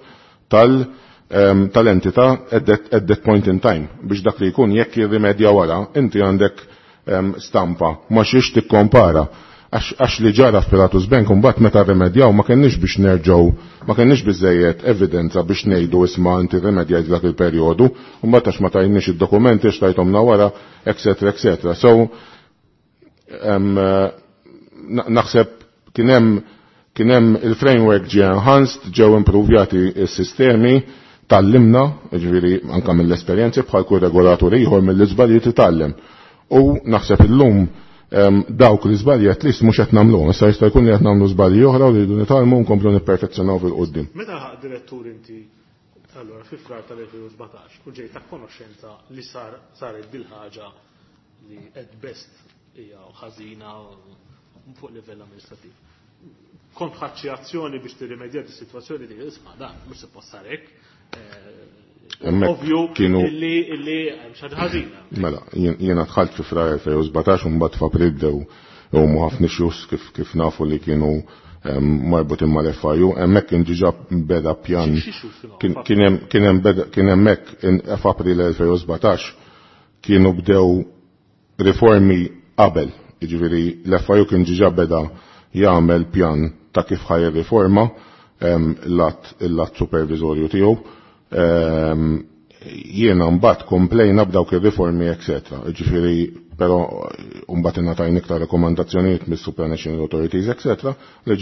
tal-entità at that point in time biex dak li jkun jekk jirrimedja wara, inti għandek stampa ma xiex tikkompara. Għax li ġara f'Pilatus Bank mbagħad meta rimedjaw ma kenniex biex nerġgħu, ma kenniex biżejjed evidenza biex ngħidu isma' inti rimedjajt dak il-perjodu, u mbagħad għax ma tajniex id-dokumenti għax tajthomna wara, eccetera, eccetera. So, naħseb kien hemm il-framework ġie enhanced, ġew improvjati s-sistemi, tallimna, ġifieri anke mill-esperjenzi bħal kull regolatur ieħor mill-iżbalji titgħallem. U naħseb illum dawk li żbalji at least mhux qed nagħmluhom, issa jista' jkun li qed nagħmlu żbalji oħra u li rridu nitgħallmu nkomplu nipperfezzjonaw fil-qudiem. Meta ħaq direttur inti allura fi frar tal-2017 u ġejt ta' konoxxenza li saret dil-ħaġa li at best hija ħażina fuq livell amministrativ. Kont ħadt xi azzjoni biex tirrimedja di sitwazzjoni li isma' dan mhux suppost sar hekk. Hemmhekk Ovvju kienu illi hemm xi ħaġa ħażina. Mela, jiena dħalt fi frar 2017 u mbagħad f'April bdew huma ħafna issues kif nafu li kienu marbutin mal-FIU, hemmhekk kien diġà beda pjan. Xi issues kienu f'April? Kien hemmhekk f'April 2017 kienu bdew riformi qabel, jiġifieri l-FIU kien diġà beda jagħmel pjan ta' kif ħaj riforma l-att supervisorju tiegħu. Jiena mbagħad komplejna b'dawk ir-riformi, eccetera. Jiġifieri, però mbagħad ingħatajna iktar rakkomandazzjonijiet mis-Supranational Authorities, eccetera, li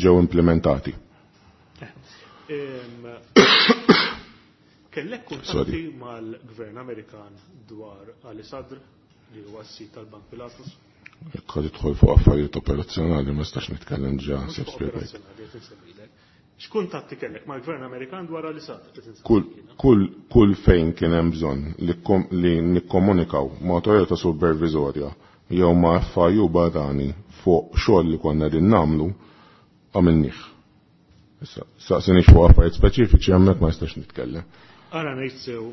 ġew implementati. Kellek kuntatti Sorry. mal-Gvern Amerikan dwar Ali Sadr li huwa s-sit tal-Bank Pilatus? Jekk ħad idħol fuq affarijiet operazzjonali ma nistax nitkellem ġa Mhux sib fuq spjegajt. operazzjonali qed insemmilek. X'kuntatti kellek mal-Gvern Amerikan dwar Ali Sadr? Qed insemmilek jiena. Kull fejn kien hemm bżonn li nikkomunikaw ma' awtorità supervisorja jew ma' FIU barrani fuq xogħol li konna qegħdin nagħmlu, għamilnieh. Issa, saqsinix fuq affarijiet speċifiċi hemmhekk ma nistax nitkellem. Ara ngħid sew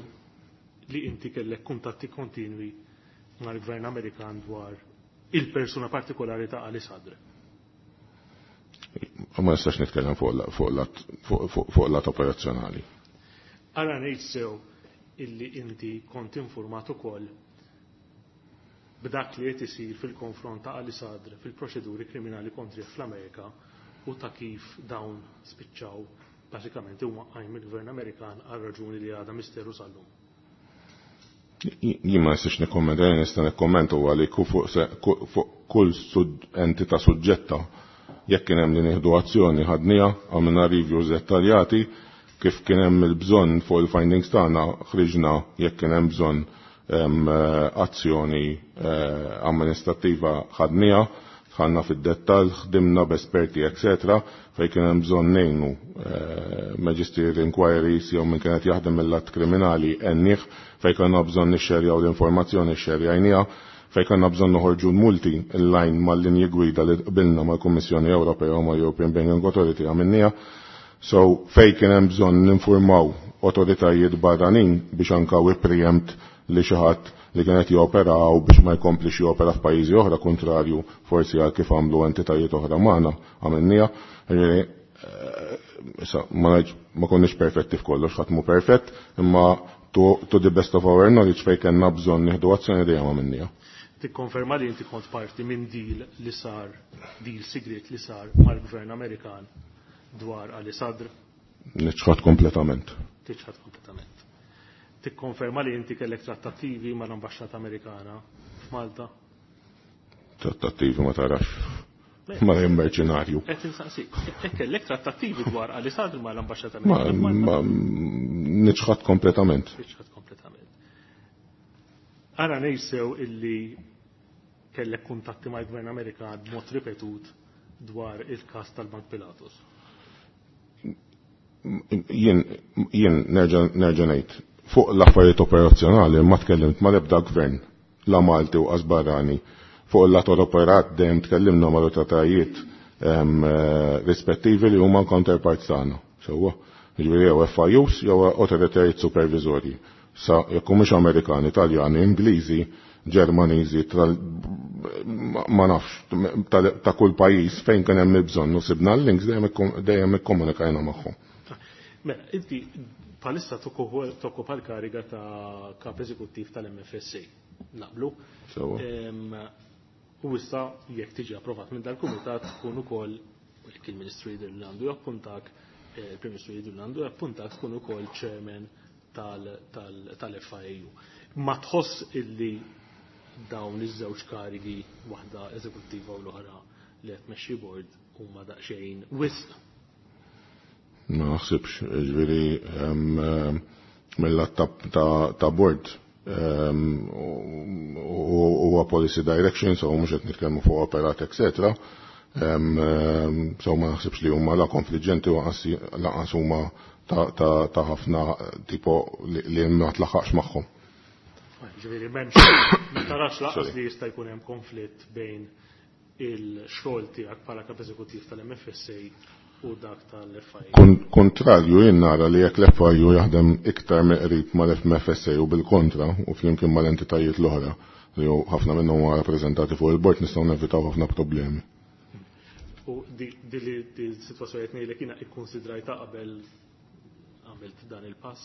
li inti kellek kuntatti kontinwi mal-Gvern Amerikan dwar il-persuna partikolari ta' Ali Sadr. Ma nistax nitkellem fuq lat operazzjonali. Ara ngħid sew illi inti kont informat ukoll b'dak li qed isir fil-konfront ta' Ali Sadr fil-proċeduri kriminali kontri fl-Amerika u ta' kif dawn spiċċaw bażikament imwaqqajn mill-Gvern Amerikan għal raġuni li għadha misteru sal-lum. Jien ma nistax nikkommenta, jien nista' nikkommenta huwa li fuq kull entità suġġetta jekk kien hemm li nieħdu azzjoni ħadniha, għamilna reviews dettaljati, kif kien hemm il-bżonn fuq il-findings tagħna ħriġna jekk kien hemm bżonn azzjoni amministrattiva ħadniha, dħalna fid-dettall, ħdimna b'esperti, etc. fejn kien hemm bżonn ngħinu magisterial inquiries jew min kienet jaħdem mill-att kriminali għennih, fejn kellna bżonn nixxerjaw l-informazzjoni xxerjajniha, fejn kellna bżonn noħorġu l-multi in-line mal-linji gwida li qbilna mal-Kummissjoni Ewropea u mal-European Banking Authority għamilniha. So fejn kien hemm bżonn ninformaw autoritajiet barranin biex anka we preempt li xi ħadd li kienet jopera u biex ma jkomplix jopera f'pajjiżi oħra kontrarju forsi għal kif għamlu entitajiet oħra magħna għamilniha. Issa ma konniex perfetti f'kollox, ħadd mhu perfett, imma to the best of our knowledge fejn kellna bżonn nieħdu azzjoni dejjem għamilniha. Tikkonferma li inti kont parti minn deal li sar, deal sigriet li sar mal-Gvern Amerikan dwar Ali Sadr? Niċħad kompletament. Tiċħad kompletament. Tikkonferma li inti kellek trattattivi mal-Ambaxxata Amerikana f'Malta? Trattattivi ma tarax. Ma jien merċenarju. Qed insaqsik, kellek trattattivi dwar Ali Sadr mal-Ambaxxata Amerikana f'Malta? Ma niċħad kompletament. Niċħad kompletament. Ara ngħid illi kellek kuntatti mal-Gvern Amerikan b'mod ripetut dwar il-każ tal-Bank Pilatus. Jien nerġa' ngħid, fuq l-affarijiet operazzjonali ma tkellimt mal-ebda gvern, la Malti u qas barrani. Fuq il-lat operat dejjem tkellimna mal-awtoritajiet rispettivi li huma counterparts tagħna. Sewwa, jiġifieri jew FIUs jew awtoritajiet superviżorji. Sa jekk mhux Amerikani, Taljani, Ingliżi, Ġermaniżi, ma nafx ta' kull pajjiż fejn kien hemm il-bżonn u sibna l-links dejjem ikkomunikajna magħhom. Mela, inti bħalissa tokkupa l-kariga ta' kap eżekuttiv tal-MFSA. Naqblu? Sewwa. U issa jekk tiġi approvat minn dal-kumitat tkun ukoll jekk il-Ministru jidher li għandu jappuntak, il-Prim Ministru jidher li għandu jappuntak tkun ukoll chairman tal-FIAU. Ma tħoss illi dawn iż-żewġ karigi, waħda eżekuttiva u l-oħra li qed tmexxi board, huma daqsxejn wisq? Ma naħsibx, ġifieri mill-lat ta' board huwa policy direction, so mhux qed nitkellmu fuq operat, etc. So ma naħsibx li huma la konfliġġenti u lanqas huma ta' ħafna tipo li ma tlaħħaqx magħhom. Ġifieri m'hemmx, ma tarax laqas li jista' jkun hemm konflitt bejn il-xogħol tiegħek bħala kap eżekuttiv tal-MFSA u dak tal-FIU. Kontrarju, jien nara li jekk l-FIU jaħdem iktar meqrib mal-MFSA u bil-kontra u flimkien mal-entitajiet l-oħra li ħafna minnhom huma rappreżentati fuq il-bord nistgħu nevitaw ħafna problemi. U di sitwazzjoni qed ngħidlek jiena ikkonsidrajta qabel għamilt dan il-pass?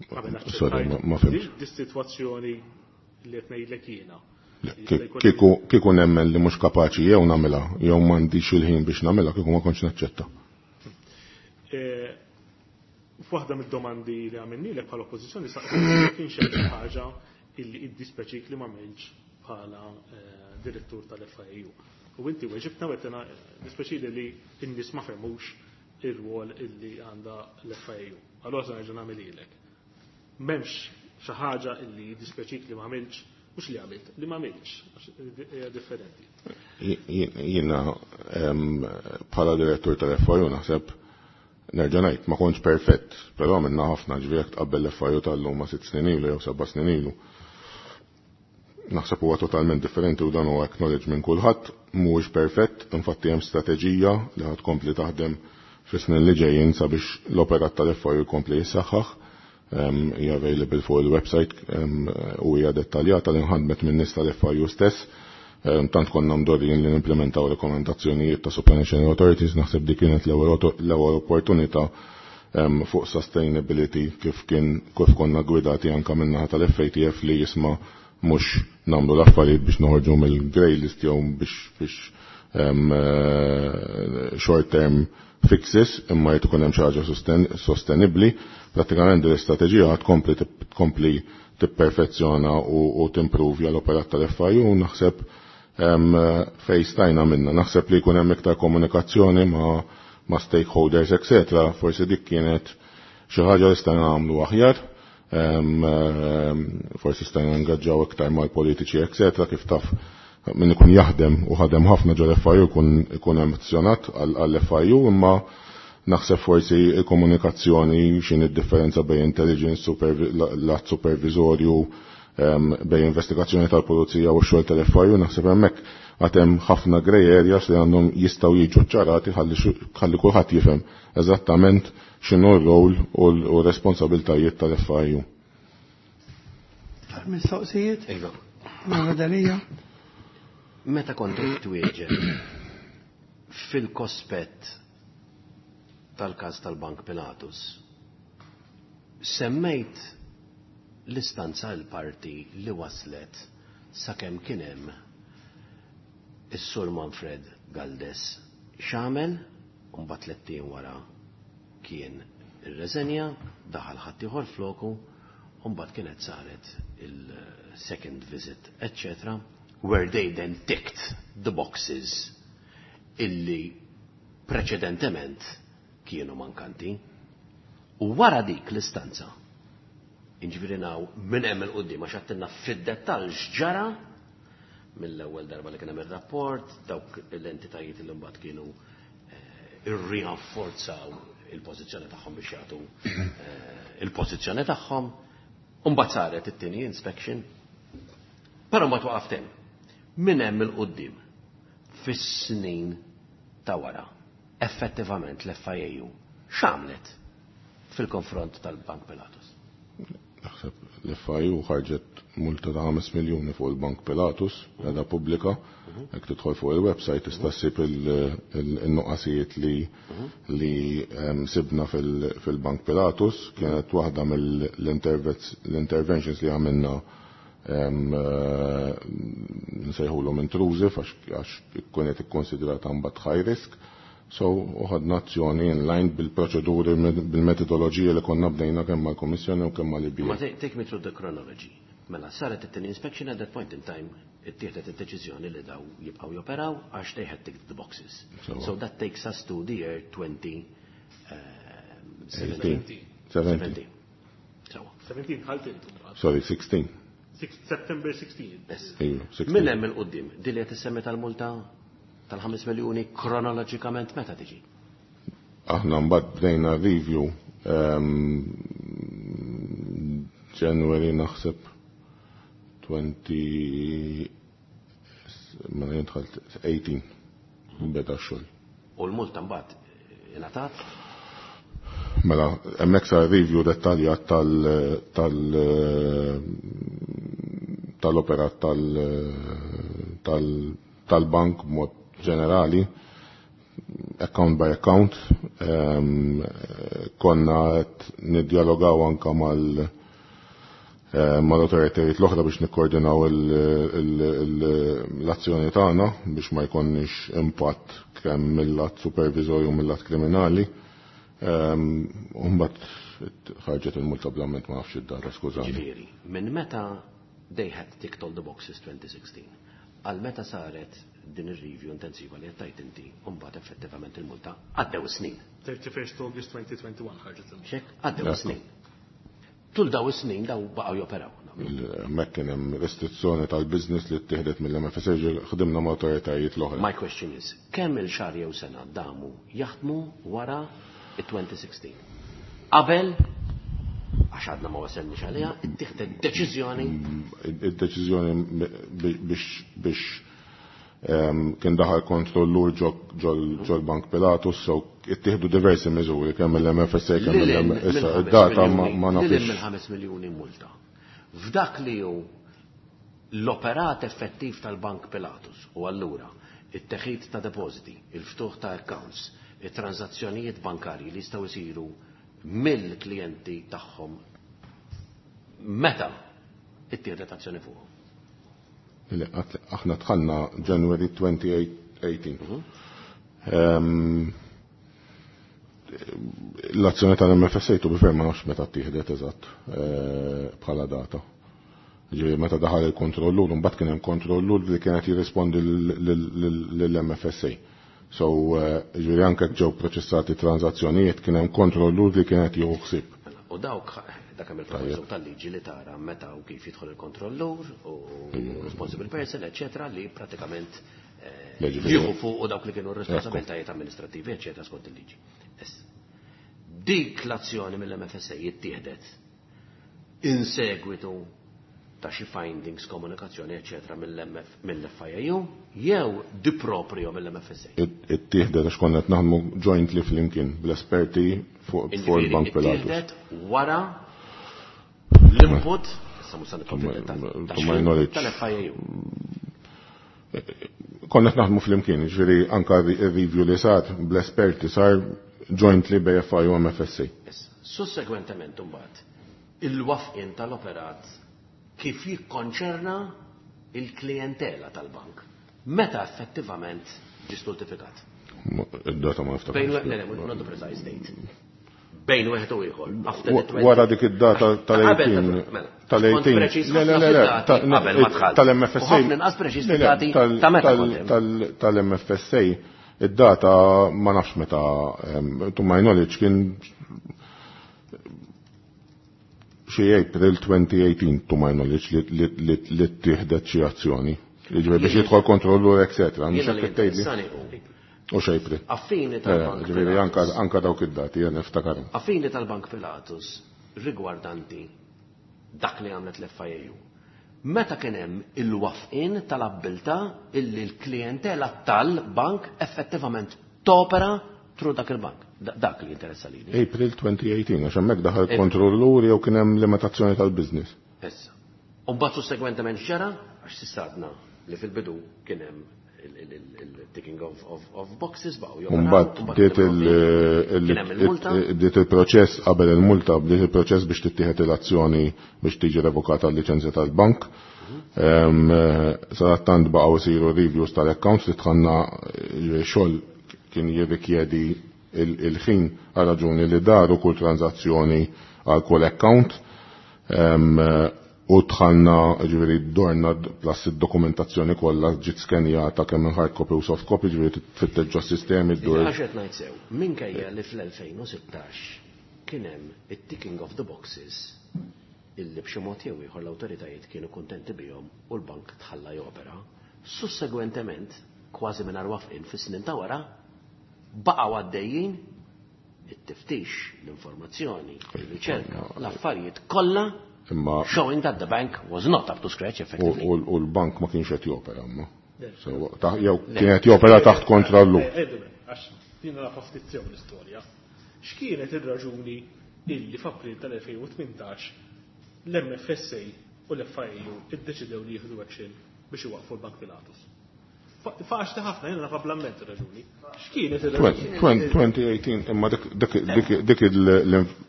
Qabel Sorry, aċċettajt ma fhimtx. Di sitwazzjoni li qed ngħidlek jiena. Kieku nemmen li mhux kapaċi jew nagħmilha jew m'għandix il-ħin biex nagħmilha, kieku ma kontx naċċetta. F'waħda mid-domandi li għamilnilek bħala oppożizzjoni saqsejt kien xi ħaġa illi iddispeċik li m'għamilx bħala direttur tal-FIAU. U inti weġibtna u għedtna dispeċili li n-nies ma fehmux ir-rwol illi għandha l-FIAU. Allora se nerġa' nagħmel ilek. M'hemmx xi ħaġa illi dispeċik li m'għamilx, mhux li għamilt, li m'għamilx, għax hija differenti. Jiena bħala direttur tal-FIAU naħseb nerġa' ngħid ma kontx perfett, però għamilna ħafna, ġifieri jekk tqabbel l-FIAU tal-lum ma' 6 snin ilu jew 7 snin ilu. Naħseb huwa totalment differenti u dan huwa acknowledge minn kulħadd, mhuwiex perfett, infatti hemm strateġija li ħad tkompli taħdem fis-snin li ġejjin sabiex l-operat tal-FIU jkompli jissaħħaħ. Hija available fuq il-website u hija dettaljata li nħadmet minn nies tal-FIU stess. Tant konna mdorrijin li nimplementaw rekomendazzjonijiet ta' Supranational Authorities, naħseb dik kienet l-ewwel opportunità fuq sustainability kif kien kif konna gwidati anka min-naħa tal-FATF li jisma' mhux nagħmlu l-affarijiet biex noħorġu mill-grey list jew biex short term fixes, imma jrid ikun hemm xi ħaġa sostenibbli. Prattikament din l-istrateġija tkompli tkompli tipperfezzjona u timpruvja l-operat tal-FIU u naħseb fej stajna minna. Naħseb li jkun hemm iktar komunikazzjoni ma' stakeholders, etc. Forsi dik kienet xi ħaġa li stajna nagħmlu aħjar. Forsi stajna ngaġġaw iktar mal-politiċi, etc. Kif taf min ikun jaħdem u ħadem ħafna ġol FIU ikun emozjonat għall-FIU, imma naħseb forsi il-komunikazzjoni x'in id-differenza bejn intelligence, lat supervisorju, bejn investigazzjoni tal-pulizija u x-xogħol tal-FIU, naħseb hemmhekk għad hemm ħafna grey areas li għandhom jistgħu jiġu ċarati ħalli kulħadd jifhem eżattament x'inhu r-rol u r-responsabiltajiet tal-FIU. Mistoqsijiet? Iva. Mela Dalija. Meta kont twieġeb fil-kospett tal-każ tal-Bank Pilatus, semmejt l-istanza l-parti li waslet sakemm kien hemm is-Sur Manfred Galdes x'għamel, u mbagħad tliet wara kien irreżenja, daħal ħaddieħor floku, u mbagħad kienet saret il-second visit, etc., where they then ticked the boxes illi preċedentement kienu mankanti. U wara dik l-istanza, inġifieri naw minn hemm il-qudiem għax għattilna fid-dettall x'ġara mill-ewwel darba li kien hemm ir-rapport, dawk l-entitajiet li mbagħad kienu irrinforzaw il-pożizzjoni tagħhom biex jagħtu il-pożizzjoni tagħhom, u mbagħad saret it-tieni inspection. Però ma twaqaft hemm. Minn hemm il-qudiem fis-snin ta' wara, effettivament l-FIAU x'għamlet fil-konfront tal-Bank Pilatus? Naħseb l-FIU ħarġet multa ta' 5 miljuni fuq il-Bank Pilatus, għadha pubblika, jekk tidħol fuq il-website tista' ssib il-nuqqasijiet li sibna fil-Bank Pilatus. Kienet waħda mill-interventions li għamilna nsejħulhom intrusive għax kienet ikkonsidrata mbagħad high risk. So, uħadna azzjoni in line bil-proċeduri, bil-metodoloġija li konna bdejna kemm mal-Komissjoni u kemm mal-IBA. Ma take me through the chronology. Mela, saret it-tieni inspection at that point in time, ittieħdet id-deċiżjoni li daw jibqgħu joperaw għax they had ticked the boxes. So that takes us to the year twenty, seventeen. 17. So. 17 ħalt intom. Sorry, 16. September 16. Yes. Ejju, 16. Minn hemm il-qudiem, din li qed issemmi tal-multa tal-5 miljuni kronoloġikament meta tiġi? Aħna mbagħad bdejna review January naħseb 20 ma jidħol 18 beda x-xogħol. U l-multa mbagħad ingħatat? Mela, hemmhekk sar review dettaljat tal-operat tal-bank b'mod ġenerali, account by account. Konna qed niddialogaw anka mal-autoritajiet l-oħra biex nikkoordinaw l-azzjoni tagħna biex ma jkollniex impatt kemm mill-lat supervisorju u mill-lat kriminali. U mbagħad ħarġet il-multa bl-amment ma nafx id-data, skużani. Ġifieri, minn meta they had ticked all the boxes 2016, għal meta saret din ir-review intensiva li qed tgħid inti, u mbagħad effettivament il-multa għaddew snin. 31 August 2021 ħarġet il-multa. Xek, għaddew snin. Tul daw is-snin daw baqgħu joperaw. Hemmhekk kien hemm restrizzjoni tal-business li ttieħdet mill-MFSA, ħdimna ma' awtoritajiet l-oħra. My question is, kemm il-xahar jew sena damu jaħdmu wara it-2016? Qabel Għax għadna ma wasalniex għaliha, ittieħdet deċiżjoni. Id-deċiżjoni biex kien daħal kontrollur ġol-Bank Pilatus, so ittieħdu diversi miżuri kemm il-MFSA kemm il-MFSA. Id-data ma nafx. Lil mill-5 miljuni multa. F'dak li hu l-operat effettiv tal-Bank Pilatus u allura it-teħid ta' depositi, il-ftuħ ta' accounts, it-transazzjonijiet bankarji li jistgħu jsiru mill-klijenti tagħhom meta ittieħdet azzjoni fuqhom? Aħna dħalna January 2018. L-azzjoni tal-MFSA to be fair ma nafx meta ttieħdet eżatt bħala data. Ġifieri meta daħal il-kontrollur, mbagħad kien hemm kontrollur li kienet jirrispondi lill-MFSA. So, ġifieri anke ġew proċessati transazzjonijiet kien hemm kontrollur li kienet jieħu ħsieb. U dawk dak hemm il-proviżu tal-liġi li tara meta u kif jidħol il-kontrollur u responsible person, eċetera, li pratikament jieħu fuq u dawk li kienu responsabiltajiet amministrativi, eċetera, skont il-liġi. Dik l-azzjoni mill-MFSA jittieħdet in segwitu ta' xi findings, komunikazzjoni, eċetera, mill-FIAU jew di proprio mill-MFSA. Ittieħdet għax konna qed naħdmu jointly flimkien bl-esperti fuq il-Bank Pilatus. Ittieħdet wara l-input, issa mhux se nidħol tal-FIAU. Konna qed naħdmu flimkien, ġifieri anka ir-review li sar bl-esperti sar jointly bej FIU u MFSA. Sussegwentement imbagħad il-wafqin tal-operat kif jikkonċerna il-klientela tal-bank. Meta effettivament ġie stultifikat? Id-data ma niftakarx. Bejn le, not the precise date. Bejn wieħed u ieħor. After the 20. Wara dik id-data tal-18. Mela, Tal-18. kont preċiż Le, le, ħafna le, le, fid-dati qabel ma dħalt. tal-MFSA. U ħafna inqas preċiż Le, le, fid-dati ta' meta kont hemm. Tal-MFSA, id-data ma nafx meta, to my knowledge, kien xi April 2018, to my knowledge, li ttieħdet xi azzjoni. Jiġifieri biex jidħol kontrollur, eccetera. Mhux Jiena li hekk tgħidli. interessani hu. U x'April. Affini tal-Bank Ġifieri Pilatus. anka dawk id-dati, jien niftakarhom. Affini tal-Bank Pilatus rigwardanti dak li għamlet l-FIAU. Meta kien hemm il-wafqin tal-abbiltà illi l-klientela tal-bank effettivament topera through dak il-bank. Dak li jinteressa lili. April 2018, għax hemmhekk daħal April. kontrollur jew kien hemm limitazzjoni tal-business. Issa. U mbagħad sussegwentement x'ġara, għax s'issa li fil-bidu kien hemm il-ticking of boxes baqgħu joperaw, Mbagħad u mbagħad bdiet kien hemm kien hemm il-multa. bdiet il-proċess qabel il-multa, bdiet il-proċess biex tittieħed l-azzjoni biex tiġi revokata l-liċenzja tal-bank. Sadattant baqgħu isiru reviews tal-accounts li tħanna xogħol kien jirrikjedi il-ħin għal raġuni li daru kull tranzazzjoni għal kull account. U tħanna, ġifieri, dorna plus id-dokumentazzjoni kollha ġiet skenjata kemm minn hard copy u soft copy, ġifieri tfittex ġo sistemi ddur. Għax qed ngħid sew, minkejja li fl-2016 kien hemm it-ticking of the boxes illi b'xi mod jew ieħor l-awtoritajiet kienu kuntenti bihom u l-bank tħalla jopera, sussegwentement kważi mingħajr wafqin fis-snin ta' wara baqgħu għaddejjin it-tiftix, l-informazzjoni, il-riċerka, l-affarijiet kollha Imma showing that the bank was not up to scratch effectively. U l-bank ma kienx qed jopera imma. So, jew kien qed jopera taħt kontrollu. Għax jiena naf ftit sew l-istorja. X'kienet ir-raġuni illi f'April tal-2018 l-MFSA u l-FIAU iddeċidew li jieħdu action biex iwaqfu l-Bank Pilatus? Faċli ħafna, jiena naf bl-amment ir-raġuni. X'kienet ir-raġuni? 2018, imma dik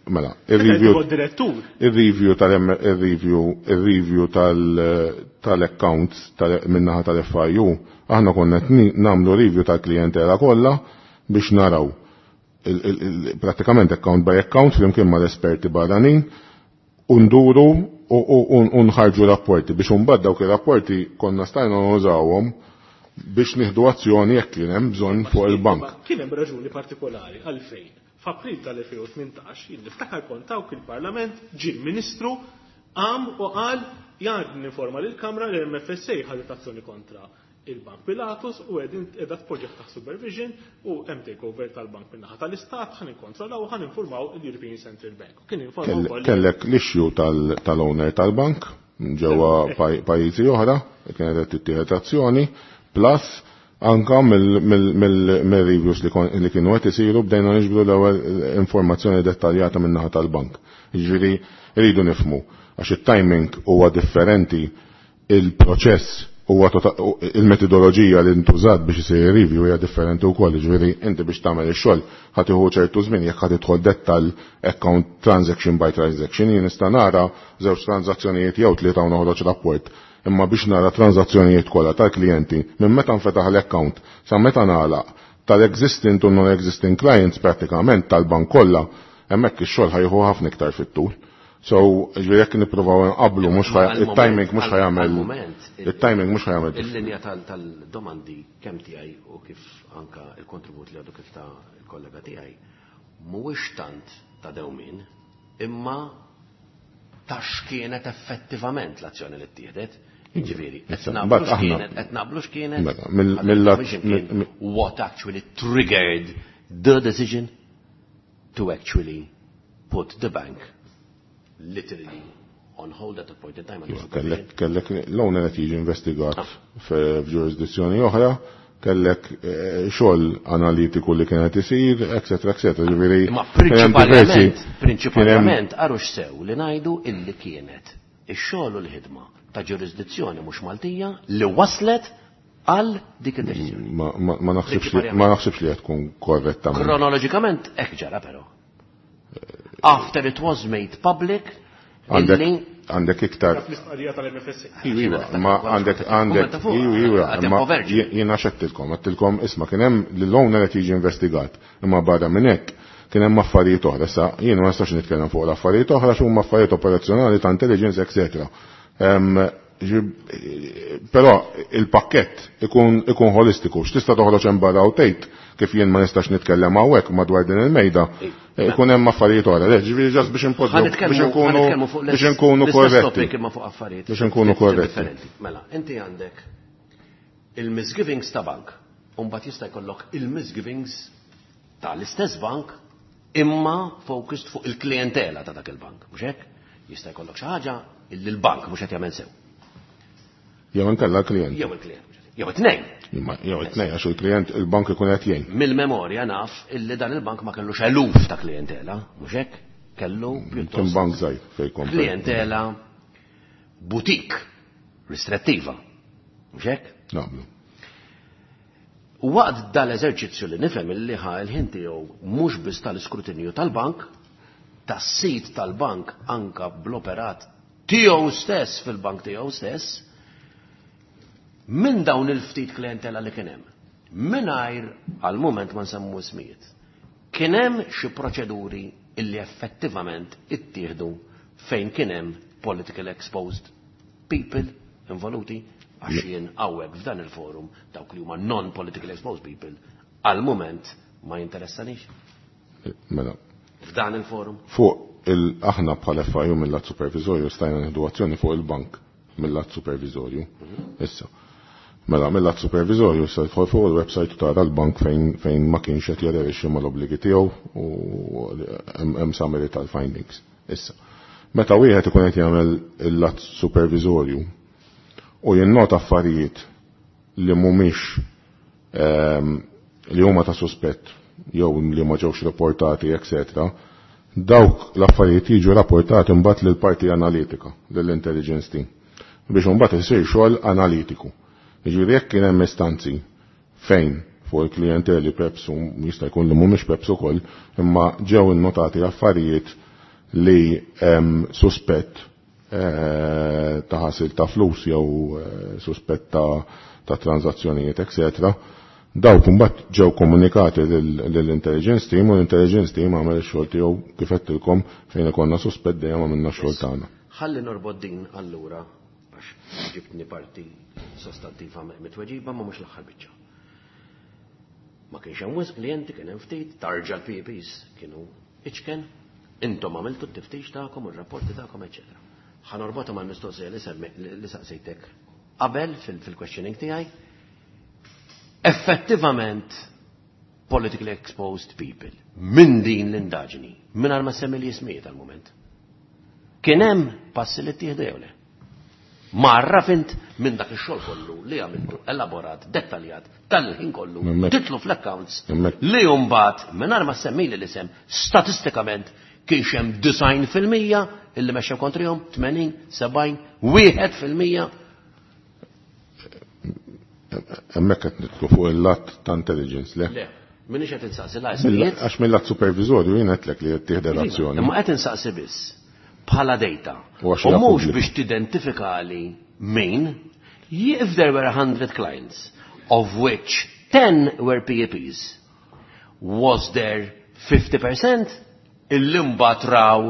mela, Meta il-review jkun direttur. Il-review tal-M, il-review, il-review tal-accounts minnaħa tal-FIU, aħna konna qed nagħmlu review tal-klientela kollha biex naraw pratikament account by account flimkien mal-esperti barranin u nduru u nħarġu rapporti biex imbagħad dawk ir-rapporti konna stajna nużawhom biex nieħdu azzjoni jekk kien hemm bżonn fuq il-bank. Kien hemm raġuni partikolari għalfejn. F'April tal-2018 jien niftakar kont hawn il-Parlament ġie l-Ministru qam u qal Jan ninforma lill-Kamra li l-MFSA ħadet azzjoni kontra il-Bank Pilatus u qegħdin qiegħda tpoġġih taħt supervision u hemm takeover tal-bank min-naħa tal-Istat, ħa nikkontrollaw u ħa ninformaw il-European Central Bank. U kien informa wkoll Kellek l-issue tal-owner tal-bank ġewwa pajjiżi oħra, kienet qed tittieħed azzjoni, plus anka mill-reviews li kienu qed isiru bdejna niġbru l-ewwel informazzjoni dettaljata min-naħa tal-bank. Jiġifieri rridu nifhmu għax it-timing huwa differenti, il-proċess huwa il-metodoloġija li ntużat biex isir review hija differenti wkoll, jiġifieri inti biex tagħmel ix-xogħol ħa tieħu ċertu żmien jekk ħa tidħol dettall account transaction by transaction. Jien nista' nara żewġ transazzjonijiet jew tlieta u noħroġ rapport, imma biex nara transazzjonijiet kollha tal-klijenti minn meta nfetaħ l-account sa meta nagħlaq tal-existing u non-existing clients prattikament tal-bank kollha, hemmhekk ix-xogħol ħa jieħu ħafna iktar fit-tul. So, ġifieri jekk nippruvaw nqablu mhux it-timing mhux ħa jagħmel it-timing mhux ħa jagħmel. Il-linja tal-domandi kemm tiegħi u kif anka il-kontribut li għadu kif ta' il-kollega tiegħi mhuwiex tant ta' dewmien imma ta' x'kienet effettivament l-azzjoni li ttieħdet. Ġifieri, qed naqblu x'kienet what actually triggered the decision to actually put the bank literally on hold at a point in time. Kellek l-owner qed jiġi investigat f'ġurisdizzjoni oħra, kellek xogħol analitiku li kien qed isir, eccetera, eccetera. Ġifieri Ma prinċipalment għarux sew li ngħidu illi kienet ix-xogħol u l-ħidma ta' ġurisdizzjoni mhux Maltija li waslet għal dik id-deċiżjoni. Ma naħsibx li qed tkun korretta. Kronoloġikament hekk ġara però. After it was made public, għandek iktar. Iwa, ma għandek għandek iwa, ma jiena xettilkom, għattilkom isma' kien hemm l-owner qed jiġi investigat, imma barra minn hekk kien hemm affarijiet oħra. Issa jien ma nistax nitkellem fuq l-affarijiet oħra x'huma affarijiet operazzjonali ta' intelligence, etc. Però il-pakkett ikun holistiku, x'tista' toħroġ hemm barra u tgħid kif jien ma nistax nitkellem hawnhekk madwar din il-mejda, ikun hemm affarijiet oħra. Ġifieri ġast biex inpoġġu biex inkunu korretti. Biex inkunu korretti. Mela, inti għandek il-misgivings ta' bank, u mbagħad jista' jkollok il-misgivings tal-istess bank imma focused fuq il-klientela ta' dak il-bank, mhux hekk? Jista' jkollok xi ħaġa illi l-bank mhux qed jagħmel sew. Jew inkella l-klient. Jew il-klient. Jew it-tnejn. Jew it-tnejn għax il-klient il-bank ikun qed jgħin. Mill-memorja naf illi dan il-bank ma kellux eluf ta' klientela, mhux hekk? Kellu pjuttost. Kien bank żgħir fejn komplet. Klientela butik ristrettiva. Mhux hekk? Naqblu. U waqt dal-eżerċizzju li nifhem illi ħa l-ħin tiegħu mhux biss tal-iskrutinju tal-bank, tas-sit tal-bank anka bl-operat tiegħu stess fil-bank tiegħu stess, minn dawn il-ftit klientela li kien hemm, mingħajr għal-mument ma nsemmu ismijiet, kien hemm xi proċeduri illi effettivament ittieħdu fejn kien hemm political exposed people involuti, għax jien hawnhekk f'dan il-forum dawk li huma non-political exposed people għal-mument ma jinteressanix. Mela. F'dan il-forum. Fuq il-aħna bħal FIU mill-lat supervisorju stajna nieħdu azzjoni fuq il-bank mill-lat supervisorju. Issa. Mela, mill-lat supervisorju se tidħol fuq il-website tara l-bank fejn ma kienx qed jaderixxi mal-obbligi tiegħu u hemm summary tal-findings. Issa. Meta wieħed ikun qed jagħmel il-lat supervisorju u jinnota affarijiet li mhumiex li huma ta' suspett jew li ma ġewx rapportati, eccetera, dawk l-affarijiet jiġu rapportati mbagħad lill-parti analitika, lill-intelligence team, biex imbagħad isir xogħol analitiku. Jiġifieri jekk kien hemm istanzi fejn fuq il-klijenteli Peps u jista' jkun li mhumiex Peps ukoll, imma ġew innotati affarijiet li hemm suspett ta' ħasil ta' flus jew suspett ta' tranzazzjonijiet, eccetera, dawk imbagħad ġew komunikati lill-intelligence team u l-intelligence team għamel ix-xogħol tiegħu kif għedtilkom fejn ikollna suspett dejjem għamilna x-xogħol tagħna. Ħalli norbod din allura għax ġibtni parti sostantiva mitweġiba ma mhux l-aħħar biċċa. Ma kienx hemm wisq klijenti, kien hemm ftit, tarġa l-PPs kienu iċken, intom għamiltu t-tiftix tagħkom u r-rapporti tagħkom, eċetera. Ħa norbotha mal-mistoqsija li semmi li saqsejtek qabel fil-questioning tiegħi. Effettivament politically exposed people minn din l-indaġni, minn ma semmi li jismijiet għal-moment. Kien hemm passi li ttieħdu jew le? Marra fint minn dak ix-xogħol kollu li għamiltu elaborat, dettaljat, tal-ħin kollu, titlu fl-accounts li mbagħad mingħajr ma semmili l-isem statistikament kienx hemm 90% illi mexxew kontrihom, 80, 70, 1%. Hemmhekk qed nidħlu fuq il-lat ta' intelligence, le? Le, minix qed insaqsi la ismijiet. Għax mill-lat supervisorju jien għedtlek li qed tieħdu l-azzjoni. Imma qed insaqsi biss bħala data. U mhux biex tidentifikali min, if there were 100 clients, of which 10 were PEPs, was there 50% illi mbagħad raw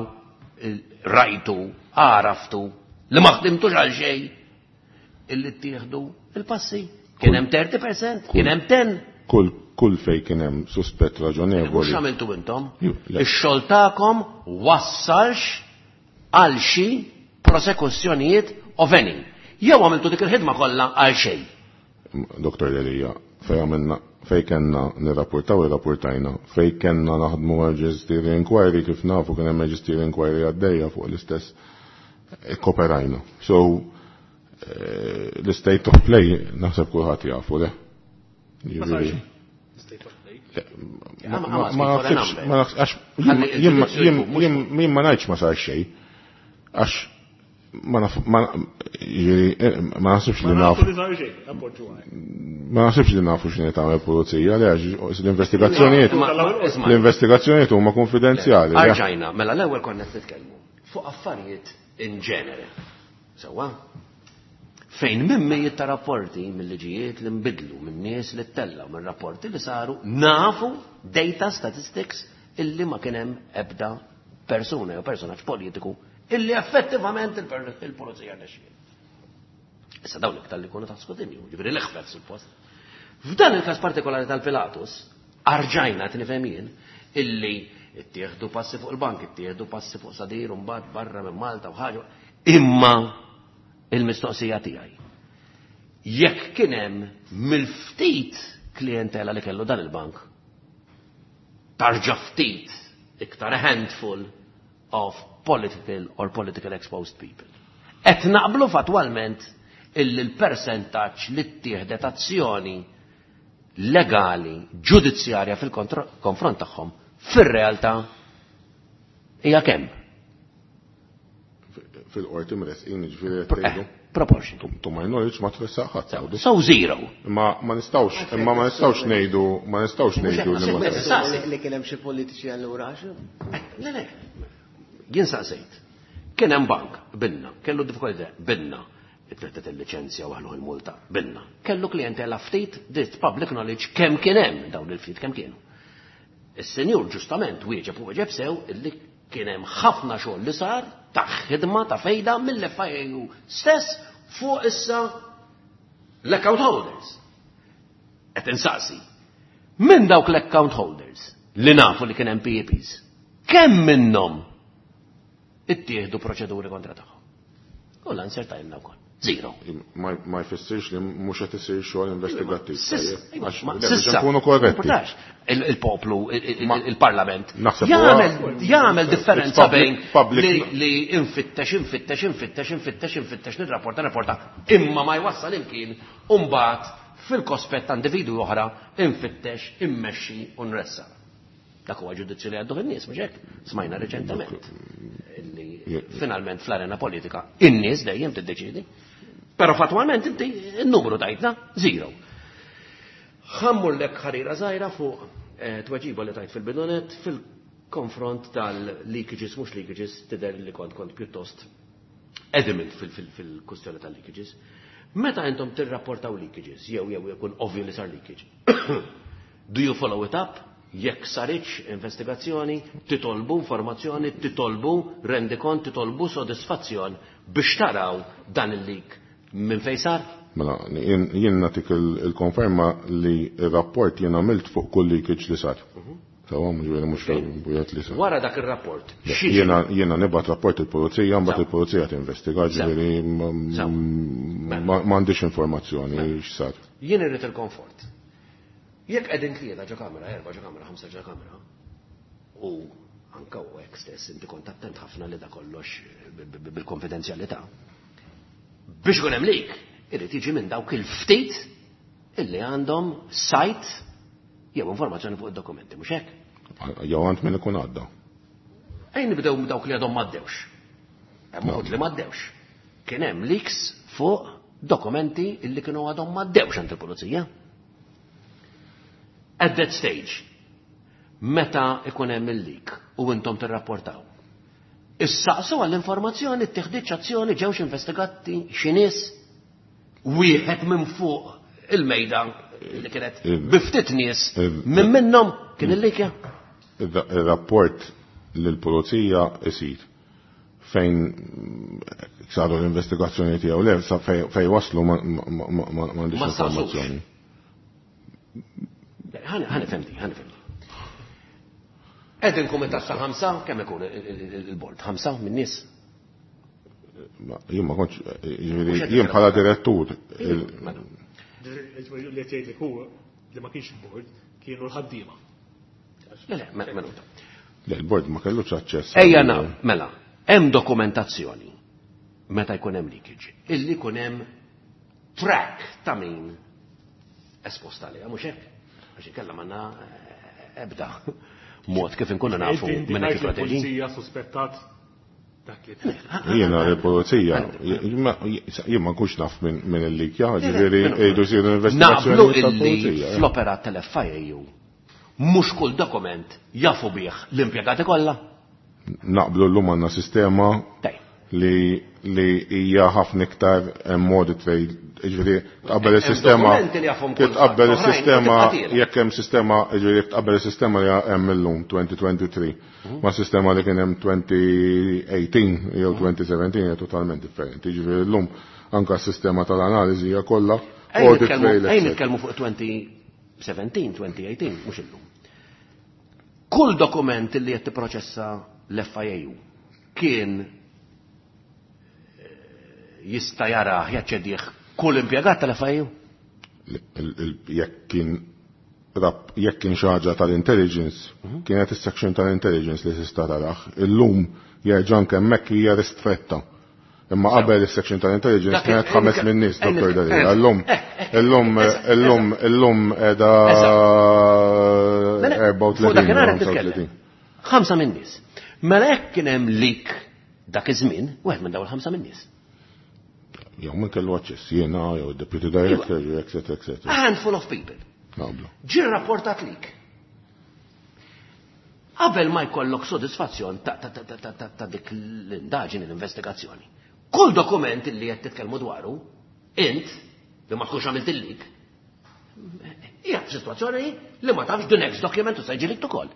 rajtu, għaraftu, li ma ħdimtux għal xejn, illi ttieħdu il-passi. Kien hemm 30%, kien hemm 10. Kull fej kien hemm suspett raġonevoli. Mhux għamiltu intom. Ix-xogħol tagħkom wassalx għal xi prosekuzzjonijiet of any. Jew għamiltu dik il-ħidma kollha għal xejn. Dr. Delia, fej għamilna fej kellna nirrapportaw irrapportajna, fej kellna naħdmu magisterial inquiry kif nafu kien hemm magisterial inquiry għaddejja fuq l-istess kooperajna. So l-state of play naħseb kulħadd jafu, le? Ma nafx, jien ma ngħidx ma sar xejn, għax ma naf, ma naħsibx li nafu. Ma naħsibx li nafu x'inhi tagħmel pulizija, li għax l-investigazzjonijiet l-investigazzjonijiet huma konfidenzjali. Arġajna, mela l-ewwel konna qed nitkellmu fuq affarijiet in ġenere. Sewwa? Fejn minn mijiet ta' rapporti mill-liġijiet li nbidlu, minn nies li tella, minn rapporti li saru, nafu data statistics illi ma kien hemm ebda persuna jew personaġġ politiku illi effettivament il-pulizija rnexxiet. Issa dawn iktar li kunu ta' skrutinju, ġifieri l-eħfef suppost. F'dan il-każ partikolari tal-Pilatus, arġajna nifhem jien illi ittieħdu passi fuq il-bank, ittieħdu passi fuq Sadir u mbagħad barra minn Malta u ħaġa. Imma il-mistoqsija tiegħi. Jekk kien hemm mill-ftit klientela li kellu dan il-bank, tarġa ftit iktar a handful of political or political exposed people. Et naqblu fatwalment illi l-percentaġġ li ttieħdet azzjoni legali, ġudizzjarja fil-konfront tagħhom fir-realtà hija kemm? Fil-qorti mresqin, ġifieri qed tgħidu. Proportion. To my knowledge ma tressaq ħadd. So zero. Imma ma nistgħux, imma ma nistgħux ngħidu, ma nistgħux ngħidu li ma li kien hemm xi politiċi allura għax. Le, le. Jien saqsejt. Kien hemm bank, binna, kellu diffikultà, binna. Itrettet il-liċenzja waħlu il-multa, binna. Kellu klientela ftit, dit public knowledge kemm kien hemm dawn il-ftit kemm kienu. Is-senjur ġustament wieġeb u wieġeb sew illi kien hemm ħafna xogħol li sar ta' ħidma ta' fejda mill-FIAU stess fuq issa l-account holders. Qed insaqsi. Minn dawk l-account holders li nafu li kien hemm PEPs, kemm minnhom ittieħdu proċeduri kontra tagħhom? U l-answer tajna wkoll. Zero. Ma jfissirx li mhux qed isir xogħol investigattiv. Sissa, nkunu korretti. Il-poplu, il-parlament. Jagħmel differenza bejn li infittex, infittex, infittex, infittex, infittex, nirrapporta, nirrapporta, imma ma jwassal imkien u mbagħad fil-kospett ta' individwi oħra infittex, immexxi u nressa. Dak huwa ġudizzju li għaddu fin-nies, mhux hekk? Smajna reċentement li finalment fl-arena politika in-nies dejjem tiddeċiedi. Però fatwalment inti n-numru tajtna zero. Ħammur lek ħarira żgħira fuq tweġiba li tajt fil-bidunet fil-konfront tal-leakages, mhux leakages, tidher li kont pjuttost adamant fil-kustjoni tal-leakages. Meta intom tirrapportaw leakages, jew jew jkun ovvju li sar leakage, do you follow it up? Jekk saritx investigazzjoni, titolbu informazzjoni, titolbu rendikont, titolbu sodisfazzjon biex taraw dan il-leak minn fejn sar? Mela, jien nagħtik il-konferma li il-rapport jien għamilt fuq kull leakage li sar. Sewwa, ġifieri mhux wieħed li sar. Wara dak ir-rapport. Jiena nibgħat rapport il-pulizija, mbagħad il-pulizija tinvestiga, ġifieri m'għandix informazzjoni x'sar. Jien irrid il-komfort. Jekk qegħdin tlieta ġo kamra, erba' ġo kamra, ħamsa ġo kamra, u anka u hekk stess inti kont attent ħafna li da kollox bil-konfidenzjalità. Biex ikun hemm lik, irid jiġi minn dawk il-ftit illi għandhom sajt jew informazzjoni fuq id-dokumenti, mhux hekk? Jew għand min ikun għadda. Ejn nibdew dawk li għadhom m'għaddewx. Hemm uħud li m'għaddewx. Kien hemm leaks fuq dokumenti illi kienu għadhom m'għaddewx għand il-pulizija. At that stage, meta ikun hemm il-leak u intom tirrapportaw. Issaqsu għall-informazzjoni, ttieħditx azzjoni, ġewx investigati xi nies wieħed minn fuq il-mejda li kienet bi ftit nies minn minnhom kien il-likja. Ir-rapport lill-pulizija isir fejn saru l-investigazzjoni tiegħu le fejn waslu m'għandix informazzjoni. Ħa nifhimni, ħa nifhimni. Qegħdin kumitat ta' ħamsa, kemm ikun il-bord? Ħamsa minn nies? Jien ma kontx, jien bħala direttur. Li tgħidlek hu li ma kienx il-bord kienu l-ħaddiema. Le, mela. Le, il-bord ma kellux aċċess. Ejja mela, hemm dokumentazzjoni meta jkun hemm leakage, illi jkun hemm track ta' min esposta għaliha, mhux hekk? Għax inkella m'għandna ebda mod kif inkunu nafu minn qed jipproteġi. Il-pulizija suspettat dak li Jiena l-pulizija, jien ma nkunx naf minn il-likja, ġifieri jgħidu jsiru investigazzjoni. Naqblu illi fl-operat tal-FIAU mhux kull dokument jafu bih l-impjegati kollha. Naqblu llum għandna sistema li hija ħafna iktar modi trail, ġifieri tqabbel is-sistema tqabbel is-sistema jekk hemm sistema, ġifieri jekk tqabbel is-sistema li hemm illum 2023 ma' sistema li kien hemm 2018 jew 2017 hija totalment differenti. Ġifieri llum anke s-sistema tal-analiżi hija kollha audit trail. Ejn nitkellmu fuq 2017, 2018, mhux illum. Kull dokument li qed tipproċessa l-FIAU kien jista' jarah jaċċedih kull impjegat tal-FIAU? Jekk kien xi ħaġa tal-intelligence, kienet is-section tal-intelligence li tista' tarah. Illum jerġa' anke hemmhekk hija ristretta. Imma qabel is-section tal-intelligence kienet 5 min nies, Dr. Delia. Illum, illum, illum, illum qiegħda 34. 5 min nies. Mela hekk kien hemm leak dak iż-żmien, wieħed minn dawn il-5 min nies. Jew minn kellu aċċess jiena, jew deputy director, jew et cetera, et cetera. A handful of people. Naqblu. Ġie rapportat leak. Qabel ma jkollok sodisfazzjon ta' dik l-indaġini, l-investigazzjoni. Kull dokument li qed titkellmu dwaru, int, li ma tkunx għamilt il-leak, hija f'sitwazzjoni li ma tafx the next document u se jiġilik ukoll.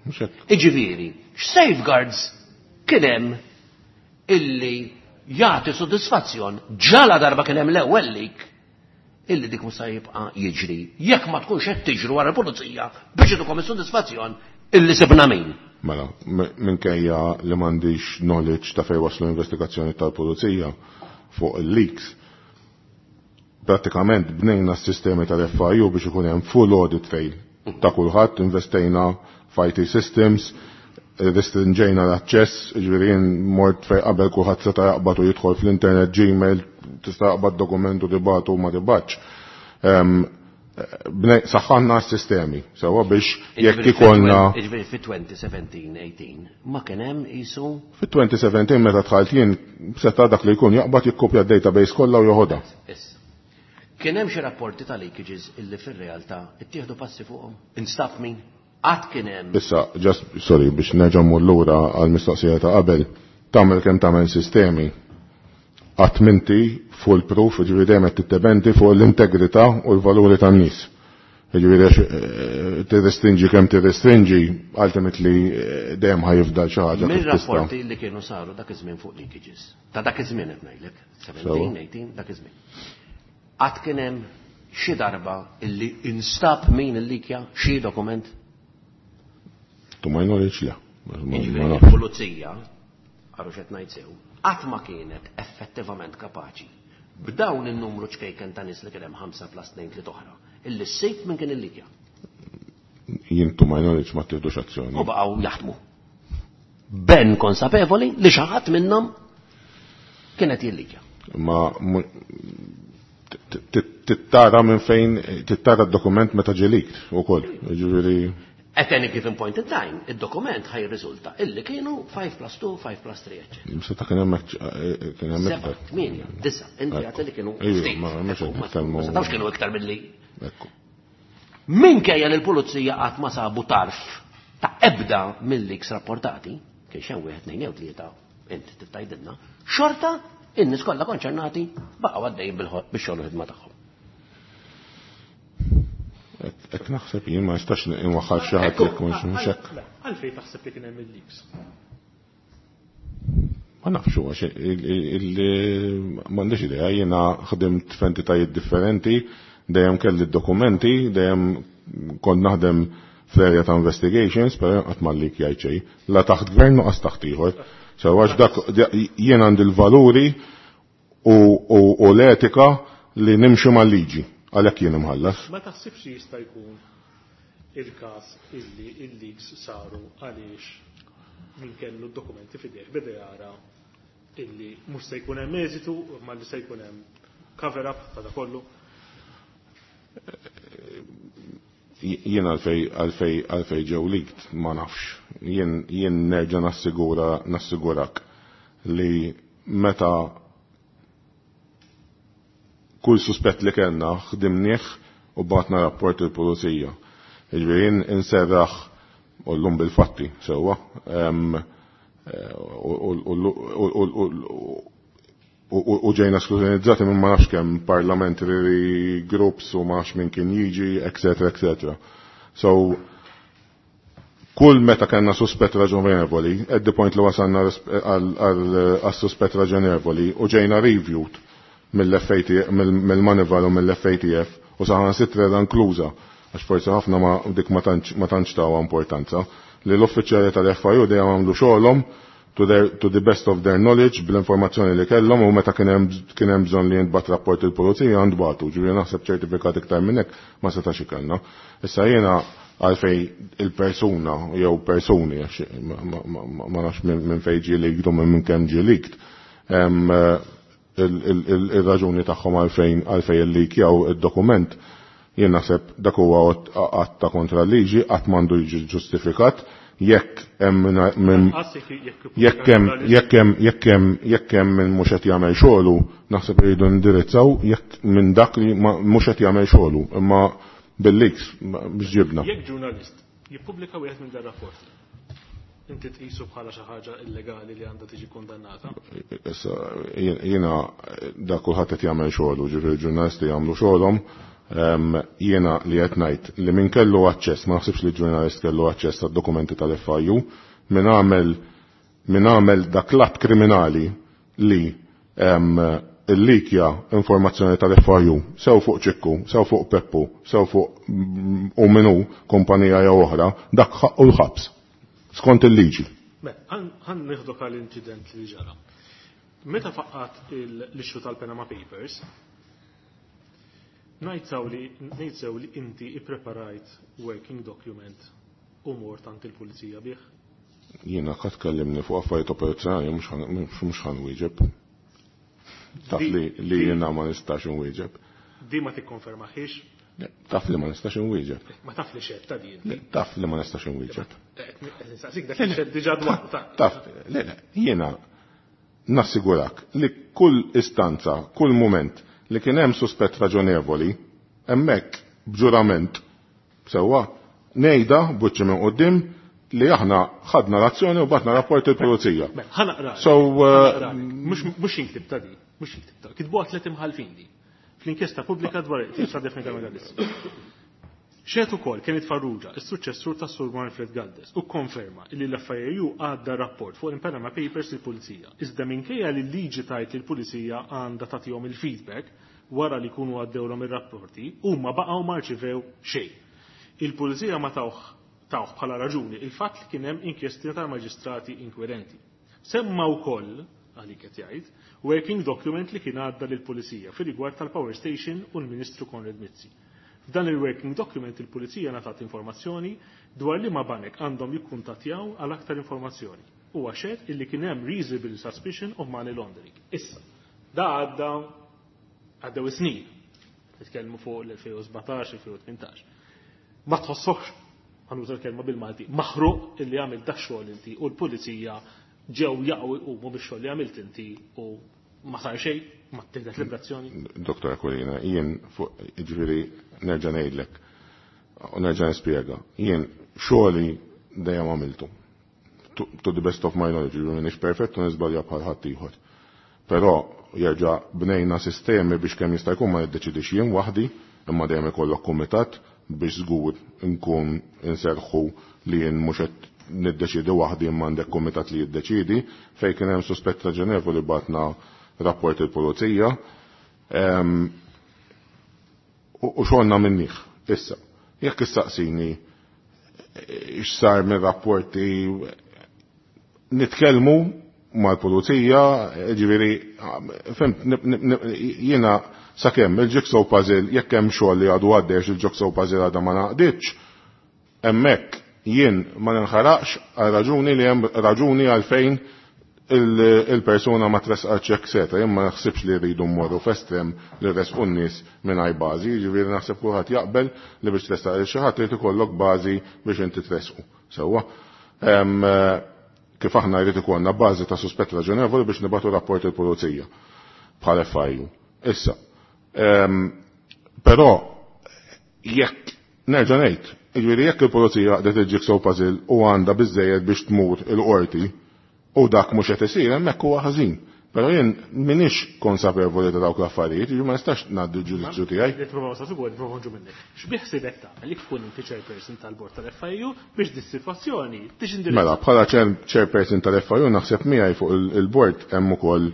Mhux hekk. Iġifieri, x'safeguards kien hemm illi jagħti sodisfazzjon ġala darba kien hemm l-ewwel leak illi dik mhux se jibqa' jiġri jekk ma tkunx qed tiġru wara l-pulizija biex idukom is-sodisfazzjon illi sibna min. Mela, minkejja li m'għandix knowledge ta' fejn waslu investigazzjoni tal-pulizija fuq il-leaks, pratikament bnejna s-sistemi tal-FIU biex ikun hemm full audit trail ta' kulħadd, investejna f'IT systems, restringejna l-aċċess, ġifieri jien mort fejn qabel kulħadd seta' jaqbad u jidħol fl-internet, Gmail, tista' jaqbad dokument u tibgħatu u ma tibgħatx. Saħħanna s-sistemi, sewa biex jekk ikollna. Jiġifieri fi 2017-18 ma kien hemm qisu. Fi 2017 meta dħalt jien seta' dak li jkun jaqbad jikkopja d-database kollha u joħodha. Issa. Kien hemm xi rapporti ta' leakages illi fir-realtà ittieħdu passi fuqhom? Instab min? Qatt kien hemm. Issa, just, sorry, biex nerġa' mmur lura għall-mistoqsija ta' qabel, tagħmel kemm tagħmel sistemi, qatt m'inti full proof, jiġifieri dejjem qed tiddependi fuq l-integrità u l-valuri tan-nies. Jiġifieri għax tirrestrinġi kemm tirrestrinġi, ultimately dejjem ħajfdal xi ħaġa kif tista'. Mir-rapporti li kienu saru dak iż-żmien fuq leakages, ta' dak iż-żmien qed ngħidlek, 17, 18, dak iż-żmien. Qatt kien hemm xi darba illi instab min il-likja xi dokument? To my knowledge, le. Jiġifieri il-pulizija, għarru xed ngħid sew, qatt ma kienet effettivament kapaċi b'dawn in-numru ċkejken ta' nies li kien hemm 5 plus 2 3 oħra, illi ssib minn kien il-likja. Jien to my knowledge ma tieħdux azzjoni. U baqgħu jaħdmu. Ben konsapevoli li xi ħadd minnhom kienet jillikja. Ma tittara minn fejn tittara d-dokument meta ġie leaked ukoll. Jiġifieri At any given point in time, id-dokument ħaj jirriżulta illi kienu 5 plus 2, 5 plus 3, eccetera. Seta kien hemm kien hemm iktar. 8, 9, inti għat li kienu ftit. Ma mhux setgħux kienu iktar milli. Ekku. Minkejja li l-pulizija qatt ma sabu tarf ta' ebda mill-leaks rapportati, kien xew wieħed tnejn jew tlieta, inti titajdilna, xorta in-nies kollha konċernati baqgħu għaddejjin bix-xogħol u ħidma tagħhom. Hekk naħseb jien ma nistax inwaħħal xi ħadd jekk mhux hekk. Għalfejn taħseb li kien hemm il-leaks? Ma nafx huwa m'għandix idea, jiena ħdimt f'entitajiet differenti, dejjem kelli d-dokumenti, dejjem kont naħdem fl-area ta' investigations, però qatt ma leak jgħid xejn. La taħt gvern u qas taħt ieħor. So għax dak jien għandi l-valuri u l-etika li nimxi mal-liġi. Għalhekk jien imħallas. Ma taħsibx li jista' jkun il-każ illi il-leaks saru għaliex min kellu d-dokumenti f'idejh beda jara illi mhux se jkun hemm eżitu imma li se jkun hemm cover up ta' kollu? Jien għalfej għalfej għalfej ġew leaked ma nafx. Jien jien nerġa' nassigura nassigurak li meta kull suspett li kellna ħdimnieh u bagħatna rapport il-pulizija. Jiġifieri jien inserraħ u llum bil-fatti sewwa. U ġejna skrutinizzati minn ma nafx kemm parliamentary groups u ma nafx min kien jiġi, etc. etc. So, kull meta kellna suspett raġonevoli, at the point li wasalna għal suspett raġonevoli u ġejna reviewed mill-FATF, mill-Moneyval u mill-FATF u saħansitra inkluża, għax forsi ħafna ma dik ma tantx tawha importanza, li l-uffiċjali tal-FIU dejjem għamlu xogħolhom to the best of their knowledge bl-informazzjoni li kellhom u meta kien hemm bżonn li jintbagħat rapport il-pulizija ntbagħtu, ġifieri naħseb ċertifikat iktar minn hekk ma setax ikollna. Issa jiena għalfej il-persuna jew persuni għax ma nafx minn fejn ġie leaked u minn kemm ġie leaked, il-raġuni tagħhom għalfejn għalfejn illikjaw id-dokument, jien naħseb dak huwa att ta' kontra l-liġi, qatt m'għandu jiġi ġustifikat jekk hemm minn jekk hemm jekk hemm jekk hemm jekk hemm min mhux qed jagħmel xogħlu, naħseb iridu nindirizzaw jekk minn dak li mhux qed jagħmel xogħlu, imma bil-leaks biex ġibna. Jekk ġurnalist jippubblika wieħed minn dar-rapporti, inti tqisu bħala xi ħaġa illegali li għandha tiġi kundannata? Issa jiena dak kulħadd qed jagħmel xogħlu, ġifieri ġurnalisti jagħmlu xogħolhom. Jiena li qed ngħid li min kellu aċċess, ma naħsibx li ġurnalist kellu aċċess għad-dokumenti tal-FIU, min għamel min għamel dak l-att kriminali li illikja informazzjoni tal-FIU, sew fuq Ċikku, sew fuq Peppu, sew fuq u minu kumpanija jew oħra, dak ħaqqu l-ħabs skont il-liġi. Ħa nieħdok għal incident li ġara. Meta faqqat l-issue tal-Panama Papers, ngħid li inti ippreparajt working document u mort għand il-pulizija bih? Jiena qatt kellimni fuq affarijiet operazzjonali mhux ħa nwieġeb. Taf li jiena ma nistax nwieġeb. Di ma tikkonfermaħiex? Taf li ma nistax nwieġeb. Ma taf li xed ta' din. Taf li ma nistax nwieġeb. Nsaqsik dak li xed diġà dwar. Taf, le, jiena nassigurak li kull istanza, kull moment li kien hemm suspett raġonevoli, hemmhekk b'ġurament sewwa ngħidha b'wiċċi minn quddiem li aħna ħadna l-azzjoni u bagħatna rapport il-pulizija. Ħa naqra. So mhux inktib ta' di, mhux inktib ta' kitbu tliet imħalfin di. Fl-inkjesta pubblika dwar il-qtil ta' Daphne Caruana Galizia. Xehed ukoll Kenneth Farrugia, is-suċċessur tas Sur Manfred Galdes, u konferma li l-FIAU għadda rapport fuq il-Panama Papers il-Pulizija. Iżda minkejja li l-liġi tgħid li l-Pulizija għandha tagħtihom il-feedback wara li jkunu għaddewlhom ir-rapporti, huma baqgħu ma rċivew xejn. Il-Pulizija ma tawh Tawh bħala raġuni il-fatt li kien hemm inkjesti tal-maġistrati inkwirenti. Semma wkoll, għalik qed jgħid, working document li kien għadda lill-Pulizija fir-rigward tal-Power Station u l-Ministru Konrad Mizzi. F'dan il-working document il-Pulizija ngħatat informazzjoni dwar liema banek għandhom jikkuntattjaw għal aktar informazzjoni. Huwa xehed illi kien hemm reasonable suspicion of money laundering. Issa, da għadda għaddew is-snin. Nitkellmu fuq l-2017, 2018. Ma tħossokx, ħa nuża l-kelma bil-Malti, maħruq illi għamilt da xogħol inti u l-pulizija ġew jaqgħu jqumu bix-xogħol li għamilt inti u ma sar xejn, ma ttieħdet l-ebda azzjoni? Dottor Aquilina, jien fuq, jiġifieri nerġa' ngħidlek u nerġa' nispjega, jien xogħli dejjem għamiltu. To the best of my knowledge, jiġifieri m'iniex perfett u niżbalja bħal ħaddieħor. Però jerġa' bnejna sistemi biex kemm jista' jkun ma niddeċidix jien waħdi, imma dejjem ikollok kumitat biex żgur nkun inserrħu li jien mhux qed niddeċiedi waħdi imma għandek kumitat li jiddeċiedi. Fejn kien hemm suspett raġonevoli bagħtna rapport il-pulizija. U xogħolna minnih. Issa, jekk issaqsini x'sar mir-rapporti nitkellmu mal-pulizija, ġifieri, fhimt, jiena sakemm il-jigsaw puzzle jekk hemm xogħol li għadu għaddej għax il-jigsaw puzzle għadha ma naqditx, hemmhekk jien ma ninħaraqx għal raġuni li hemm raġuni għalfejn il-persuna ma tressqatx etc. Jien ma naħsibx li rridu mmorru f'estrem li rresqu n-nies mingħajr bażi, jiġifieri naħseb kulħadd jaqbel li biex tressaq lil xi ħadd irid ikollok bażi biex inti tressqu. Sewwa? Kif aħna jrid ikollna bażi ta' suspett raġonevoli biex nibagħtu rapport il-pulizija bħal FIU. Issa, però jekk nerġa' ngħid, jiġifieri jekk il-pulizija għaqdet il-jigsaw puzzle u għandha biżżejjed biex tmur il-qorti u dak mhux qed isir hemmhekk huwa ħażin. Però jien m'iniex konsapevoli ta' dawk l-affarijiet, jiġifieri ma nistax ngħaddi l-ġudizzju tiegħi. Li tipprova sa sigur, tipprova nġu minnek. X'biħsibek tagħmel jekk tkun inti chairperson tal-bord tal-FIU biex dis-sitwazzjoni tiġi indirizzata? Mela, bħala chairperson tal-FIU naħseb miegħi fuq il-bord hemm ukoll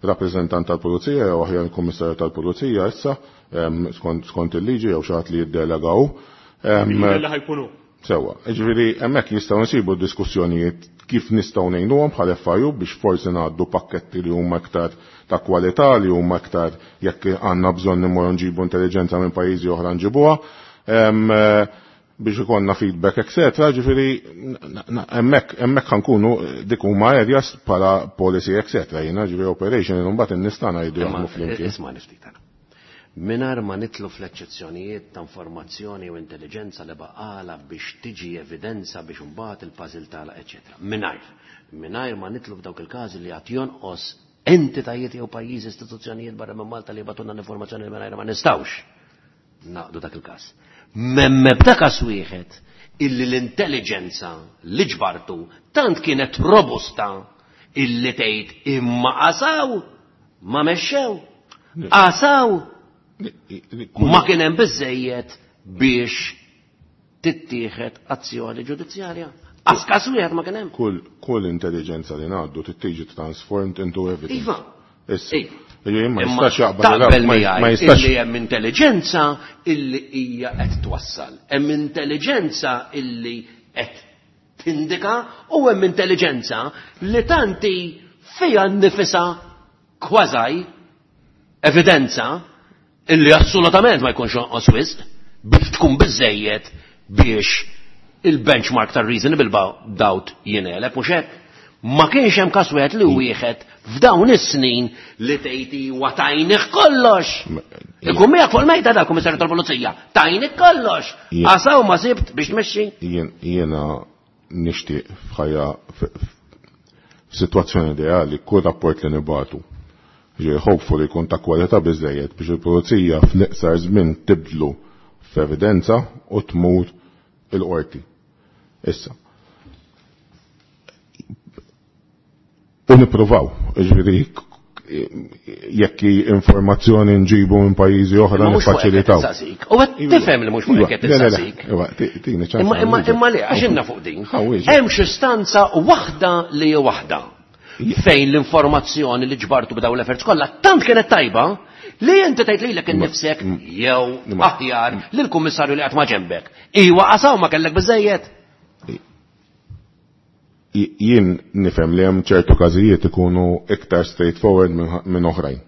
rappreżentant tal-Pulizija jew aħjar il-Kummissarju tal-Pulizija issa, skont il-liġi jew xi ħadd li jiddelega hu. Jidher li ħa jkun hu. Sewwa, jiġifieri hemmhekk jistgħu nsibu diskussjonijiet kif nistgħu ngħinuhom bħal FIU biex forsi ngħaddu pakketti li huma iktar ta' kwalità, li huma iktar jekk għandna bżonn immorru nġibu intelliġenza minn pajjiżi oħra nġibuha, biex ikollna feedback, etc. Ġifieri hemmhekk hemmhekk ħankunu dik huma areas bħala policy, etc. Jiena ġifieri operation imbagħad in-nies tagħna jridu jaħdmu flimkien. Isma' ftit ara. Mingħajr ma nidħlu fl-eċċezzjonijiet ta' informazzjoni u intelliġenza li baqgħalha biex tiġi evidenza biex imbagħad il-puzzle tagħlaq, eċċetera. Mingħajr. Mingħajr ma nidħlu f'dawk il-każi li għad jonqos entitajiet jew pajjiżi istituzzjonijiet barra minn Malta li jibgħatulna l-informazzjoni li mingħajr ma nistgħux naqdu dak il-każ. M'hemm ebda każ wieħed illi l-intelliġenza li ġbartu tant kienet robusta illi tgħid imma qasaw ma mexxew. Qasaw ma kien hemm biżejjed biex tittieħed azzjoni ġudizzjarja. Qas każ wieħed ma kien hemm. Kull intelligenza li ngħaddu trid tiġi transformed into evidence. Iva. Issa. Iva. Ejja, ma Imma jistax jaqbad taqbel ma miegħi ma jistax illi hemm intelligenza illi hija qed twassal. Hemm intelligenza illi qed tindika u hemm intelligenza li tanti fiha nnifisha kważi evidenza illi assolutament ma jkunx jonqos wisq biex tkun biżejjed biex il-benchmark tar-reasonable doubt jingħeleb mhux hekk. Ma kienx hemm każ wieħed li wieħed f'dawn is-snin li tgħid huwa tajnih kollox. Ikun miegħek fuq il-mejda da kummissarju tal-Pulizija, tajnih kollox. Qasaw ma sibt biex tmexxi. Jiena nixtieq f'ħajja f'sitwazzjoni ideali kull rapport li nibatu. Ġej hopefully jkun ta' kwalità biżejjed biex il-pulizija fl-iqsar żmien tibdlu f'evidenza u tmur il-qorti. Issa. U nippruvaw, ġifieri jekk informazzjoni nġibu minn pajjiżi oħra Imma mhux fuq hekk qed niffaċilitaw. insaqsik. U qed tifhem li mhux fuq hekk qed Le, le, le. insaqsik. Iva, tini ċans Imma, imma, għal imma le, għax inna fuq din. Ħa, wieġeb. Hemm xi stanza waħda li hi waħda fejn l-informazzjoni li ġbartu b'dawn l-efforts kollha tant kienet tajba li inti tgħid lilek innifsek jew aħjar lill-kummissarju li qatt ma ġenbek. Iwa qasaw ma kellek biżejjed. Jien nifhem li hemm ċertu każijiet ikunu iktar straightforward minn oħrajn.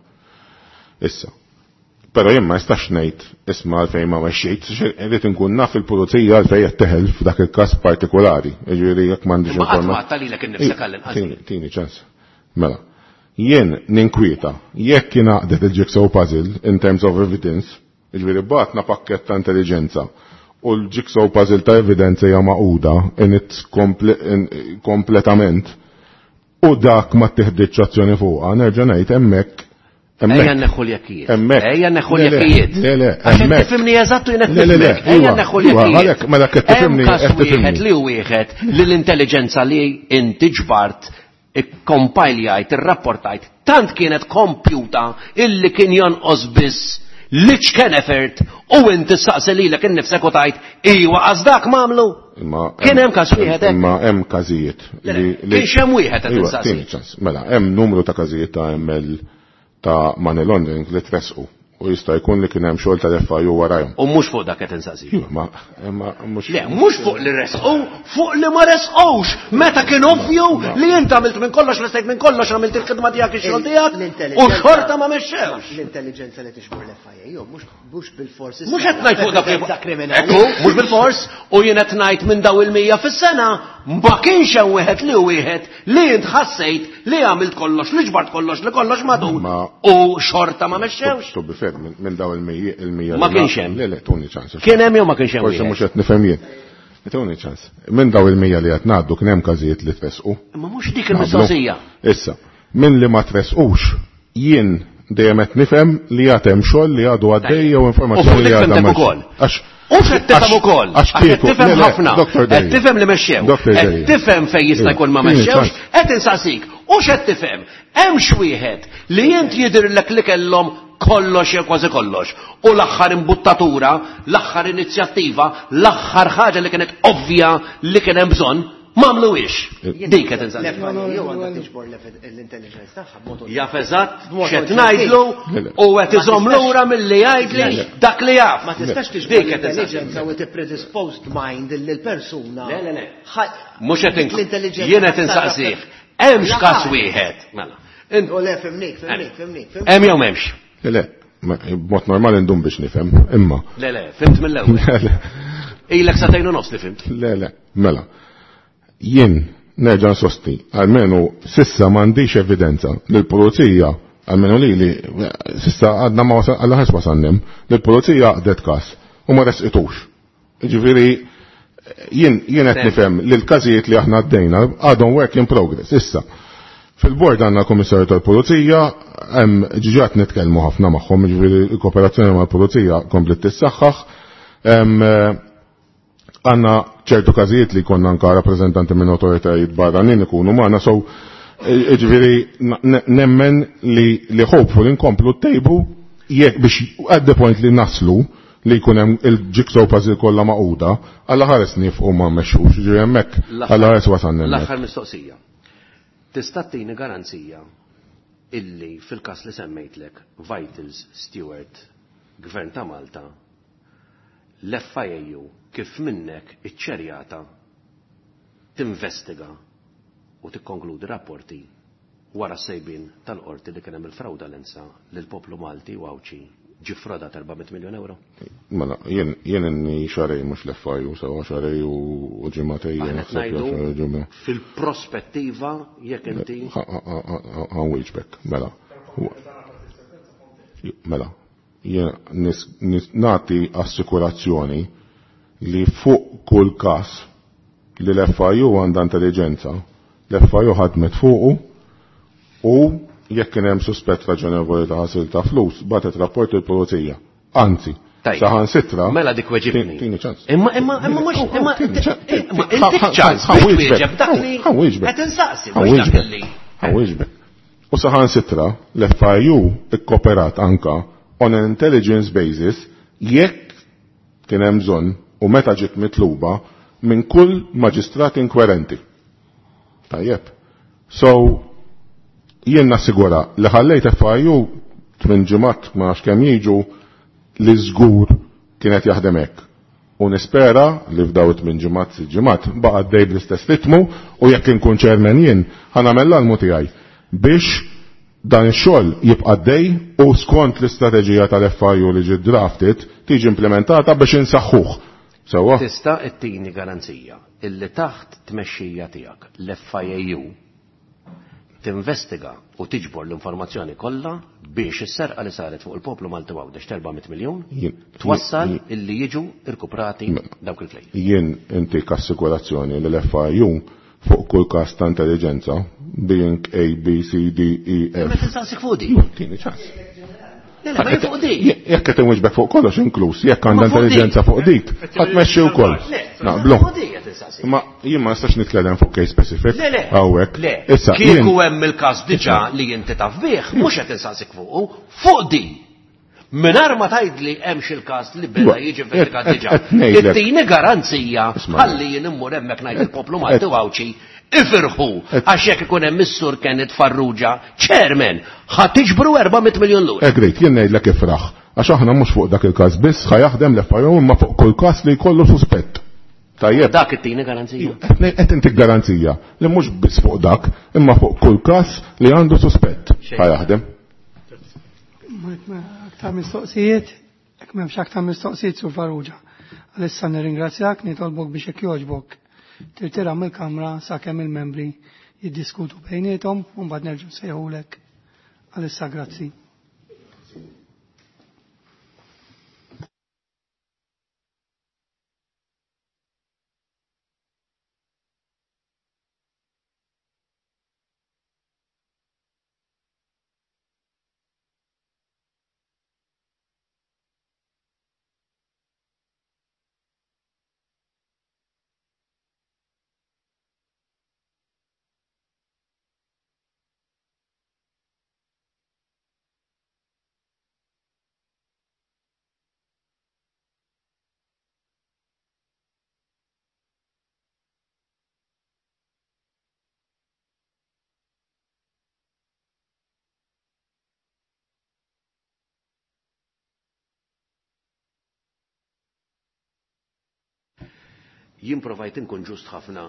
Issa. Però jien ma nistax ngħid isma' għalfejn ma mexxejt, irrid inkun naf il-pulizija għalfejn qed teħel f'dak il-każ partikolari. Jiġifieri jekk m'għandix Imma qatt ma għadta lilek innifsek għall-inqas. Tini ċans. Mela. Jien ninkwieta jekk ingħaqdet il-jigsaw puzzle in terms of evidence, jiġifieri bagħatna pakkett ta' intelligenza u l-jigsaw puzzle ta' evidenza hija magħquda in its kompletament u dak ma tieħditx azzjoni fuqha, nerġa' ngħid hemmhekk. Ejja neħu l-jekkijiet. Hemmhekk. Ejja neħu l-jekkijiet. Le, le, Għax qed hemmhekk. tifhimni eżatt u jien qed Le, le, le, nifhmek. Ejja iwa, neħu iwa, l-jekkijiet. għalhekk, mela qed tifhimni, Hemm każ qed tifhimni. wieħed li wieħed li l-intelligenza li inti ġbart ikkompajljajt, irrapportajt, tant kienet kompjuta illi kien jonqos biss l-iċken effort u inti saqsi lilek innifsek u tajt iwa għaż dak m'għamlu. Imma Kien hemm każ wieħed hekk. Imma hemm każijiet Le, le, kienx hemm wieħed qed Iwa, insaqsi. tieni ċans. Mela, hemm numru ta' każijiet ta' ML ta' money laundering li tresqu u jista' jkun li kien hemm xogħol tal-FIU warajhom. U mhux fuq dak qed insaqsi. Iva, ma imma mhux Le, mhux fuq li resqu, fuq li ma resqux. Meta kien ovvju li int għamilt minn kollox, restejt minn kollox, għamilt il-khidma tiegħek, ix-xogħol tiegħek, u xorta ma mexxewx. L-intelligenza li tixbor l-FIA, mhux bil-fors. Mhux qed ngħid fuq dak li Evidenza kriminali. Ekku, mhux bil-fors, u jien qed ngħid minn daw il-100 fis-sena, ma kienx hemm wieħed li wieħed li int ħassejt li għamilt kollox, li ġbart kollox, li kollox madun. Ma- U xorta ma mexxewx. To be fair, minn daw il-100 Ma li kienx hemm. Le, le, tuni ċans. Kien hemm jew ma kienx hemm Forsi wieħed? mhux qed nifhem jien. Tuni ċans. Minn daw il-100 li qed ngħaddu kien hemm każijiet li tresqu. Imma mhux dik il-mistoqsija. Issa, minn li ma tresqux, jien dejjem qed nifhem li għad hemm xogħol li għadu għaddej jew U fuq informazzjoni dik li għadha fimtek m'hemmx. ukoll. Għax U x'qed tifhem ukoll. Għax Għax qed kieku, tifhem le, le, ħafna. Dr. Qed Delia. tifhem li mexxew. Dr. Qed Delia. tifhem fejn jista' jkun ma Iva, tieni mexxewx. ċans. Qed insaqsik. U x'qed tifhem? Hemm x'wieħed li int jidhirlek li kellhom kollox jew kważi kollox. U l-aħħar imbuttatura, l-aħħar inizjattiva, l-aħħar ħaġa li kienet ovvja li kien hemm bżonn, m'għamluhiex. Dik qed insaqsik. L-FIA għandha tiġbor l-intelligence tagħha b'mod Jaf eżatt B'mod x'qed oġġettiv. ngħidlu Le, le. u qed iżomm Ma tistax- lura milli jgħidli dak li jaf. Ma tistax tiġbor Dik qed insaqsik. l-intelligenza u tippredisposed mind li l-persuna. Le, le, le. Ħa- Mhux qed dik l-intelligenza jien qed insaqsih. Hemmx La każ ħadd. wieħed. Mela. U le, fimnik, fimnik, fimnik. fimnik. Hemm jew m'hemmx? Le, le, b'mod normali ndum biex nifhem, imma. Le, le, fimt mill-ewwel. Le, le, Ilek sagħtejn u nofs li fimt. le, le, mela. Jien nerġa' nsostni, almenu sissa m'għandix evidenza li l-pulizija, almenu li li sissa għadna ma wasal, għalla ħares wasalnem, li l-pulizija għaqdet każ u ma resqitux. Ġifieri jien qed nifhem li l-każijiet li aħna għaddejna għadhom work in progress. Issa, fil-bord għandna l-Kummissarju tal-Pulizija, hemm ġiġat nitkellmu ħafna magħhom, jiġifieri l-kooperazzjoni mal-Pulizija komplet tissaħħaħ. Hemm għandna ċertu każijiet li konna anka rappreżentanti minn autoritajiet barranin ikunu magħna, so jiġifieri nemmen li hopeful inkomplu ttejbu jekk biex at the point li naslu li jkun hemm il-jigsaw puzzle kollha magħquda, alla ħares nifqu ma mmexxux, jiġifieri hemmhekk alla ħares wasalna hemmhekk. L-aħħar mistoqsija. Tista' tini garanzija illi fil-każ li semmejtlek Vitals Steward, Gvern ta' Malta, l-FIAU kif minnek iċċerjata tinvestiga u tikkonkludi rapporti wara sejbin tal-qorti li kien hemm il-fraudalenza lil poplu Malti u Għawdxi ġie frodat 400 miljon euro. Mela, jien inni xarej mhux l-FIU, sewa xarej u ġimgħatej Aħna qed naħseb jew ngħidu xarej ġimgħa. fil-prospettiva jekk inti Għan wieġbek, mela. Mela, jien nagħti assikurazzjoni li fuq kull każ li l-FIU għandha intelligenza, l-FIU ħadmet fuqu u jekk kien hemm suspett raġonevoli ta' ħasil ta' flus, batet rapport il-pulizija. Anzi, Tajjeb. saħansitra. Mela dik weġibni. Tini ċans. Imma imma imma mhux imma Tini ċans. imma intik ċans biex twieġeb dak li Ħa wieġbek. qed insaqsi Ħa mhux dak wieġbek. li. Ħa wieġbek. U saħansitra l-FIU ikkoperat anka on an intelligence basis jekk kien hemm bżonn u meta ġiet mitluba minn kull maġistrat inkwerenti. Tajjeb. So, jien nassigura li ħallejt FIU tmien ġimgħat ma nafx kemm jiġu li żgur kienet jaħdem hekk. U nispera li f'daw it-tmien ġimgħat sitt ġimgħat baqa' għaddej bl-istess ritmu u jekk inkun chairman jien ħa nagħmel l-almu tiegħi biex dan ix-xogħol jibqa' għaddej u skont l-istrateġija tal-FIU li ġiet drafted tiġi implementata biex insaħħuh. Sewwa? Tista' ttini garanzija illi taħt tmexxija tiegħek l-FIAU tinvestiga u tiġbor l-informazzjoni kollha biex is-serqa li saret fuq il-poplu Malti u Għawdex ta' 400 miljun twassal illi jiġu rkuprati dawk il-flejjes. Jien intik assikurazzjoni li l-FIU fuq kull każ ta' intelliġenza, being A, B, C, D, E, F. Ma tinsaqsik fuq di. Tieni ċans. Le, le, ma jien fuq di. Jekk qed inwiġbek fuq kollox inkluż, jekk għandha intelliġenza fuq dik, ħadd tmexxi wkoll. Naqblu. Fuq di qed insaqsik. Ma jien ma nistax nitkellem fuq case specific. Le, le. Hawnhekk. Le. Issa, Kieku hemm il-każ diġà li inti taf bih, mhux qed insaqsik fuqu, fuq di. Mingħajr ma tgħidli hemm xi l-każ li beda jiġi investigat diġà. Ittini garanzija ħalli jien immur hemmhekk ngħid il-poplu Malti u Għawdxi ifirħu għax jekk ikun hemm is-Sur Kenneth Farrugia, chairman, ħa tiġbru 400 miljun lura. Agreed, jien ngħidlek ifraħ. Għax aħna mhux fuq dak il-każ biss ħa jaħdem l-FIU imma fuq kull każ li jkollu suspett. Tajjeb. Dak ittini garanzija. Qed intik garanzija li mhux biss fuq dak, imma fuq kull każ li għandu suspett ħa jaħdem. Aktar mistoqsijiet, jekk m'hemmx aktar mistoqsijiet Sur Farrugia. Għalissa nirringrazzjak, nitolbok biex jekk jogħġbok tirtira mill-kamra sakemm il-membri jiddiskutu bejniethom u mbagħad nerġgħu nsejħulek. Għalissa grazzi. Jien provajt inkun ġust ħafna.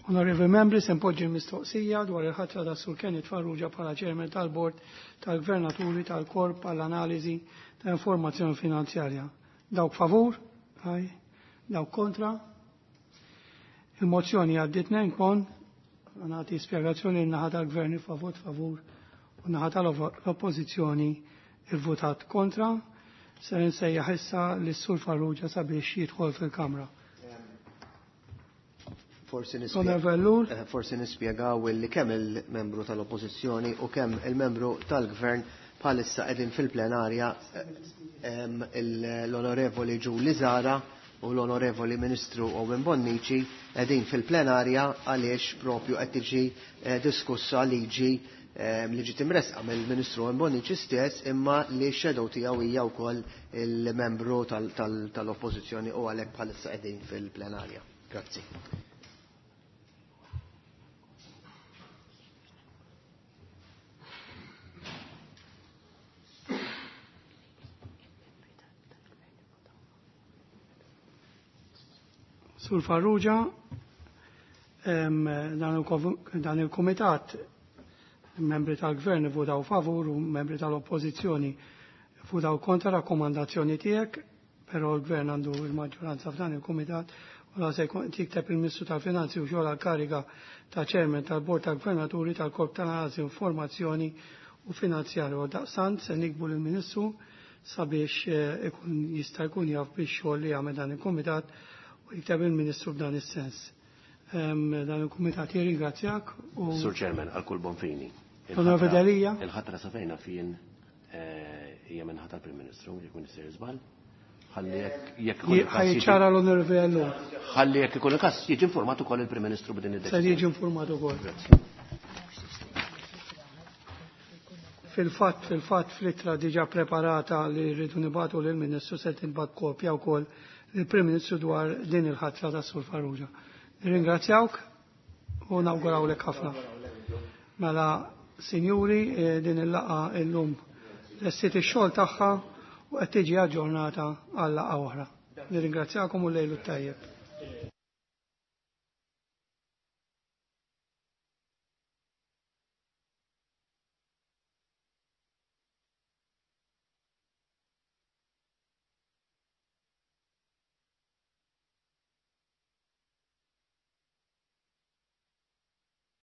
Onorevoli membri, se npoġġi l-mistoqsija dwar il-ħatra ta' Sur Kenneth Farrugia bħala ċermen tal-Bord tal-Gvernaturi tal-Korp għall-Analiżi ta' Informazzjoni Finanzjarja. Dawk favur? Aj. Dawk kontra? Il-mozzjoni għaddit kon, nagħti spjegazzjoni n-naħa tal-Gvern favot favur u naħa tal-Oppożizzjoni votat kontra. Se nsejjaħ issa lis-Sur Farrugia sabiex jidħol fil-Kamra. Forsi eh, nispjegaw li kemm il-membru tal-Oppożizzjoni u kemm il-membru tal-Gvern bħalissa qegħdin fil-plenarja eh, l-Onorevoli Ġuli Zara u l-Onorevoli Ministru Owen Bonnici qegħdin fil-plenarja għaliex propju qed tiġi eh, diskussa liġi li ġiet imresqa mill-Ministru Owen Bonnici stess imma li x-shadow tiegħu hija wkoll il-membru tal-Oppożizzjoni u għalhekk bħalissa qegħdin fil-plenarja. Grazzi. Sur Farrugia, dan il-komitat membri tal-gvern votaw favur u membri tal-oppożizzjoni votaw kontra rakkomandazzjoni tiegħek, però l-gvern għandu il-maġġoranza f'dan il-komitat u la se tikteb il-Ministru tal-Finanzi u xogħol kariga ta' ċermen tal-Bord tal-Gvernaturi tal-Korp tal-Analiżi Informazzjoni u Finanzjarju. Daqsant se nikbu lill-Ministru sabiex eh, ikun jista' jkun jaf biex xogħol li jagħmel dan il-kumitat u jikteb il-Ministru f'dan is-sens. Dan il-Kumitat jirringrazzjak u Sur Chairman, għal kull bonfini. Onorevoli Il-ħatra sa fejna fien eh, hija minħata tal-Prim Ministru, jekk Minister żball. Ħalli jekk ikun ħajċara l-Onorevoli Ellul. Ħalli jekk ikun il-każ jiġi informat ukoll il-Prim Ministru b'din id-deċiżjoni. Se jiġi informat ukoll. Fil-fatt, fil-fatt fl-ittra diġà preparata li rridu nibatu lill-Ministru se tinbagħat kopja wkoll il-Prim Ministru dwar din il-ħatra ta' Sur Farrugia. Ringrazzjawk u nawgurawlek ħafna. Mela, sinjuri, eh, din il-laqa illum lestiet ix-xogħol tagħha u qed tiġi aġġornata għal laqgħa oħra. Nirringrazzjakom u lejlu tajjeb.